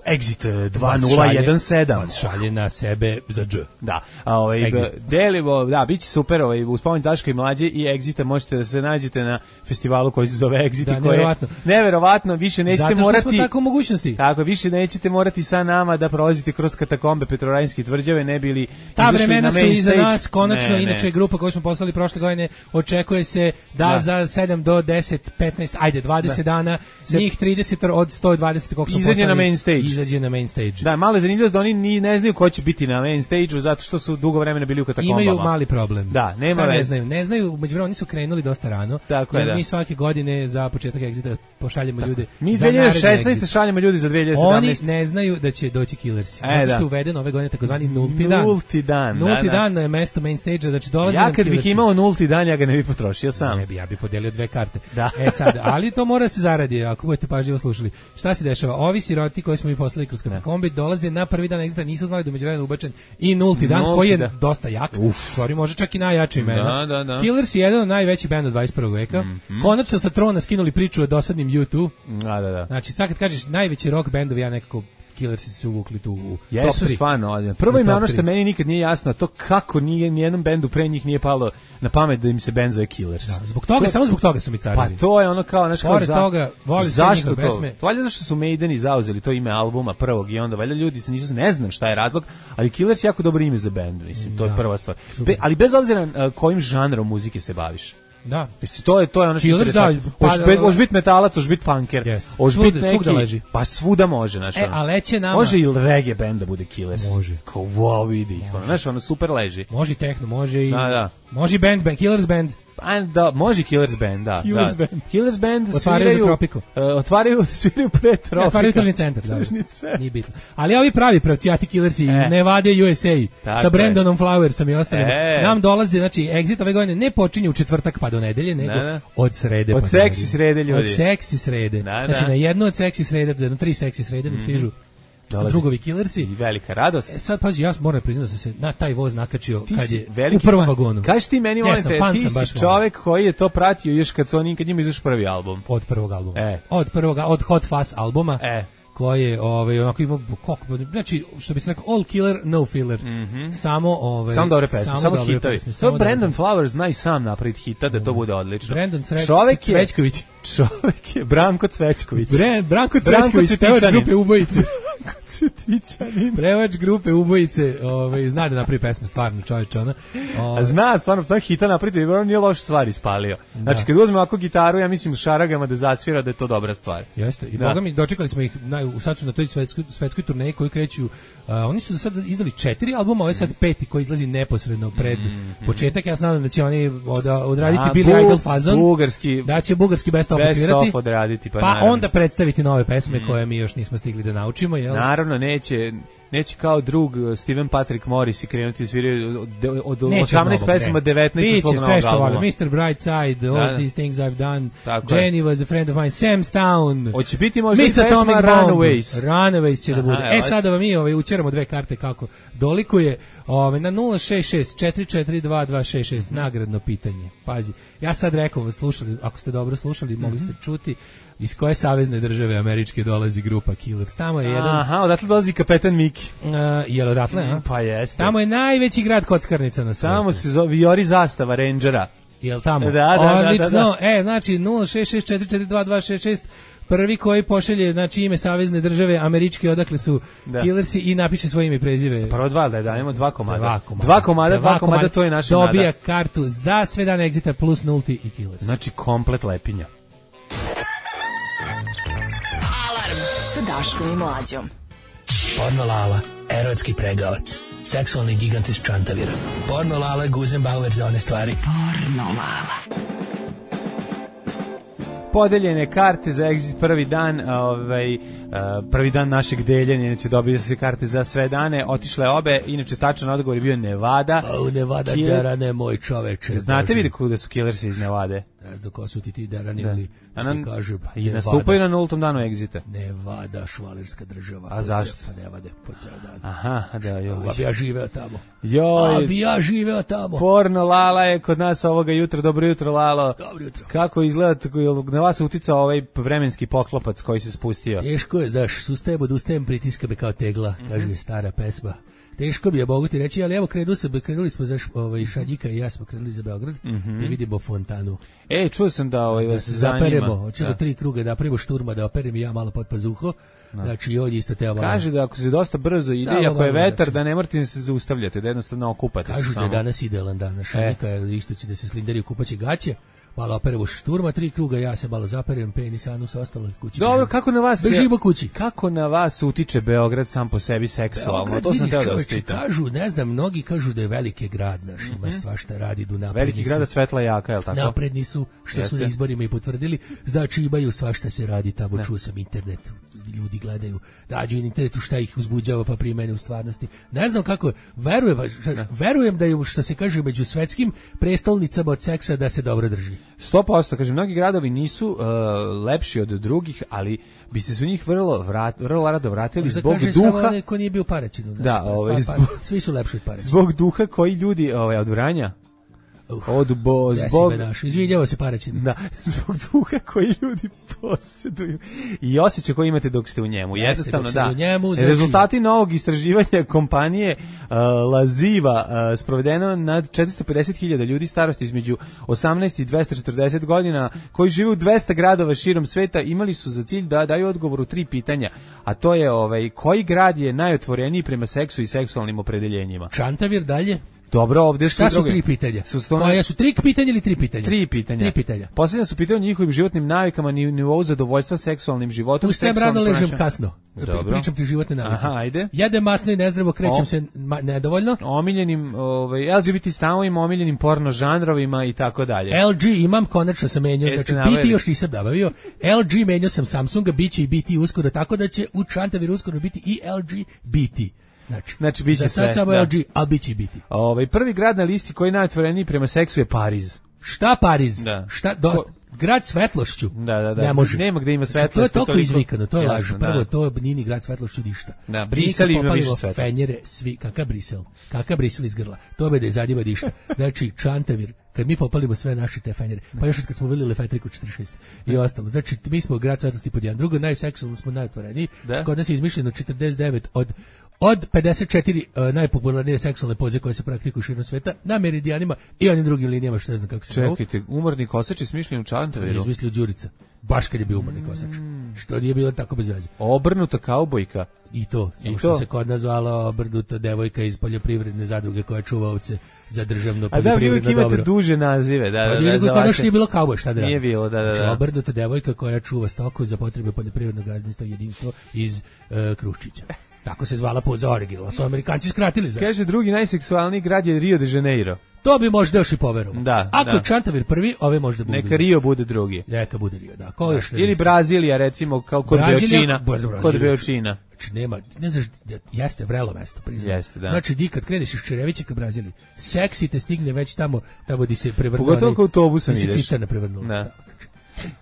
Exit dva nula jedan sedam. Vas šalje na sebe za dž. Da, a ovaj Exit. delimo, da, biće super, ovaj uz pomoć Daška i Mlađe i Exita možete da se nađete na festivalu koji se zove Exit, Da, i koji je neverovatno. neverovatno, više nećete Zato što morati smo tako u mogućnosti. Tako, više nećete morati sa nama da prolazite kroz katakombe Petrovaradinske tvrđave, ne bili Ta izašli vremena na su main iza stage. nas, konačno, Ne, inače ne. grupa koju smo poslali prošle godine, očekuje se da, Da. za sedam do deset, petnaest, ajde, dvadeset dana, Se- njih trideset od sto dvadeset koliko smo Izađe poslali, na main stage. izađe na main stage. Da, malo je zanimljivo da oni ni ne znaju ko će biti na main stage-u zato što su dugo vremena bili u katakombama. Imaju mali problem. Da, nema Šta ne znaju? Ne znaju, međuvremenu oni su krenuli dosta rano. Tako je, da. Mi svake godine za početak Exita pošaljemo tako. ljude. Mi dve hiljade šesnaeste šaljemo ljudi za dve hiljade sedamnaeste. Oni ne znaju da će doći Killersi. E, zato što da. je uveden ove godine takozvani nulti dan. Nulti dan. Nulti da, da. dan na mesto main stage-a, znači dolaze ja nam kad Killersi. bih imao nulti dan, ja ga ne bih potrošio sam. Ne bi, ja bih podelio dve karte. Da. E sad, ali to mora se zaradi, ako budete pažljivo slušali. Šta se dešava? Ovi siroti koji smo mi poslali kroz katakombe dolaze na prvi dan Exita, nisu znali da u međuvremenu ubačen i nulti dan, nulti koji je da. dosta jak. Stvari može čak i najjači imena. Da, da, da. Killers je jedan od najvećih benda dvadeset prvog veka. Mm-hmm. Konačno sa trona skinuli priču o dosadnim U dva. Da, da, da. Znači, sad kad kažeš najveći rock bendovi, ja nekako Killersi su uvukli tu u Jesu top tri. stvarno. Prvo im je ono što meni nikad nije jasno, to kako nije nijednom bendu pre njih nije palo na pamet da im se bend zove Killers. Da, zbog toga, to, samo zbog toga su mi carevi. Pa to je ono kao, znaš, kao za, toga, zašto to? Pesme. To valjda zašto su Maideni zauzeli to ime albuma prvog i onda valjda ljudi se nisu, ne znam šta je razlog, ali Killers je jako dobro ime za bend, mislim, to da, je prva stvar. Be, ali bez obzira uh, kojim žanrom muzike se baviš. Da. Mislim, to je to je ono što Killers, da, hoš biti metalac, hoš biti punker, hoš biti neki, leži. Pa svuda može, znači. E, a leće nama. Može i reggae bend da bude Killers. Može. Kao wow, vidi ih, ono, znači ono super leži. Može i techno, može i da, da. Može i band, band, Killers band. Pa da, može Killers band, da. Killers da. band. Killers band otvaraju sviraju, za Tropiku. Uh, otvaraju, sviraju pre Tropika. Ja, otvaraju tržni centar, da. Nije bitno. Ali ovi pravi pravcijati Killersi e. iz Nevade U S A tako sa Brandonom Flowersom i ostalima. E. Nam dolaze, znači, Exit ove godine ne počinje u četvrtak pa do nedelje, nego da, da. od srede od pa seksi srede, ljudi. Od seksi srede. Da, znači, da. na jednu od seksi srede, na tri seksi srede mm. stižu drugovi Killersi. I velika radost. E sad, pazi, ja moram priznati da sam se na taj voz nakačio ti kad je u prvom vagonu. Kaži ti meni, molim te, ti si čovek koji je to pratio još kad su oni, kad njima izašao prvi album. Od prvog albuma. E. Od prvog, od Hot Fuzz albuma. E. Koji je, ovaj, onako ima, kako, znači, što bi se rekao, all killer, no filler. Mm-hmm. Samo, ovaj... Samo dobre pesme, samo, samo dobre hitovi. Pesme, samo Brandon Flowers zna i sam napraviti hita da to bude odlično. Brandon Cre... čovek Cvećković. Čovek je Branko Cvećković. Bre, Branko Cvećković, pevač grupe Ubojice. Prevač grupe Ubojice, ovaj, zna da napravi pesme, stvarno, čovječ, ona. Ovaj. Zna, stvarno, ta hita napraviti, on nije loš stvar ispalio. Znači, da. kad uzme ovako gitaru, ja mislim u šaragama da zasvira da je to dobra stvar. Jeste, i da. boga mi, dočekali smo ih, na, sad su na toj svetskoj, svetskoj turneji koji kreću, uh, oni su do sad izdali četiri albuma, ovo je sad peti koji izlazi neposredno pred mm, početak, ja znam da će oni od, odraditi A, Billy bu, Idol fazon, bugarski, da će bugarski best of odsvirati, odraditi, pa, pa onda predstaviti nove pesme mm. koje mi još nismo stigli da naučimo. Jel? Naravno, neće, neće kao drug Steven Patrick Morris i krenuti svirati od, od osamnaest pesama devetnaest svog novog sve što albuma. Vole, mister Brightside, All da, These Things I've Done, tako Jenny je. Was a Friend of Mine, Sam's Town, hoće biti možda Miss pesma Runaways. Runaways će Aha, da bude. E, e sad da vam mi ovaj, učeramo dve karte kako dolikuje ovaj, na nula šest šest četiri četiri dva dva šest šest nagradno pitanje. Pazi, ja sad rekao, slušali, ako ste dobro slušali, mogli ste čuti iz koje savezne države američke dolazi grupa Killers. Tamo je jedan... Aha, odatle dolazi kapetan Miki. Uh, jel odatle, a? Pa jeste. Tamo je najveći grad kockarnica na svijetu. Tamo se zove Jori Zastava Rangera. Jel tamo? Da, da, odlično. Da, da, da. E, znači nula šest šest četiri četiri dva dva šest šest prvi koji pošalje znači ime savezne države američke odakle su da. Killersi i napiše svoje ime i prezive. Prvo dva da dajemo dva komada. Dva komada, dva komada, dva komada, komada to je naša nada. Dobija kartu za sve dane Exita plus nulti i Killers. Znači komplet lepinja. Alarm sa Daškom i Mlađom. Porno Lala, erotski pregavac, seksualni gigant iz Čantavira. Porno Lala, Guzenbauer za one stvari. Porno Lala. Podeljene karte za Exit prvi dan, ovaj, prvi dan našeg deljenja, inače dobili se karte za sve dane, otišle obe, inače tačan odgovor je bio Nevada. A u Nevada Kill... Darane, moj čoveče. Znate vidi kuda su Killersi iz Nevade? Ne znam ko su ti ti Darani, ali ti kažu pa i nastupaju na nultom danu Exita. Nevada, švalerska država. A zašto? Pa Nevade, po ceo dan. Aha, da, joj. A bi ja živeo tamo. Joj. A bi ja živeo tamo. Porno Lala je kod nas ovoga jutra. Dobro jutro, Lalo. Dobro jutro. Kako izgleda, na vas uticao ovaj vremenski poklopac koji se spustio? Teško je, znaš, sustajem od ustajem pritiska me kao tegla, mm-hmm. kaže stara pesma. Teško bi je, mogu ti reći, ali evo krenu se, krenuli smo za ovaj, Šadjika i ja smo krenuli za Beograd mm-hmm. da vidimo fontanu. E, čuo sam da ovaj, da vas se zanima. Zaperemo, hoćemo tri kruga da napravimo šturma, da operem i ja malo pod pazuho. No. Znači, i ovdje isto teo malo. Kaže da ako se dosta brzo ide i ako je vetar, da ne morate se zaustavljati, da jednostavno okupate. Kažu da je danas idealan dan. Šadjika e. isto će da se slinderi u kupaće gaće. malo operemo šturma, tri kruga, ja se malo zaperem, penis, anus, ostalo kući. Dobro, kako na vas bežimo kući. Kako na vas utiče Beograd sam po sebi seksualno? Beograd, to sam vidiš, teo da čoveče, pitam. kažu, ne znam, mnogi kažu da je veliki grad, znaš, ima Mm-hmm. svašta radi, du napredni Veliki grada su, svetla jaka, je li tako? napredni su, što Jeste. su na izborima i potvrdili, znači imaju svašta se radi, tamo čuo sam internet, ljudi gledaju, dađu na internetu šta ih uzbuđava pa primene u stvarnosti. Ne znam kako, verujem, verujem da je, što se kaže, među svetskim prestolnicama od seksa da se dobro drži. sto posto, kažem, mnogi gradovi nisu uh, lepši od drugih, ali bi se su njih vrlo, vrat, vrlo rado vratili Možda zbog kaže duha. samo onaj ko nije bio u Paraćinu. Da, znači, ovaj, stvar, zbog- pa- svi su lepši od Paraćina. Zbog duha koji ljudi ovaj, od Vranja, Uh, od bo, Desi zbog, me naš, izvinjava se Paraćin. da, zbog duha koji ljudi posjeduju i osjećaj koji imate dok ste u njemu. Jeste, Jednostavno, dok ste da. u njemu, znači- Rezultati novog istraživanja kompanije uh, Laziva uh, sprovedeno nad četiristo pedeset hiljada ljudi starosti između osamnaest i dvesta četrdeset godina koji žive u dvesta gradova širom sveta imali su za cilj da daju odgovor u tri pitanja, a to je ovaj, koji grad je najotvoreniji prema seksu i seksualnim opredeljenjima. Čantavir dalje. Dobro, ovdje su Šta su druge. tri pitanja? Su sto- Koja su tri pitanja ili tri pitanja? Tri pitanja. Tri pitanja. Posljednja su pitanja o njihovim životnim navikama, ni nivou zadovoljstva seksualnim životom. Ustajem seksualnim rano, ležem ponašanjem. kasno. Dobro. Pričam ti životne navike. Aha, ajde. Jedem masno i nezdravo, krećem O. se ma, nedovoljno. Omiljenim ovaj, L G B T stavovima, omiljenim porno žanrovima i tako dalje. L G imam, konačno sam menjao, Jeste znači B T naveli. još nisam nabavio. L G menjao sam Samsunga, bit će i B T uskoro, tako da će u Čantaviru uskoro biti i L G B T. Znači, Znači, bit će za sad sve, samo da. L G, ali bit će i B T. Ovaj, prvi grad na listi koji je najotvoreniji prema seksu je Pariz. Šta Pariz? Da. Šta, do, grad svetlošću? Da, da, da. Ne može. Nema gde ima Znači, to je svetlosti, toliko toliko- izvikano, to je Jasno, laž. da. Prvo, to nije ni grad svetlošću ništa. Da, Mi Brisel kad ima više popalimo svetlosti. Fenjere, svi, kakav Brisel? Kakav Brisel iz grla? To be da je zadnjima diša. Znači, Čantavir, kad mi popalimo sve naše te Fenjere, pa još od kad smo bili Lefetriku četrdeset šest i ostalo. Znači, mi smo grad svetlosti pod jedan. Drugo, najseksualno smo najotvoreniji. Da. Kod nas je izmišljeno četrdeset devet od od pedeset četiri uh, najpopularnije seksualne poze koje se praktikuju širom sveta na meridijanima i onim drugim linijama što ne znam kako se zovu. Čekajte, umorni kosač je smišljen u To je Čantaviru. izmislio Đurica. Baš kad je bio umorni kosač. Što nije bilo tako bez veze. Obrnuta kaubojka. I to, samo I što to? se kod nas zvala obrnuta devojka iz poljoprivredne zadruge koja čuva ovce za državno A da, vi uvijek poljoprivredno imate dobro. duže nazive. Da, Pa da, nije da, za kod nas vaše- nije bilo kauboj, šta da Nije radim? bilo, da, da, Znači, da. obrnuta devojka koja čuva stoku za potrebe poljoprivrednog gazdinstva i jedinstvo iz uh, Kruščića. Tako se zvala poza originalno. Su Amerikanci skratili, znaš. Kaže, drugi najseksualniji grad je Rio de Janeiro. To bi možda još i poverovao. Da, Ako da. je Čantavir prvi, ove možda budu. Neka Rio bude drugi. Neka bude Rio, da. Ko još Ili Brazilija, recimo, kao kod Brazilija- Beočina. Baš Brazilija. Kod Beočina. Znači nema, ne znaš, jeste vrelo mesto, priznam. Jeste, da. Znači di kad kreneš iz Čerevića ka Braziliji, seksi te stigne već tamo, tamo di se prevrnuo. Pogotovo onaj- ako autobusom di se ideš. cisterna prevrnula. Da. znači.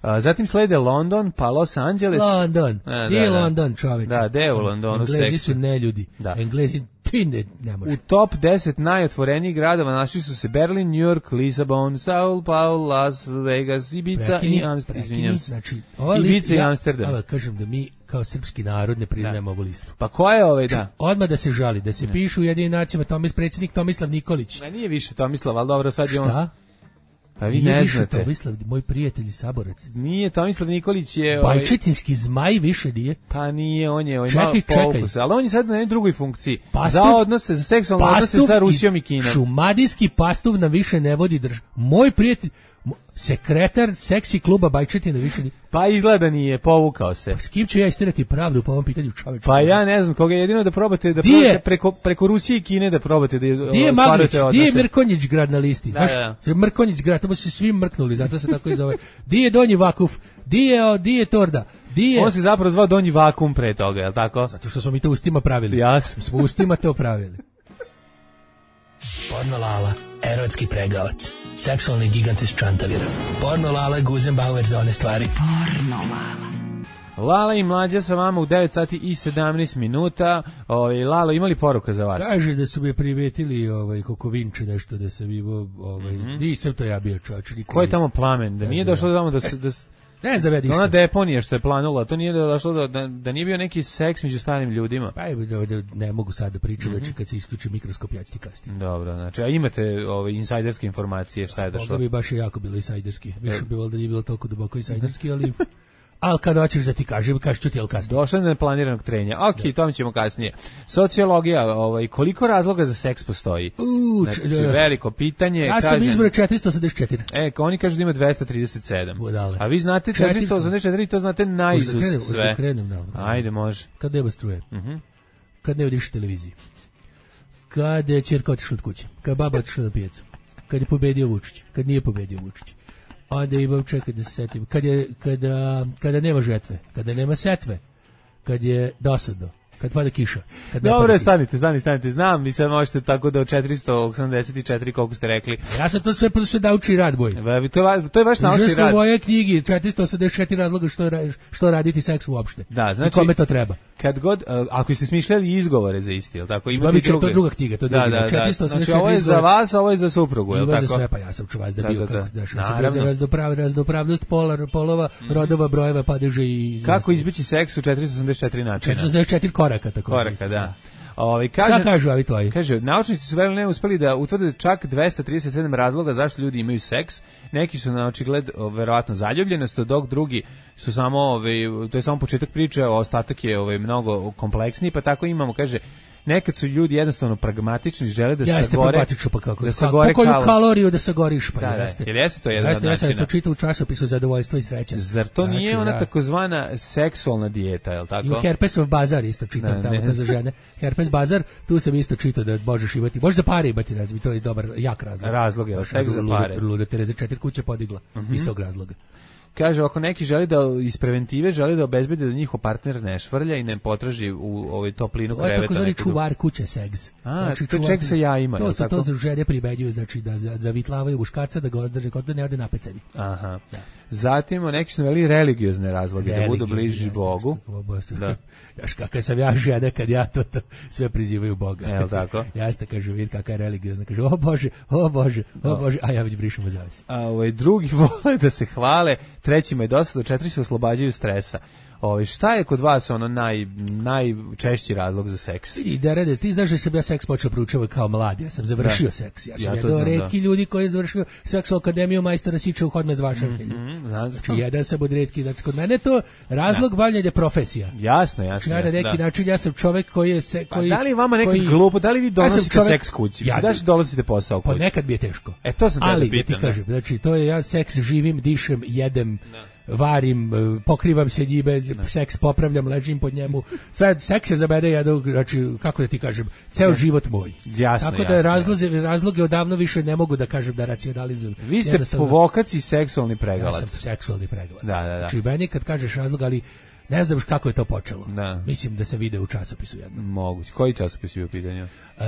A, zatim slede London, pa Los Angeles. London, A, gdje je London, čoveče? Da, gde je u Londonu Englezi seksi? su neljudi. Da. Englezi, ti ne, ne može. U top deset najotvorenijih gradova našli su se Berlin, New York, Lisabon, Sao Paulo, Las Vegas, Ibiza Prekini, i Amsterdam. prekini, Izvinjam se. Znači, ova Ibiza lista, i ja, Amsterdam. ja kažem da mi kao srpski narod ne priznajemo ovu listu. Pa ko je ovaj, da? Odmah da se žali, da se pišu u jedinim nacijama Tomis, predsjednik Tomislav Nikolić. Ma nije više Tomislav, ali dobro, sad je on... Šta? Pa vi Nije ne više znate. Tomislav, moj prijatelj i saborac. Nije, Tomislav Nikolić je... ovaj, Bajčetinski zmaj više nije. Pa nije, on je ovaj Čekaj, malo čekaj. poukus, ali on je sad na nekoj drugoj funkciji. Pastuv- za odnose, za seksualne odnose Pastuv sa Rusijom i iz- Kinom. Šumadijski pastuv na više ne vodi drž. Moj prijatelj, mo- sekretar seksi kluba Bajčetina više nije. Pa izgleda nije, povukao se. S kim ću ja istirati pravdu po ovom pitanju, čoveče? Pa ja ne znam, koga jedino da probate da Di je? probate preko, preko Rusije i Kine da probate da Di je Maglić? ostvarujete Di je odnose. Mrkonjić grad na listi? Da, Znaš, da. Mrkonjić grad, tamo su se svi mrknuli, zato se tako i zove. Di je Donji Vakuf? Di je, o, di je Torda? Di je... On se zapravo zvao Donji Vakum pre toga, je li tako? Zato što smo mi to ustima pravili. Jasno. Mi smo ustima to pravili. Porno Lala, erotski pregavac, seksualni gigant iz Čantavira. Porno Lala, Guzenbauer za one stvari. Porno Lala. Lala i Mlađa sa vama u devet sati i sedamnaest minuta. Ovaj, Lalo, imali poruka za vas? Kaže da su me privetili ovaj, Kokovinče nešto, da sam imao, ovaj, Mhm. nisam to ja bio čovječ. Ko je tamo plamen? Da nije došlo tamo da se... Da, s- Ne znam ja da ona ništa. deponija što je planula, to nije došlo da, da, da nije bio neki seks među starim ljudima. Pa evo, da, da, ne mogu sad da pričam, Mhm. znači kad se isključi mikroskop, ja ću ti kasnije. Dobro, znači, a imate ove insajderske informacije šta je došlo? Moga bi baš i jako bilo insajderski. Više bi volio da nije bilo toliko duboko insajderski, ali ali kad hoćeš da ti kažem, kažeš ću ti, ali kasnije. Došlo je do neplaniranog trenja. Ok, da. Tome ćemo kasnije. Sociologija, ovaj, koliko razloga za seks postoji? U, znači, veliko pitanje. Ja sam izbrojao četiristo osamdeset četiri. E, oni kažu da ima dvesta trideset sedam. Budale. A vi znate četiristo osamdeset četiri, to znate naizust sve. Da krenem, da. Ajde, može. Kad nema struje. Uh -huh. Kad ne vidiš televiziji. Kad je ćerka otišla od kuće. Kad baba otišla na pijacu. Kad je pobedio Vučić. Kad nije pobedio Vučić. Onda imam, čekaj da se setim, kad je, kada, kada nema žetve, kada nema setve, kad je dosadno, kad pada kiša. Kad Dobro, stanite, stanite, stanite, znam, vi sad možete tako da od četiristo osamdeset četiri, koliko ste rekli. Ja sam to sve sve naučni rad, boj. To je, to je vaš naučni rad. U moje knjigi, četiristo osamdeset četiri razloga što, što raditi seks uopšte. Da, znači, i kome to treba. Kad god, ako ste smišljali izgovore za isti, je li tako? Ima druge. To je druga knjiga, to je druga. Da, da, da. Znači, ovo je za vas, a ovo je za suprugu, je li tako? Za sve, pa ja sam čuvaj da bio, kako da se razdoprav, razdopravnost pola, polova, rodova, brojeva, padeže i... Kako izbeći seks u četiristo osamdeset četiri načina? četiristo osamdeset četiri koraka, tako. Koraka, da. Ovaj kaže, šta kažu ovi tvoji? Kaže, naučnici su veliko ne uspeli da utvrde čak dvesta trideset sedam razloga zašto ljudi imaju seks. Neki su na očigled verovatno zaljubljenost, dok drugi su samo, ovaj, to je samo početak priče, a ostatak je ovaj mnogo kompleksniji, pa tako imamo, kaže, nekad su ljudi jednostavno pragmatični, žele da jeste, sagore, pa kako, da sagore koju kaloriju da sagoriš, pa da, jeste. Da, jeste to jedan jeste, od načina. Jeste, jeste, čita u časopisu Zadovoljstvo i sreća. Zar to znači, nije ona da. takozvana seksualna dijeta, je li tako? I u Herpesov bazar isto čitam da, tamo za žene. Herpes bazar, tu sam isto čitao da možeš imati, možeš za pare imati, razbi, to je dobar, jak razlog. Razlog je, seks za pare. Luda Tereza četiri kuće podigla, uh -huh. iz tog razloga. Kaže, ako neki želi da iz preventive želi da obezbede da njihov partner ne švrlja i ne potraži u ovoj toplinu kreveta. To je takozvani čuvar kuće seks. A, znači, to ček se ja ima. To su to za žene pribeđuju, znači da zavitlavaju muškarca, da ga ozdrže kod da ne ode napecani. Aha. Da. Zatim, neki su veli religiozne razloge, da budu bliži jeste, Bogu. Da. Jaš kakav sam ja žena kad ja to, to sve prizivaju Boga. Jel tako? Jeste, kaže, vidi kakva je religiozna. Kaže, o Bože, o Bože, o Bože, a ja već brišem u zavisi. A ovaj, drugi vole da se hvale, trećima je dosta, četiri se oslobađaju stresa. Ovaj, šta je kod vas ono naj, najčešći razlog za seks? Vidi, da rede, ti znaš da sam ja seks počeo proučavati kao mlad, ja sam završio da. seks. Ja sam ja jedan od retki ljudi koji je završio seks u akademiju majstora Siča u Hodme zvašavljenju. Mm -hmm, znači, jedan sam od retki. Znači, kod mene to razlog bavljenja profesija. Jasno, jasno. Znači, na neki da. način ja sam čovjek koji je... Se, koji, pa da li vama nekad koji, glupo, da li vi donosite ja čovjek, seks kući? Ja, da li donosite posao kući? Pa nekad mi je teško. E, to sam ali, da pitam. Ali, ti kažem, znači, to je ja seks živim, dišem, jedem, da. varim, pokrivam se njime, seks popravljam, ležim pod njemu. Sve seks je za mene jedan, znači kako da ti kažem, ceo život moj. Jasno, tako da jasno, razloze, jasno. razloge odavno više ne mogu da kažem da racionalizujem. Vi ste po vokaciji seksualni pregalac. Ja sam seksualni pregalac. Da, da, da. Znači meni kad kažeš razlog, ali ne znam kako je to počelo. Da. Mislim da se vide u časopisu jednom. Moguće. Koji časopis je u pitanju? Uh,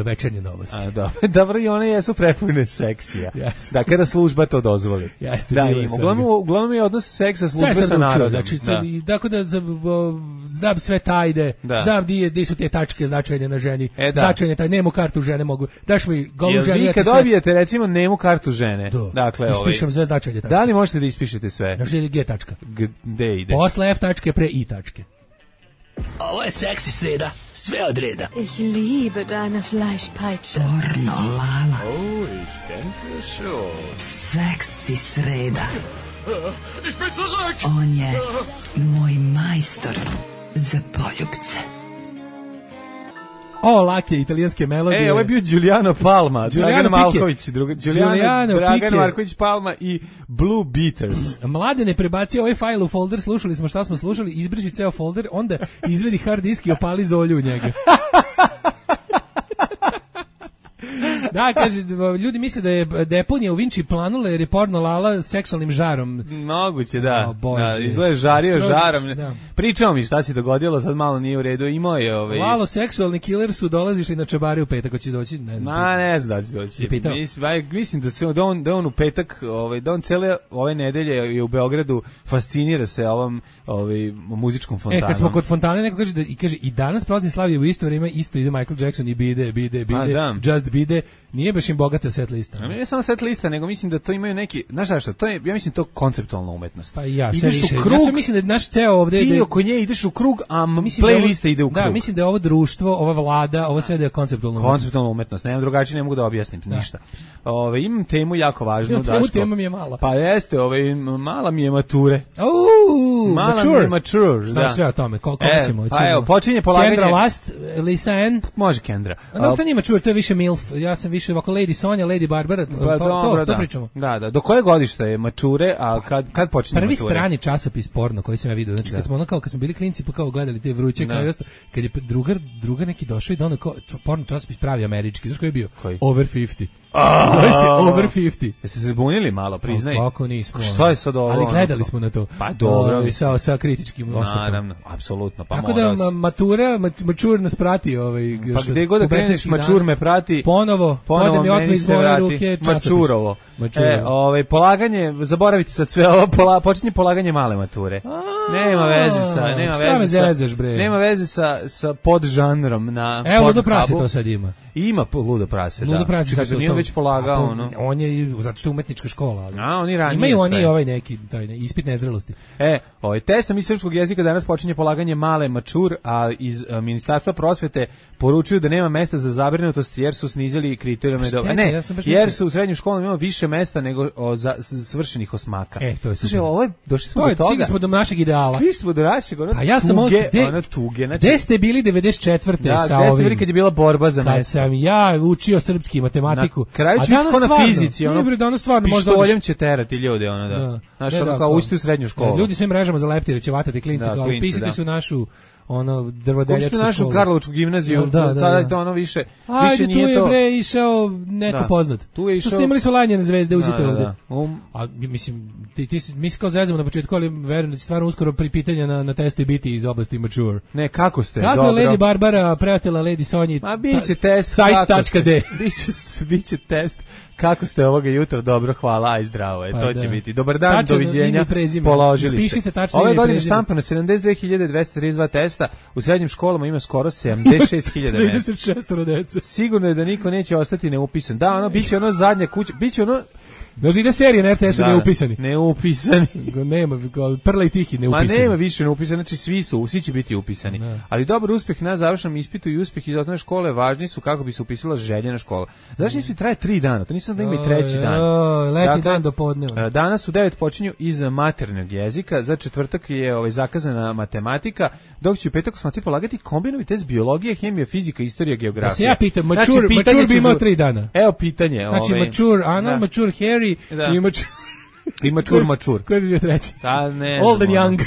večernje novosti. A, dobro. Dobro, i one jesu prepune seksija. Yes. Da, kada služba to dozvoli. Jeste, da, im, uglavnom, uglavnom je odnos seksa službe sa narodom. Znači, da. Tako da znam sve tajde, da. znam di, di su te tačke značajne na ženi. E, da. Značajne taj, nemu kartu žene mogu. Daš mi golu ženu. Vi kad dobijete, sve... recimo, nemu kartu žene. Do. Dakle, ispišem ovaj, sve značajne tačke. Da li možete da ispišete sve? Znači, G tačka. Gde ide? Posle F tačke pre I tačke. Ovo je seksi sreda, sve od reda. Ich liebe deine Fleischpeitsche. Pornolala. Oh, ich denke schon. Seksi sreda. Ich bin zurück. On je moj majstor za poljubce. O, lake italijanske melodije. E, ovo je bio Giuliano Palma, Dragan Marković, druga, Giuliano, Giuliano Dragan Marković Palma i Blue Beaters. Mlade ne prebaci ovaj fajl u folder, slušali smo šta smo slušali, izbriši ceo folder, onda izvedi hard disk i opali zolju u njega. Da, kaže, ljudi misle da je deponija u Vinči planula jer je porno lala seksualnim žarom. Moguće, da. O, da izgleda žario Skroz, žarom. Da. Pričao mi šta se dogodilo, sad malo nije u redu. Imao je ovaj... Lalo, seksualni killer su dolazišli na čabari u petak, hoće doći? Ne znam. Ma, ne znam da će doći. Mislim, mislim da, se, da, on, da on u petak, ovaj, da on cele ove nedelje je u Beogradu, fascinira se ovom ovaj, muzičkom fontanom. E, kad smo kod fontane, neko kaže da, i kaže, i danas prolazim Slavije u isto vrijeme, isto ide Michael Jackson i bide, bide, bide, da. Just bide. Nije baš im bogata set lista. Ne, ne samo set lista, nego mislim da to imaju neki, znaš šta, to je, ja mislim to konceptualna umetnost. Pa ja, ideš u krug, ja mislim da je naš ceo ovde ti oko nje ideš u krug, a playlista ide u krug. Da, mislim da je ovo društvo, ova vlada, ovo sve da je konceptualna umetnost. Konceptualna umetnost, nemam drugačije, ne mogu da objasnim da. ništa. Ove, imam temu jako važnu, Daško. Temu, tema mi je mala. Pa jeste, ove, mala mi je mature. Uuu, Mala Mature. Mature, Znam da. sve o tome, koliko E, ćemo. pa evo, počinje polaganje. Kendra Last, Lisa Ann. Može Kendra. A no, to nije Mature, to je više MILF. Ja sam više ovako Lady Sonja, Lady Barbara, to, Pa, to, dobro, to da. pričamo. Da, da. Do koje godište je Mature, a kad, kad počinje Prvi Mature? strani časopis porno koji sam ja vidio, znači Da. kad smo ono kao kad smo bili klinci pa kao gledali te vruće Da. kao i ostalo, kad je drugar drugar neki došao i da ono kao č- porno časopis pravi američki, znaš koji je bio? Koji? Over pedeset. Zove se Over pedeset. Jeste se zbunili malo, priznaj? Kako nismo. Šta je sad ovo? Ali gledali ono? smo na to. Pa dobro. Ovaj, sa, sa kritičkim osvrtom. Naravno, apsolutno, pa Tako da mora ma, se. matura, mat, mačur nas prati. Ovaj, Pa još gde god da kreneš, pubertetskih mačur dana. me prati. Ponovo, Ponovo ode mi otme meni iz se moje vrati. ruke časopis. Mačurovo. Mačurovo. E, ovaj, polaganje, zaboravite sad sve ovo, pola, počinje polaganje male mature. Nema veze sa, nema šta me veze sa, zezaš, bre? nema veze sa, sa podžanrom na Evo, Ludo Pornhubu. Prase to sad ima. Ima po- Ludo Prase, Ludo da. Prase Čekaj, su nije to- već polagao, A, ono. On je, i- zato što je umetnička škola. Ali. A, oni ranije Imaju oni sve. ovaj neki taj, ne, ispit nezrelosti. E, ovaj testom iz srpskog jezika danas počinje polaganje male mačur, a iz a, Ministarstva prosvete poručuju da nema mesta za zabrinutost jer su snizili kriterijume do... Šteta, A ne, ja sam baš jer mislio- su u srednjim školama ima više mesta nego o, za s- svršenih osmaka. E, to je Slušaj, super. ovo je, došli smo To do je, toga. stigli smo do našeg ideala. Stigli smo do našeg, ono Pa ja sam tuge, ovdje, gde, ono tuge. Znači, gde ste bili devedeset četvrte da, sa gde ste ovim? bili kad je bila borba za Kad mesta? sam ja učio srpski i matematiku. Na kraju a će biti danas ko na stvarno, fizici, ono, nije bre, danas stvarno možda pištoljem odeš- će terati ljude, ono da. Da. Znaš, Ne, ono da, kao kao- ušti u srednju školu. Ljudi svim mrežama za leptire će vatati klinci, Da, kao klinci, upisite da. su našu ono Ušti drvodeljačku u našu školu. Karlovačku gimnaziju, Jel, da, da, sada da. je to ono više, Ajde, više tu nije je to... bre išao neko Da. poznat. Tu je išao- Tu snimali su lanjene zvezde, uđite Da, da, ovde. da. Um. A mislim, ti, ti, si- mi se kao zezamo na početku, ali verujem da će stvarno uskoro pri pitanja na, na testu i biti iz oblasti mature. Ne, kako ste? Kako Dobro. je Lady Barbara pratila Lady Sonji? Ma biće test Site kako tačka ste- de. biće biće test kako ste ovoga jutra, dobro, hvala, aj zdravo je, Pa to da. će biti. Dobar dan, Tačno doviđenja. ime i prezime. Položili Ispišite ste. tačno Ove ime i godine prezime. štampano sedamdeset dve hiljade dvesta trideset dva testa, u srednjim školama ima skoro sedamdeset šest hiljada mesta. trideset šest dece. Sigurno je da niko neće ostati neupisan. Da, ono biće ono zadnja kuća, biće ono Znaš, ide serija na R T S-u Da, neupisani. Neupisani. Go nema, kao Prla i Tihi Ma neupisani. nema više neupisani, znači svi su, svi će biti upisani. Ne. Ali dobar uspeh na završnom ispitu i uspeh iz osnovne škole važni su kako bi se upisala željena škola. Završni ispit traje tri dana, to nisam da ima i treći dan. Oj, letnji Dakle, dan do podneva. e, Danas u devet počinju iz maternjeg jezika, za četvrtak je ovaj, zakazana matematika, dok će u petak osmaci polagati kombinovani test biologije, hemija, fizika, istorija, geografija. Da se ja pitam, Znači, mature, pitanje mature bi će imao za- tri dana. Evo pitanje. Znači, ovaj, mature Anna, da. mature Harry Da. i mature... I mačur, mačur. Koji bi bio treći? Da, ne Old and znam, ono. young.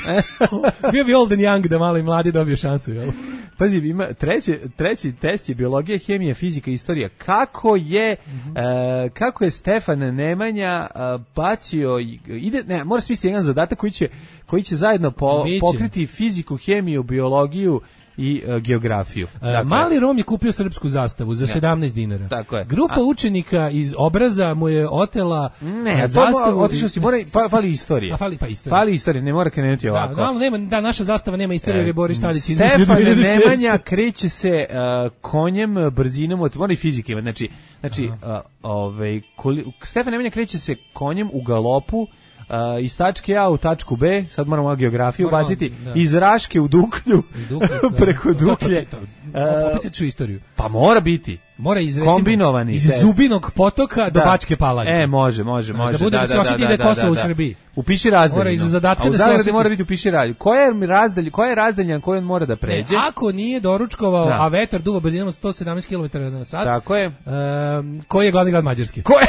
Bio bi old and young da malo i mladi dobiju šansu, jel? Pazi, ima treći, treći test je biologija, hemija, fizika, istorija. Kako je Mhm. e, kako je Stefan Nemanja e, bacio i- ide ne, mora smisliti jedan zadatak koji će koji će zajedno po, Biće. pokriti fiziku, hemiju, biologiju i e, geografiju. E, Mali Rom je kupio srpsku zastavu za sedamnaest dinara. Tako je. Grupa A- učenika iz Obraza mu je otela Ne, e, to zastavu. otišao si, mora, fa- fali istorija. A fali pa istorija. Fali istorija, ne mora krenuti Da, ovako. malo nema, da, naša zastava nema istoriju, jer je Boris Tadić izmislio Stefan dve hiljade šeste. Nemanja kreće se uh, konjem brzinom od mora i fizike ima. Znači, znači uh, ovaj koli, Stefan Nemanja kreće se konjem u galopu uh, iz tačke A u tačku B, sad moramo malo geografiju Moramo, ubaciti, da. iz Raške u Duklju, Iz Duklje, da. preko To, to, Duklje. to, to. Uh, Opet se ču istoriju. Pa mora biti. Mora iz, recimo, Kombinovani iz test. Zubinog potoka do Da. Bačke Palanke. E, može, može, Znaš, može. da bude da se osjeti da je Kosovo u Srbiji. Upiši razdaljinu. Mora iz zadatka A u da se zagradi osjeti- mora biti upiši razdaljinu. Koja je razdalj, koja je razdaljan koju on mora da pređe? E, ako nije doručkovao, Da. a vetar duva brzinom od sto sedamnaest kilometara na sat, Tako je. um, koji je glavni grad Mađarske? Ko je?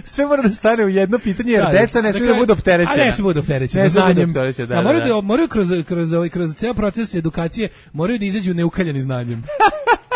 Sve mora da stane u jedno pitanje, jer Da, deca ne smiju da dakle, budu opterećena. A ne smiju da budu opterećena. Ne smiju da budu znanjem. opterećena, da, Da, moraju, da, da, moraju kroz, kroz, ovaj, kroz ceo proces edukacije moraju da izađu neukaljani znanjem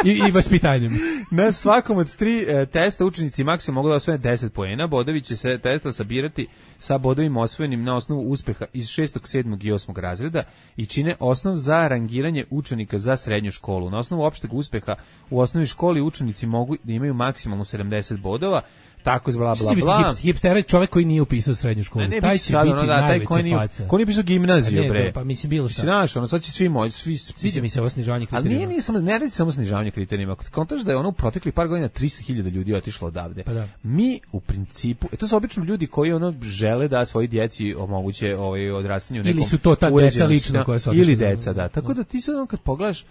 i, i vaspitanjem. Na svakom od tri e, testa učenici maksimum mogu da osvoje deset poena. Bodovi će se testa sabirati sa bodovima osvojenim na osnovu uspeha iz šestog, sedmog i osmog razreda i čine osnov za rangiranje učenika za srednju školu. Na osnovu opšteg uspeha u osnovnoj školi učenici mogu da imaju maksimalno sedamdeset bodova. Tako bla Što bla će biti bla. hipster, hipster je čovjek koji nije upisao srednju školu. Ne, ne, taj biće će sad biti ono, da, taj najveća koji nije, faca. ko nije pisao gimnaziju, A ne, bre. pa mislim bilo šta. Mislim, znaš, ono, sad će svi moći, svi... Sviđa mi se ovo snižavanje Ali kriterijuma. nije, nije samo, ne radi se samo snižavanje kriterijuma. Ako kontaš da je ono u proteklih par godina trista hiljada ljudi otišlo odavde. Pa da. Mi u principu, e to su obično ljudi koji ono žele da svoji djeci omoguće ovaj odrastanje u Ili nekom su to ta deca uređenom lično sistemu. koja su otišla ili da- deca, da. Tako da ti sad ono kad pogledaš,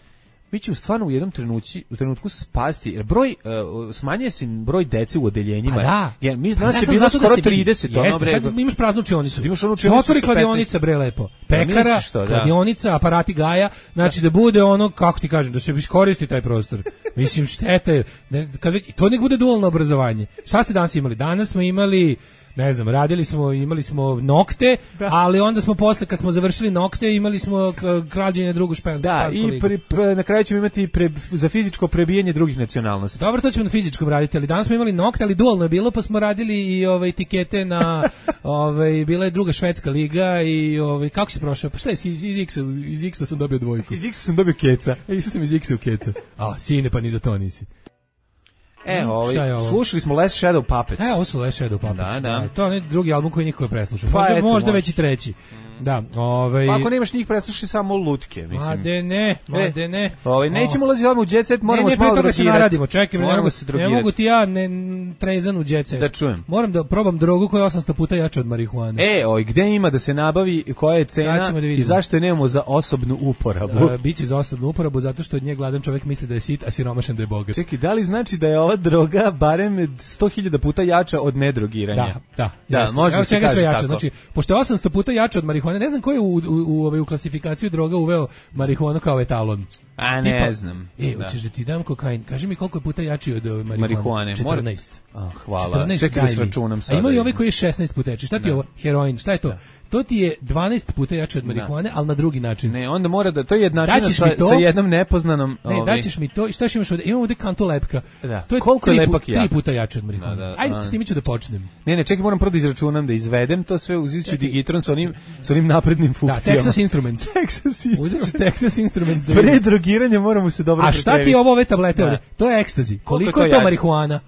mi ćemo stvarno u jednom trenutku, u trenutku spasti, jer broj, uh, smanjuje se broj dece u odeljenjima. Pa da. Jer mi, Pa nas ja je sam bilo zato da skoro se trideset. vidi. Ono, Jeste, bre, sad imaš praznu učionicu. Sad imaš onu Se učionicu otvori sa kladionica, bre, lepo. Pekara, misliš to, da. kladionica, aparati Gaja, znači da bude ono, kako ti kažem, da se iskoristi taj prostor. Mislim, šteta je, ne, kad već, to nek bude dualno obrazovanje. Šta ste danas imali? Danas smo imali, ne znam, radili smo, imali smo nokte, da. Ali onda smo posle, kad smo završili nokte, imali smo krađenje drugu špensku. Da, i pre, pre, na kraju ćemo imati pre, za fizičko prebijanje drugih nacionalnosti. Dobro, to ćemo na fizičkom raditi, ali danas smo imali nokte, ali dualno je bilo, pa smo radili i ove etikete na, ove, bila je druga švedska liga i ove, kako si prošao? Pa šta je, iz, iz X-a, iz X-a sam dobio dvojku. Iz X-a sam dobio keca. E, išao sam iz X-a u keca. A, sine, pa ni za to nisi. E, ovaj, slušali smo Last Shadow Puppets. E, ovo su Last Shadow Puppets. Da, da. Da, to je drugi album koji niko je preslušao. Pa možda eto, možda može. već i treći. Da, ovaj. Pa ako nemaš njih, preslušaj samo lutke, mislim. Ma de ne, ma e, de ne. Ovaj nećemo ulaziti odmah u jet set, moramo ne, se malo drogirati. Ne, ne, pre toga se naradimo, čekaj, ne mogu, se ne mogu ti ja ne trezan u jet set. Da čujem. Moram da probam drogu koja je osamsto puta jača od marihuane. E, oj, gde ima da se nabavi, koja je cena da i zašto je nemamo za osobnu uporabu? Uh, biće za osobnu uporabu zato što od nje gladan čovjek misli da je sit, a siromašan da je bogat. Čekaj, da li znači da je ova droga barem sto hiljada puta jača od nedrogiranja? Da, da. Da, jasno. može da se kaže jača. tako. Znači, pošto je osamsto puta jača od marihuane, ne znam ko je u, u, u, u, u klasifikaciju droga uveo marihuanu kao etalon. A ne Tipa, znam. E, da. hoćeš da ti dam kokain. Kaži mi koliko je puta jači od uh, marihuane. marihuane. četrnaest. Ah, hvala. četrnaest, čekaj da sračunam sada. A ima i ovaj koji je šesnaest puta jači. Šta ti je ovo? Heroin. Šta je to? Da. To ti je dvanaest puta jače od marihuane, ali na drugi način. Ne, onda mora da to je jednačina sa, sa jednom nepoznanom. Ne, ovaj. Daćeš mi to. I šta imaš ovde? Imamo ovde kantu lepka. Da. To je koliko je lepak jak? Tri puta jače od marihuane. Da, da, Ajde, s njime ću da počnem. Ne, ne, čekaj, moram prvo da izračunam, da izvedem to sve, uzet ću digitron sa onim, sa onim naprednim funkcijama. Da, Texas Instruments. Texas Instruments. Uzet ću Texas Instruments. Da pre drogiranja moramo se dobro pripremiti. A šta ti je ovo ove tablete ovde? To je ekstazi. Koliko je to marihuana?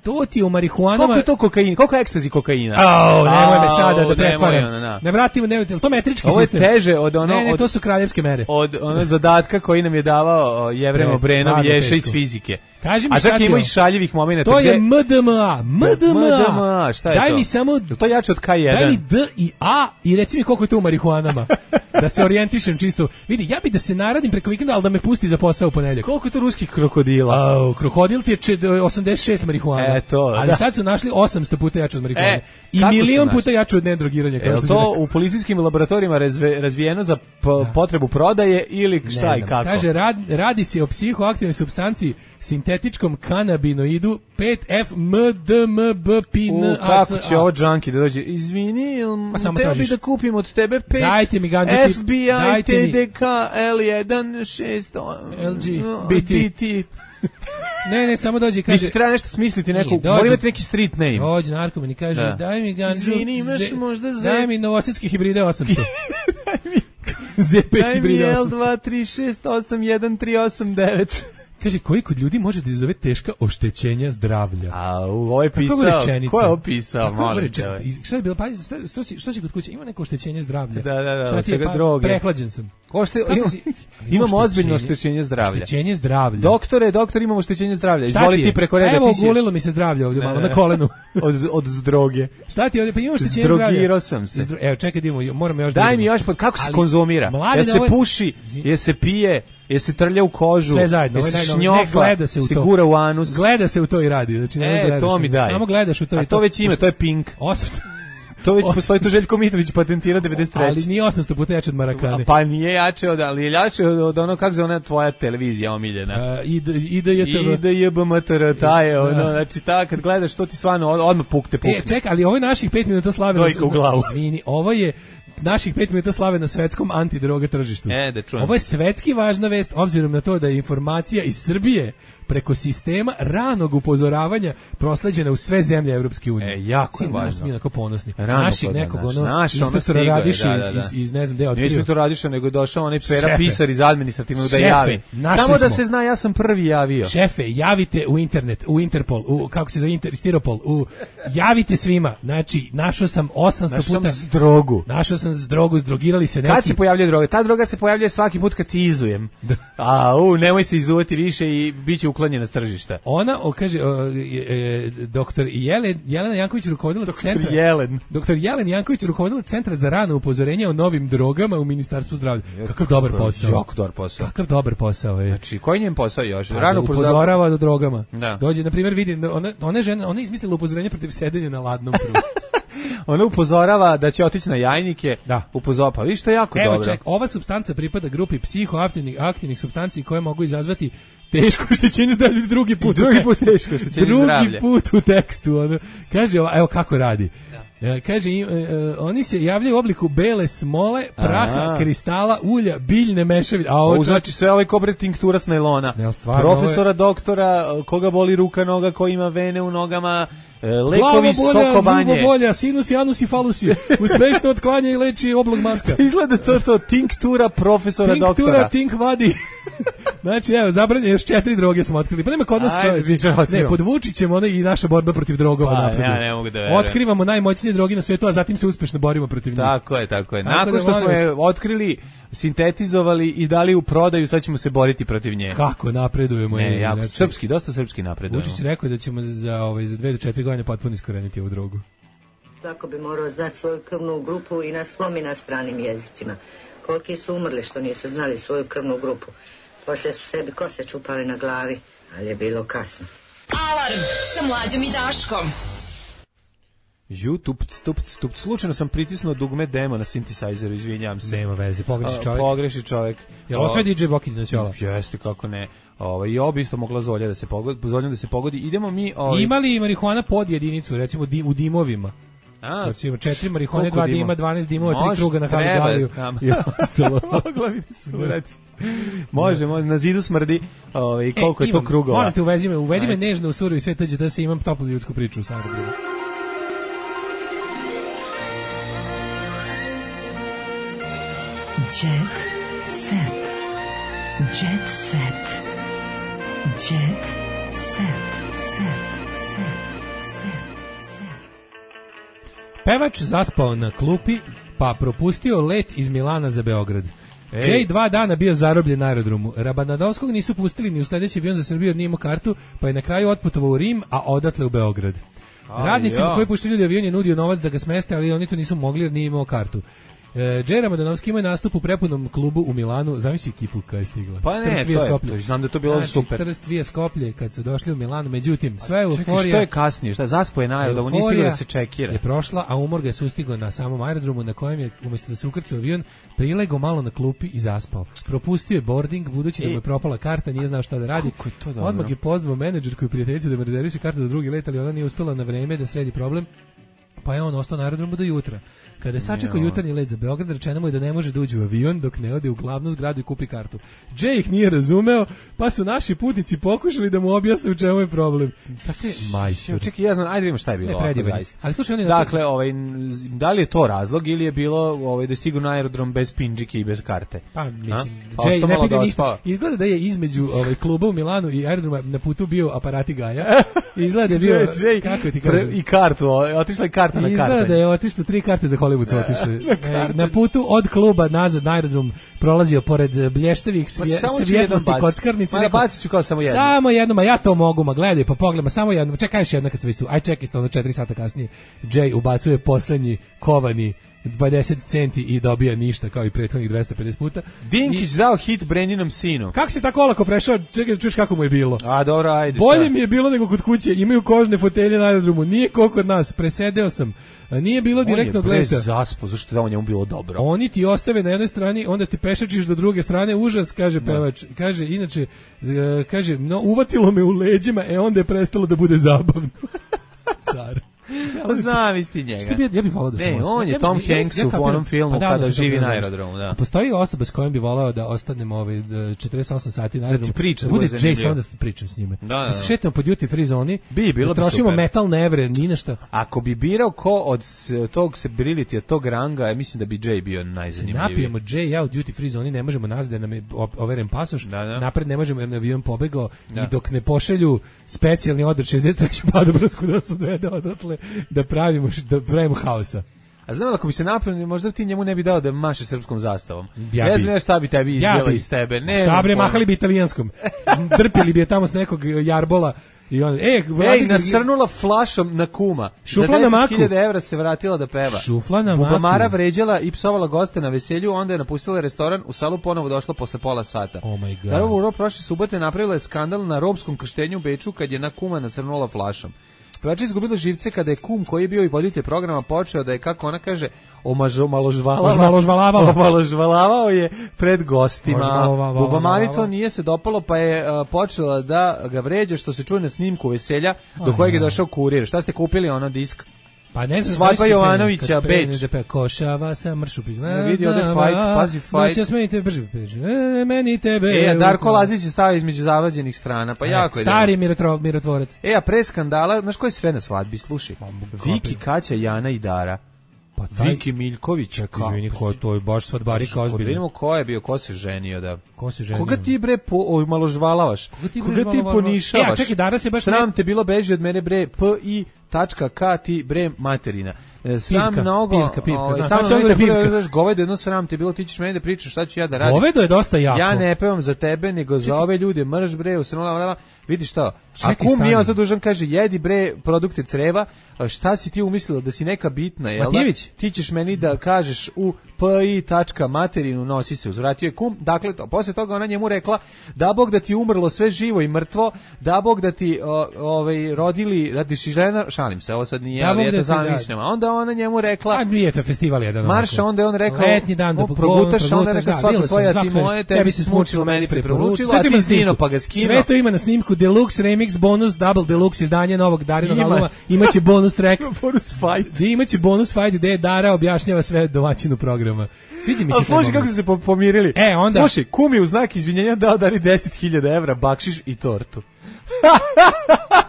To ti u marihuanama... Koliko je to kokain? Koliko je ekstazi kokaina? Au, nemoj me sada da pretvaram. Ne vratimo, ne, to metrički ovo je sistem. teže od ono... Ne, ne, od, to su kraljevske mere. Od ono zadatka koji nam je davao Jevrem Obrenov Ješa iz fizike. Kaži mi a šta čak ti ima i šaljivih momenata. To je M D M A. M D M A. M D M A, šta je Daj to? mi samo... To je jače od K jedan. Daj mi D i A i reci mi koliko je to u marihuanama. Da se orijentišem čisto. Vidi, ja bi da se naradim preko vikenda, ali da me pusti za posao u ponedjeljak. Koliko je to ruskih krokodila? Au, krokodil ti je osamdeset šest marihuana. E, to, ali da. sad su našli osamsto puta jače od marihuane. E, I milion puta jače od nedrogiranja. Je li to u policijskim laboratorijima razve, razvijeno za potrebu prodaje ili šta i kako? Kaže, rad, radi se o psihoaktivnoj supstanciji sintetičkom kanabinoidu pet F M D M B P N A C A. Kako će ovo džanki da dođe? Izvini, teo bi da kupim od tebe pet Dajte mi ganđu F B I T D K L jedan šest L G B T. Ne, ne, samo dođe i kaže... Mislim, treba nešto smisliti, neku, mora imati neki street name. Dođe narkoman i kaže, da. Daj mi ganđu... Izvini, imaš možda Z... Daj mi novosadski hibride osamsto. Daj mi... Z P Daj hibride mi osamsto. L dva tri šest osam jedan tri osam devet. Kaže, koji kod ljudi može da izazove teška oštećenja zdravlja? A, ovo je pisao, ko je opisao, molim te. Šta je bilo, pa, što si, što si kod kuće, ima neko oštećenje zdravlja? Da, da, da, šta ti je, pa, droge. Prehlađen sam. Ošte, imam, imam ozbiljno oštećenje zdravlja. Oštećenje zdravlja. Doktore, doktor, imamo oštećenje zdravlja. Izvoli ti preko reda. Evo, gulilo mi se zdravlje ovdje malo na kolenu. od, od zdroge. Šta ti ovdje, pa imam oštećenje zdravlja. Zdrogirao sam se. Evo, čekaj, idemo, moram još... Daj mi još, kako se konzumira? Je se puši, je se pije, je se trlja u kožu, sve zajedno, je se šnjofa, gleda se u to. Se gura u anus. Gleda se u to i radi. Znači, ne e, to mi daj. Samo gledaš u to i to. A to već ime, to je Pink. Osam. To već postoji, to Željko Mitrović patentirao devedeset treće. Ali nije osamsto puta jače od Marakane. Pa nije jače od, ali je jače od, od ono, kako se ona tvoja televizija omiljena. Uh, I D J T V. I D J B M T R, ta je, ono, znači ta, kad gledaš, to ti stvarno odmah pukte, pukne. E, čekaj, ali ovo je naših pet minuta slave. Dojka u glavu. Izvini, ovo je naših pet minuta slave na svetskom antidroga tržištu. E, da čujem. Ovo je svetski važna vest, obzirom na to da je informacija iz Srbije preko sistema ranog upozoravanja prosleđena u sve zemlje Evropske unije. E, jako je važno. Mi onako ponosni. Rano Naših nekog, ono, naš, inspektora Radiša da, da, da. iz, iz, iz, ne znam, gde otkrio. Nije inspektor Radiša, nego je došao onaj Pera Šefe. Pisar iz administrativnog da Šefe, javi. Samo da smo. se zna, ja sam prvi javio. Šefe, javite u internet, u Interpol, u, kako se zove, Inter, Stiropol, u, javite svima. Znači, našao sam osamsto našao puta... Našao sam drogu. Našao sam drogu, zdrogirali se neki... Kad se pojavljuje droga? Ta droga se pojavljuje svaki put kad se izujem. A, u, nemoj se izuvati više i bit će u uklonjena s tržišta. Ona, o, kaže, o, e, doktor Jelen, Jelena Janković rukovodila doktor centra... Jelen. Doktor Jelen Janković rukovodila Centra za rano upozorenje o novim drogama u Ministarstvu zdravlja. Kakav dobar posao. Jako dobar posao. Kakav dobar posao je. Znači, koji njen posao još? Pa, Rano upozorava do drogama. Da. Dođe, na primjer, vidi, ona, ona žena, ona je izmislila upozorenje protiv sedenja na ladnom prugu. Ona upozorava da će otići na jajnike. Da. Upozorava, pa viš, to je jako Evo, dobro. Evo ček, ova supstanca pripada grupi psihoaktivnih aktivnih supstanci koje mogu izazvati teško oštećenje zdravlja. Drugi put. I drugi put teško oštećenje zdravlja. Drugi put u tekstu. Ono, kaže, evo kako radi. Da. Kaže, uh, oni se javljaju u obliku bele smole, praha, Aha. kristala, ulja, biljne mešavine. A ovo znači sve ovaj kobre tinktura s najlona. Ne, stvarno, profesora, je... doktora, koga boli ruka, noga, ko ima vene u nogama, lekovi sokobanje. Glava bolja, sinus, anus i falusi. Uspešno otklanja i leči oblog maska. Izgleda to to, tinktura profesora, tinktura, doktora. Tinktura, tink vadi. Znači, evo, zabranjeno još četiri droge smo otkrili. Pa nema kod nas čovječe. Ne, pod Vučićem ono i naša borba protiv drogova pa, napreduje. Ja ne mogu da verujem. Otkrivamo najmoćnije droge na svijetu, a zatim se uspešno borimo protiv njih. Tako je, tako je. Nakon tako što da, smo je otkrili, sintetizovali i dali u prodaju, sad ćemo se boriti protiv nje. Kako napredujemo? Ne, jako, znači, srpski, dosta srpski napredujemo. Vučić rekao da ćemo za, ovaj, za dve do četiri godine potpuno iskoreniti ovu drogu. Tako bi morao znati svoju krvnu grupu i na svom i na stranim jezicima. Koliki su umrli što nisu znali svoju krvnu grupu. Poslije su sebi kose čupali na glavi, ali je bilo kasno. Alarm sa Mlađom i Daškom. YouTube, stup, stup, slučajno sam pritisnuo dugme demo na synthesizeru, izvinjam se. Nema veze, pogreši čovjek. Pogreši čovjek. Jel ovo sve D J Bokin na ćola? Jeste, kako ne. Ovaj i obi isto mogla Zolja da se pogodi, Zolja da se pogodi. Idemo mi, ovaj imali marihuana pod jedinicu, recimo di, u dimovima. A, recimo četiri marihuane, dva dima, dvanaest dimova, tri kruga na Haligaliju i ostalo. Mogla bi se uradi. Može, može, na zidu smrdi, ovaj koliko e, je to krugova. Moram te uvezi me, uvedi me nežno u surovi sve tađe da se imam toplu ljudsku priču u Sarajevu. Jet set. Jet set. Jet set. Set. Set. Set. Set. Pevač zaspao na klupi, pa propustio let iz Milana za Beograd. Ej. Jay dva dana bio zarobljen na aerodromu. Rabanadovskog nisu pustili ni u sledeći avion za Srbiju jer nije imao kartu, pa je na kraju otputovao u Rim, a odatle u Beograd. Radnicima ja. koji puštili ljudi avion je nudio novac da ga smeste, ali oni to nisu mogli jer nije imao kartu. Džej Ramadanovski ima nastup u prepunom klubu u Milanu, zamisli ekipu koja je stigla. Pa ne, to je, to, znam da to bilo znači, super. Trst Vije Skoplje kad su došli u Milanu, međutim, sve euforija... Čekaj, što je kasnije? Šta, zaspo je na aerodromu, nije stigla da se čekira. Je prošla, a umor ga je sustigao na samom aerodromu na kojem je, umjesto da se ukrci u avion, prilego malo na klupi i zaspao. Propustio je boarding, budući da mu je propala karta, nije znao šta da radi. Je odmah je pozvao menadžerku i prijateljicu da mu rezerviše kartu za drugi let, ali ona nije uspela na vreme da sredi problem. Pa je on ostao na aerodromu do jutra. Kada je sačekao jutarnji let za Beograd, rečeno mu je da ne može da uđe u avion dok ne ode u glavnu zgradu i kupi kartu. Jay ih nije razumeo, pa su naši putnici pokušali da mu objasne u čemu je problem. Dakle, majstor. Čekaj, ja znam, ajde vidimo šta je bilo. Ne, zaista. Ali slušaj, on je dakle, ovaj, da li je to razlog ili je bilo ovaj, da stigu na aerodrom bez pindžike i bez karte? Pa, mislim, Jay ne pide ništa. Izgleda da je između ovaj, kluba u Milanu i aerodroma na putu bio aparati Gaja. Izgleda da je bio, Jay, kako ti kažem? I kartu, otišla je karta na karte. Izgleda da je otišlo tri karte za Hollywood su otišli. na, na putu od kluba nazad na aerodrom prolazio pored blještavih svje, svjetlosti kockarnice. Ma bacit ću kao samo jedno. Samo jedno, ma ja to mogu, ma gledaj, pa pogledaj, ma samo jedno. Čekaj još jedno kad se već tu. Aj čekaj, isto ono četiri sata kasnije. Jay ubacuje poslednji kovani dvadeset centi i dobija ništa kao i prethodnih dvesta pedeset puta. Dinkić I... dao hit Brendinom sinu. Kako si tako olako prešao? Čekaj da čuješ kako mu je bilo. A dobro, ajde. Bolje šta? Mi je bilo nego kod kuće. Imaju kožne fotelje na aerodromu. Nije ko kod nas. Presedeo sam. Nije bilo direktnog leta. On je pre zaspo, zašto da on njemu bilo dobro. Oni ti ostave na jednoj strani, onda te pešačiš do druge strane. Užas, kaže pevač. Kaže, inače, kaže, no, uvatilo me u leđima, e onda je prestalo da bude zabavno. Car. Pa znam isti njega. Što bi, ja bih volao da ne, on je Tom Hanks u onom filmu pa kada živi na aerodromu. Da. Postoji osoba s kojom bi volao da ostanem ovaj četrdeset osam sati na aerodromu. Da ti pričam, da bude Jason da se pričam s njime. Da, da, da. da se šetamo po duty free zoni. Bi, bilo da trošimo metalne evre, ni nešto. Ako bi birao ko od tog celebrity, od tog ranga, mislim da bi Jay bio najzanimljiviji. Napijemo Jay ja u duty free zoni, ne možemo nazad da nam je overen pasoš. Da, da. Napred ne možemo jer na avion pobegao da. I dok ne pošalju specijalni odred šezdeset treće padobrodku da se odvede odatle da pravi da pravimo haosa. A znam ako bi se napravio, možda ti njemu ne bi dao da maše srpskom zastavom. Ja ne bi. znam šta bi tebi izbjela Ja bi. iz tebe. Ne, Šta bre, mahali bi italijanskom. Drpili bi je tamo s nekog jarbola. I on, ej, Ej, nasrnula flašom na kuma. Šufla na maku. Za deset hiljada evra se vratila da peva. Šufla na maku. Bubamara vređala i psovala goste na veselju, onda je napustila restoran, u salu ponovo došla posle pola sata. Oh my god. Naravno, prošle subote napravila je skandal na romskom krštenju u Beču kad je na kuma nasrnula flašom. Pevačica izgubila živce kada je kum koji je bio i voditelj programa počeo da je, kako ona kaže, omaložvalavao omaložvalavao je pred gostima. Bubamari to nije se dopalo, pa je uh, počela da ga vređa, što se čuje na snimku veselja do kojeg je došao kurir. Šta ste kupili, ono disk? Pa ne znam, Svadba Jovanovića, Beč. Košava sa mršupi. Ne vidi ovde fight, pazi fight. Noća smenite brže, meni tebe. E, a Darko Lazić je stavio između zavađenih strana, pa jako je. Stari mirotvorac. E, a pre skandala, znaš ko je sve na svadbi, slušaj. Viki, Kaća, Jana i Dara. Pa taj... Viki Miljković. Čekaj, izvini, ko to je baš svadbarika ozbiljno. Kod vidimo ko je bio, ko se ženio, da. Ko se ženio? Koga ti bre po, malo žvalavaš? Koga ti, Koga ti ponišavaš? E, a čekaj, Dara se baš... Sram te bilo beži od mene bre, p i tačka k ti bre materina. Sam pirka, mnogo, pirka, pirka, o, znam, sam pa mnogo da pirka. znaš, govedo jedno sram te bilo, ti ćeš meni da pričaš šta ću ja da radim. Govedo je dosta jako. Ja ne pevam za tebe, nego za ove ljude, mrš bre, usrnula, vidi šta, Čekaj, a kum nije stani. ostao dužan, kaže, jedi bre produkte creva, šta si ti umislila, da si neka bitna, jel da? Matijević. Ti ćeš meni da kažeš u pi tačka materinu, nosi se, uzvratio je kum, dakle, to, posle toga ona njemu rekla, da Bog da ti umrlo sve živo i mrtvo, da Bog da ti o, ovaj, rodili, da ti si žena, šalim se, ovo sad nije, da ali eto zamišljam, onda ona njemu rekla, a nije to festival jedan. Marša, onda je on rekao, letnji dan da progutaš, onda je rekao, svako svoja ti moje, tebi se smučilo, meni preporučilo, a ti zino pa ga skinuo. Sve to ima na snimku, deluxe remix, bonus, double deluxe izdanje novog Darinog albuma, imaće bonus track. Bonus fight. Imaće bonus fight gde Dara objašnjava sve domaćinu programa. Sviđa mi se. A slušaj kako su se pomirili. E, onda... Slušaj, kum je u znak izvinjenja dao Dari deset hiljada evra, bakšiš i tortu.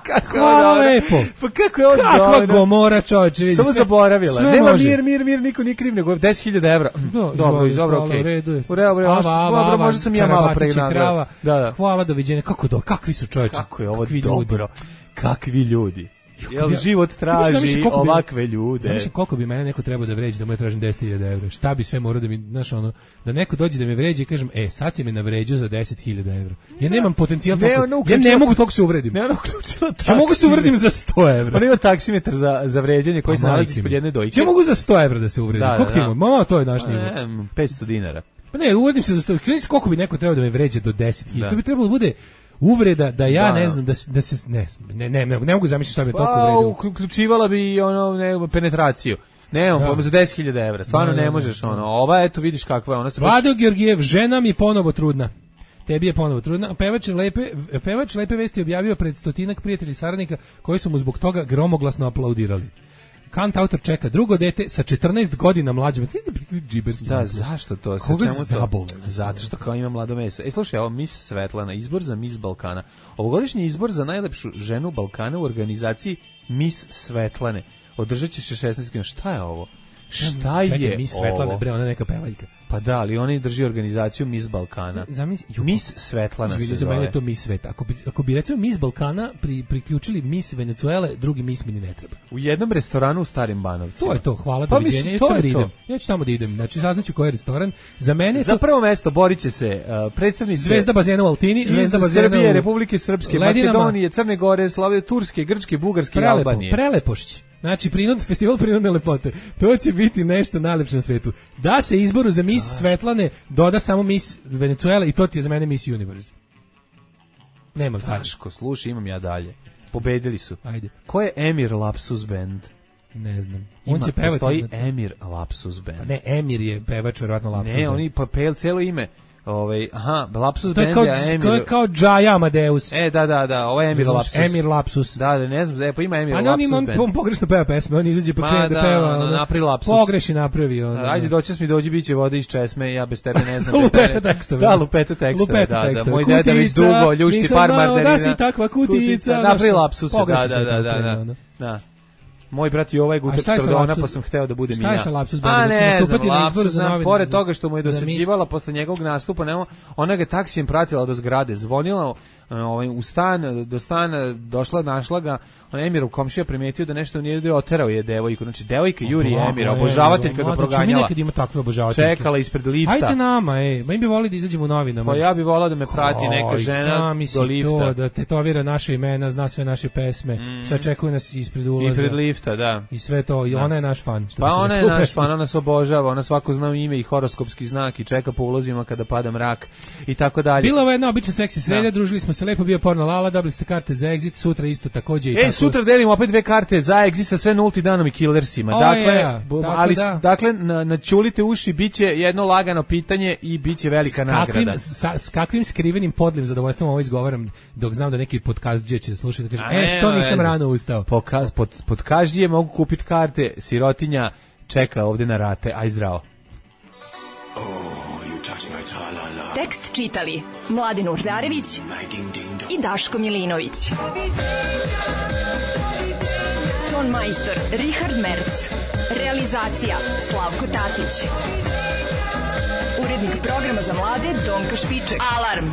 Kako hvala lepo. Pa kako je on kakva dobro. Gomora, čovječe, vidi. Samo zaboravila. Nema može. mir, mir, mir, niko nije kriv, nego deset hiljada evra. Do, dobro, do, dobro, okej. okej. U redu je. U redu, dobro, možda sam ja malo pregnao. Da, da. Hvala, doviđenja. Kako do, kakvi su čovječe? Kako je ovo dobro. Kakvi ljudi. Jel život traži ovakve ljude. Zamišljam koliko bi mene neko trebao da vređe da mu ja tražim deset hiljada evra. Šta bi sve morao da mi, znaš, ono, da neko dođe da me vređe i kažem, e, sad si me navređao za deset hiljada evra. Ja nemam potencijal toliko, ne, ja ne mogu toliko se uvredim. Ne, ona uključila ja mogu se uvredim za sto evra. Ona ima taksimetar za, za vređanje koji se nalazi ispod jedne dojke. Ja mogu za sto evra da se uvredim. Da, koliko da, da. Mama, to je naš nivo. Ne, petsto dinara. Pa ne, uvredim se za sto. Koliko bi neko trebao da me vređe do deset hiljada? To bi trebalo da bude uvreda da ja da, ne znam da se da se ne ne ne ne, ne mogu zamisliti šta bi pa, toliko uvredio. Uključivala bi ono ne, penetraciju. Nemam pojma za deset hiljada evra. Stvarno ne, ne možeš ono. Ova eto vidiš kakva je ona se. Vlado baš... Georgijev, žena mi ponovo trudna. Tebi je ponovo trudna. Pevač lepe pevač lepe vesti objavio pred stotinak prijatelja i saradnika koji su mu zbog toga gromoglasno aplaudirali. Kant autor čeka drugo dete sa četrnaest godina mlađim. Džiberski. Da, zašto to? Koga čemu zabole? Zato što kao ima mlado meso. E, slušaj, ovo Miss Svetlana, izbor za Miss Balkana. Ovogodišnji izbor za najlepšu ženu Balkana u organizaciji Miss Svetlane. Održat će se šesnaest godina. Šta je ovo? Šta je Čekaj, Miss Svetlana, bre, ona neka pevaljka. Pa da, ali oni drži organizaciju Miss Balkana. Zamisli, Miss Svetlana se zove. Za mene je to Miss Sveta. Ako bi, ako bi recimo Miss Balkana pri, priključili Miss Venezuele, drugi Miss mi ne treba. U jednom restoranu u Starim Banovcima. To je to, hvala, pa doviđenja. Ja ću tamo da idem. Ja ću tamo da idem. Znači, saznaću koji je restoran. Za mene je Za to... prvo mesto borit će se uh, predstavnici Zvezda bazena u Altini, Zvezda bazena Srbije, u... Republike Srpske, Ledinama. Makedonije, Crne Gore, Slovenije, Turske, Grčke, Bugarske i Albanije. Prelepošć. Znači, prinud, festival prinudne lepote. To će biti nešto najlepše na svetu. Da se izboru za Miss Svetlane doda samo Miss Venezuela i to ti je za mene Miss Universe. Nemam tako. Daško, slušaj, imam ja dalje. Pobedili su. Ajde. Ko je Emir Lapsus Band? Ne znam. Ima, on će pevati. Postoji Emir Lapsus Band. Pa ne, Emir je pevač, verovatno Lapsus Ne, Band. oni pa pel celo ime. Ovaj, aha, Lapsus to je Band kao, je Emir. To je kao Džaja Amadeus. E, da, da, da, ovo je Emir Lapsus. Emir Lapsus. Da, da, ne znam, e, pa ima Emir Lapsus. Ali on ima, on pogrešno peva pesme, on izađe pa krene da peva. Ma, da, napravi lapsus. Pogreši napravi. On, ajde, doćas mi dođi, biće vode iz česme, ja bez tebe ne znam. Lupeta tekstove. Da, lupeta tekstove, lupeta da, tekstove. da, moj deda već dugo ljušti par mardarina. Da si takva kutica. Napravi lapsus, da, da, da, da, da. Moj brat Jova je gutač Tordona, pa sam hteo da budem i ja. Šta je sa lapsus? A ne, znam, lapsus, znam, pored toga što mu je dosađivala posle njegovog nastupa, nema, ona ga taksijem pratila do zgrade, zvonila ovaj, u stan, do stana došla, našla ga, on Emirov komšija primetio da nešto nije da oterao je devojku. Znači, devojka Juri Emira, obožavateljka ga proganjala. Mi nekad ima takve obožavateljke. Čekala ispred lifta. Hajde nama, ej, ma im bi volili da izađemo u novinama. Pa ja bi volao da me prati neka žena do lifta. To, da tetovira naše imena, zna sve naše pesme, mm. sve čekuje nas ispred ulaza. Ispred lifta, da. I sve to, i ona je naš fan. Što pa ona je naš fan, ona se obožava, ona svako zna ime i horoskopski znak i čeka po ulazima kada pada mrak i tako dalje. Bila ovo jedna obična seksi sreda, družili smo se lepo, bio porno Lala, dobili ste karte za Exit, sutra isto takođe. I e, tako... sutra delimo opet dve karte za Exit sa sve nulti danom i Killersima. O, dakle, je, ali da. dakle, na, načulite uši, biće jedno lagano pitanje i biće velika s kakvim, nagrada. Sa, s kakvim skrivenim podlim zadovoljstvom ovo izgovaram, dok znam da neki podcastđe će slušati da kaže, e, što nisam rano ustao. Poka, pod, podcastđe mogu kupiti karte, sirotinja čeka ovde na rate, aj zdravo. Tekst čitali Mladin Urdarević i Daško Milinović. Ton majstor Richard Merc. Realizacija Slavko Tatić. Urednik programa za mlade Donka Špiček. Alarm!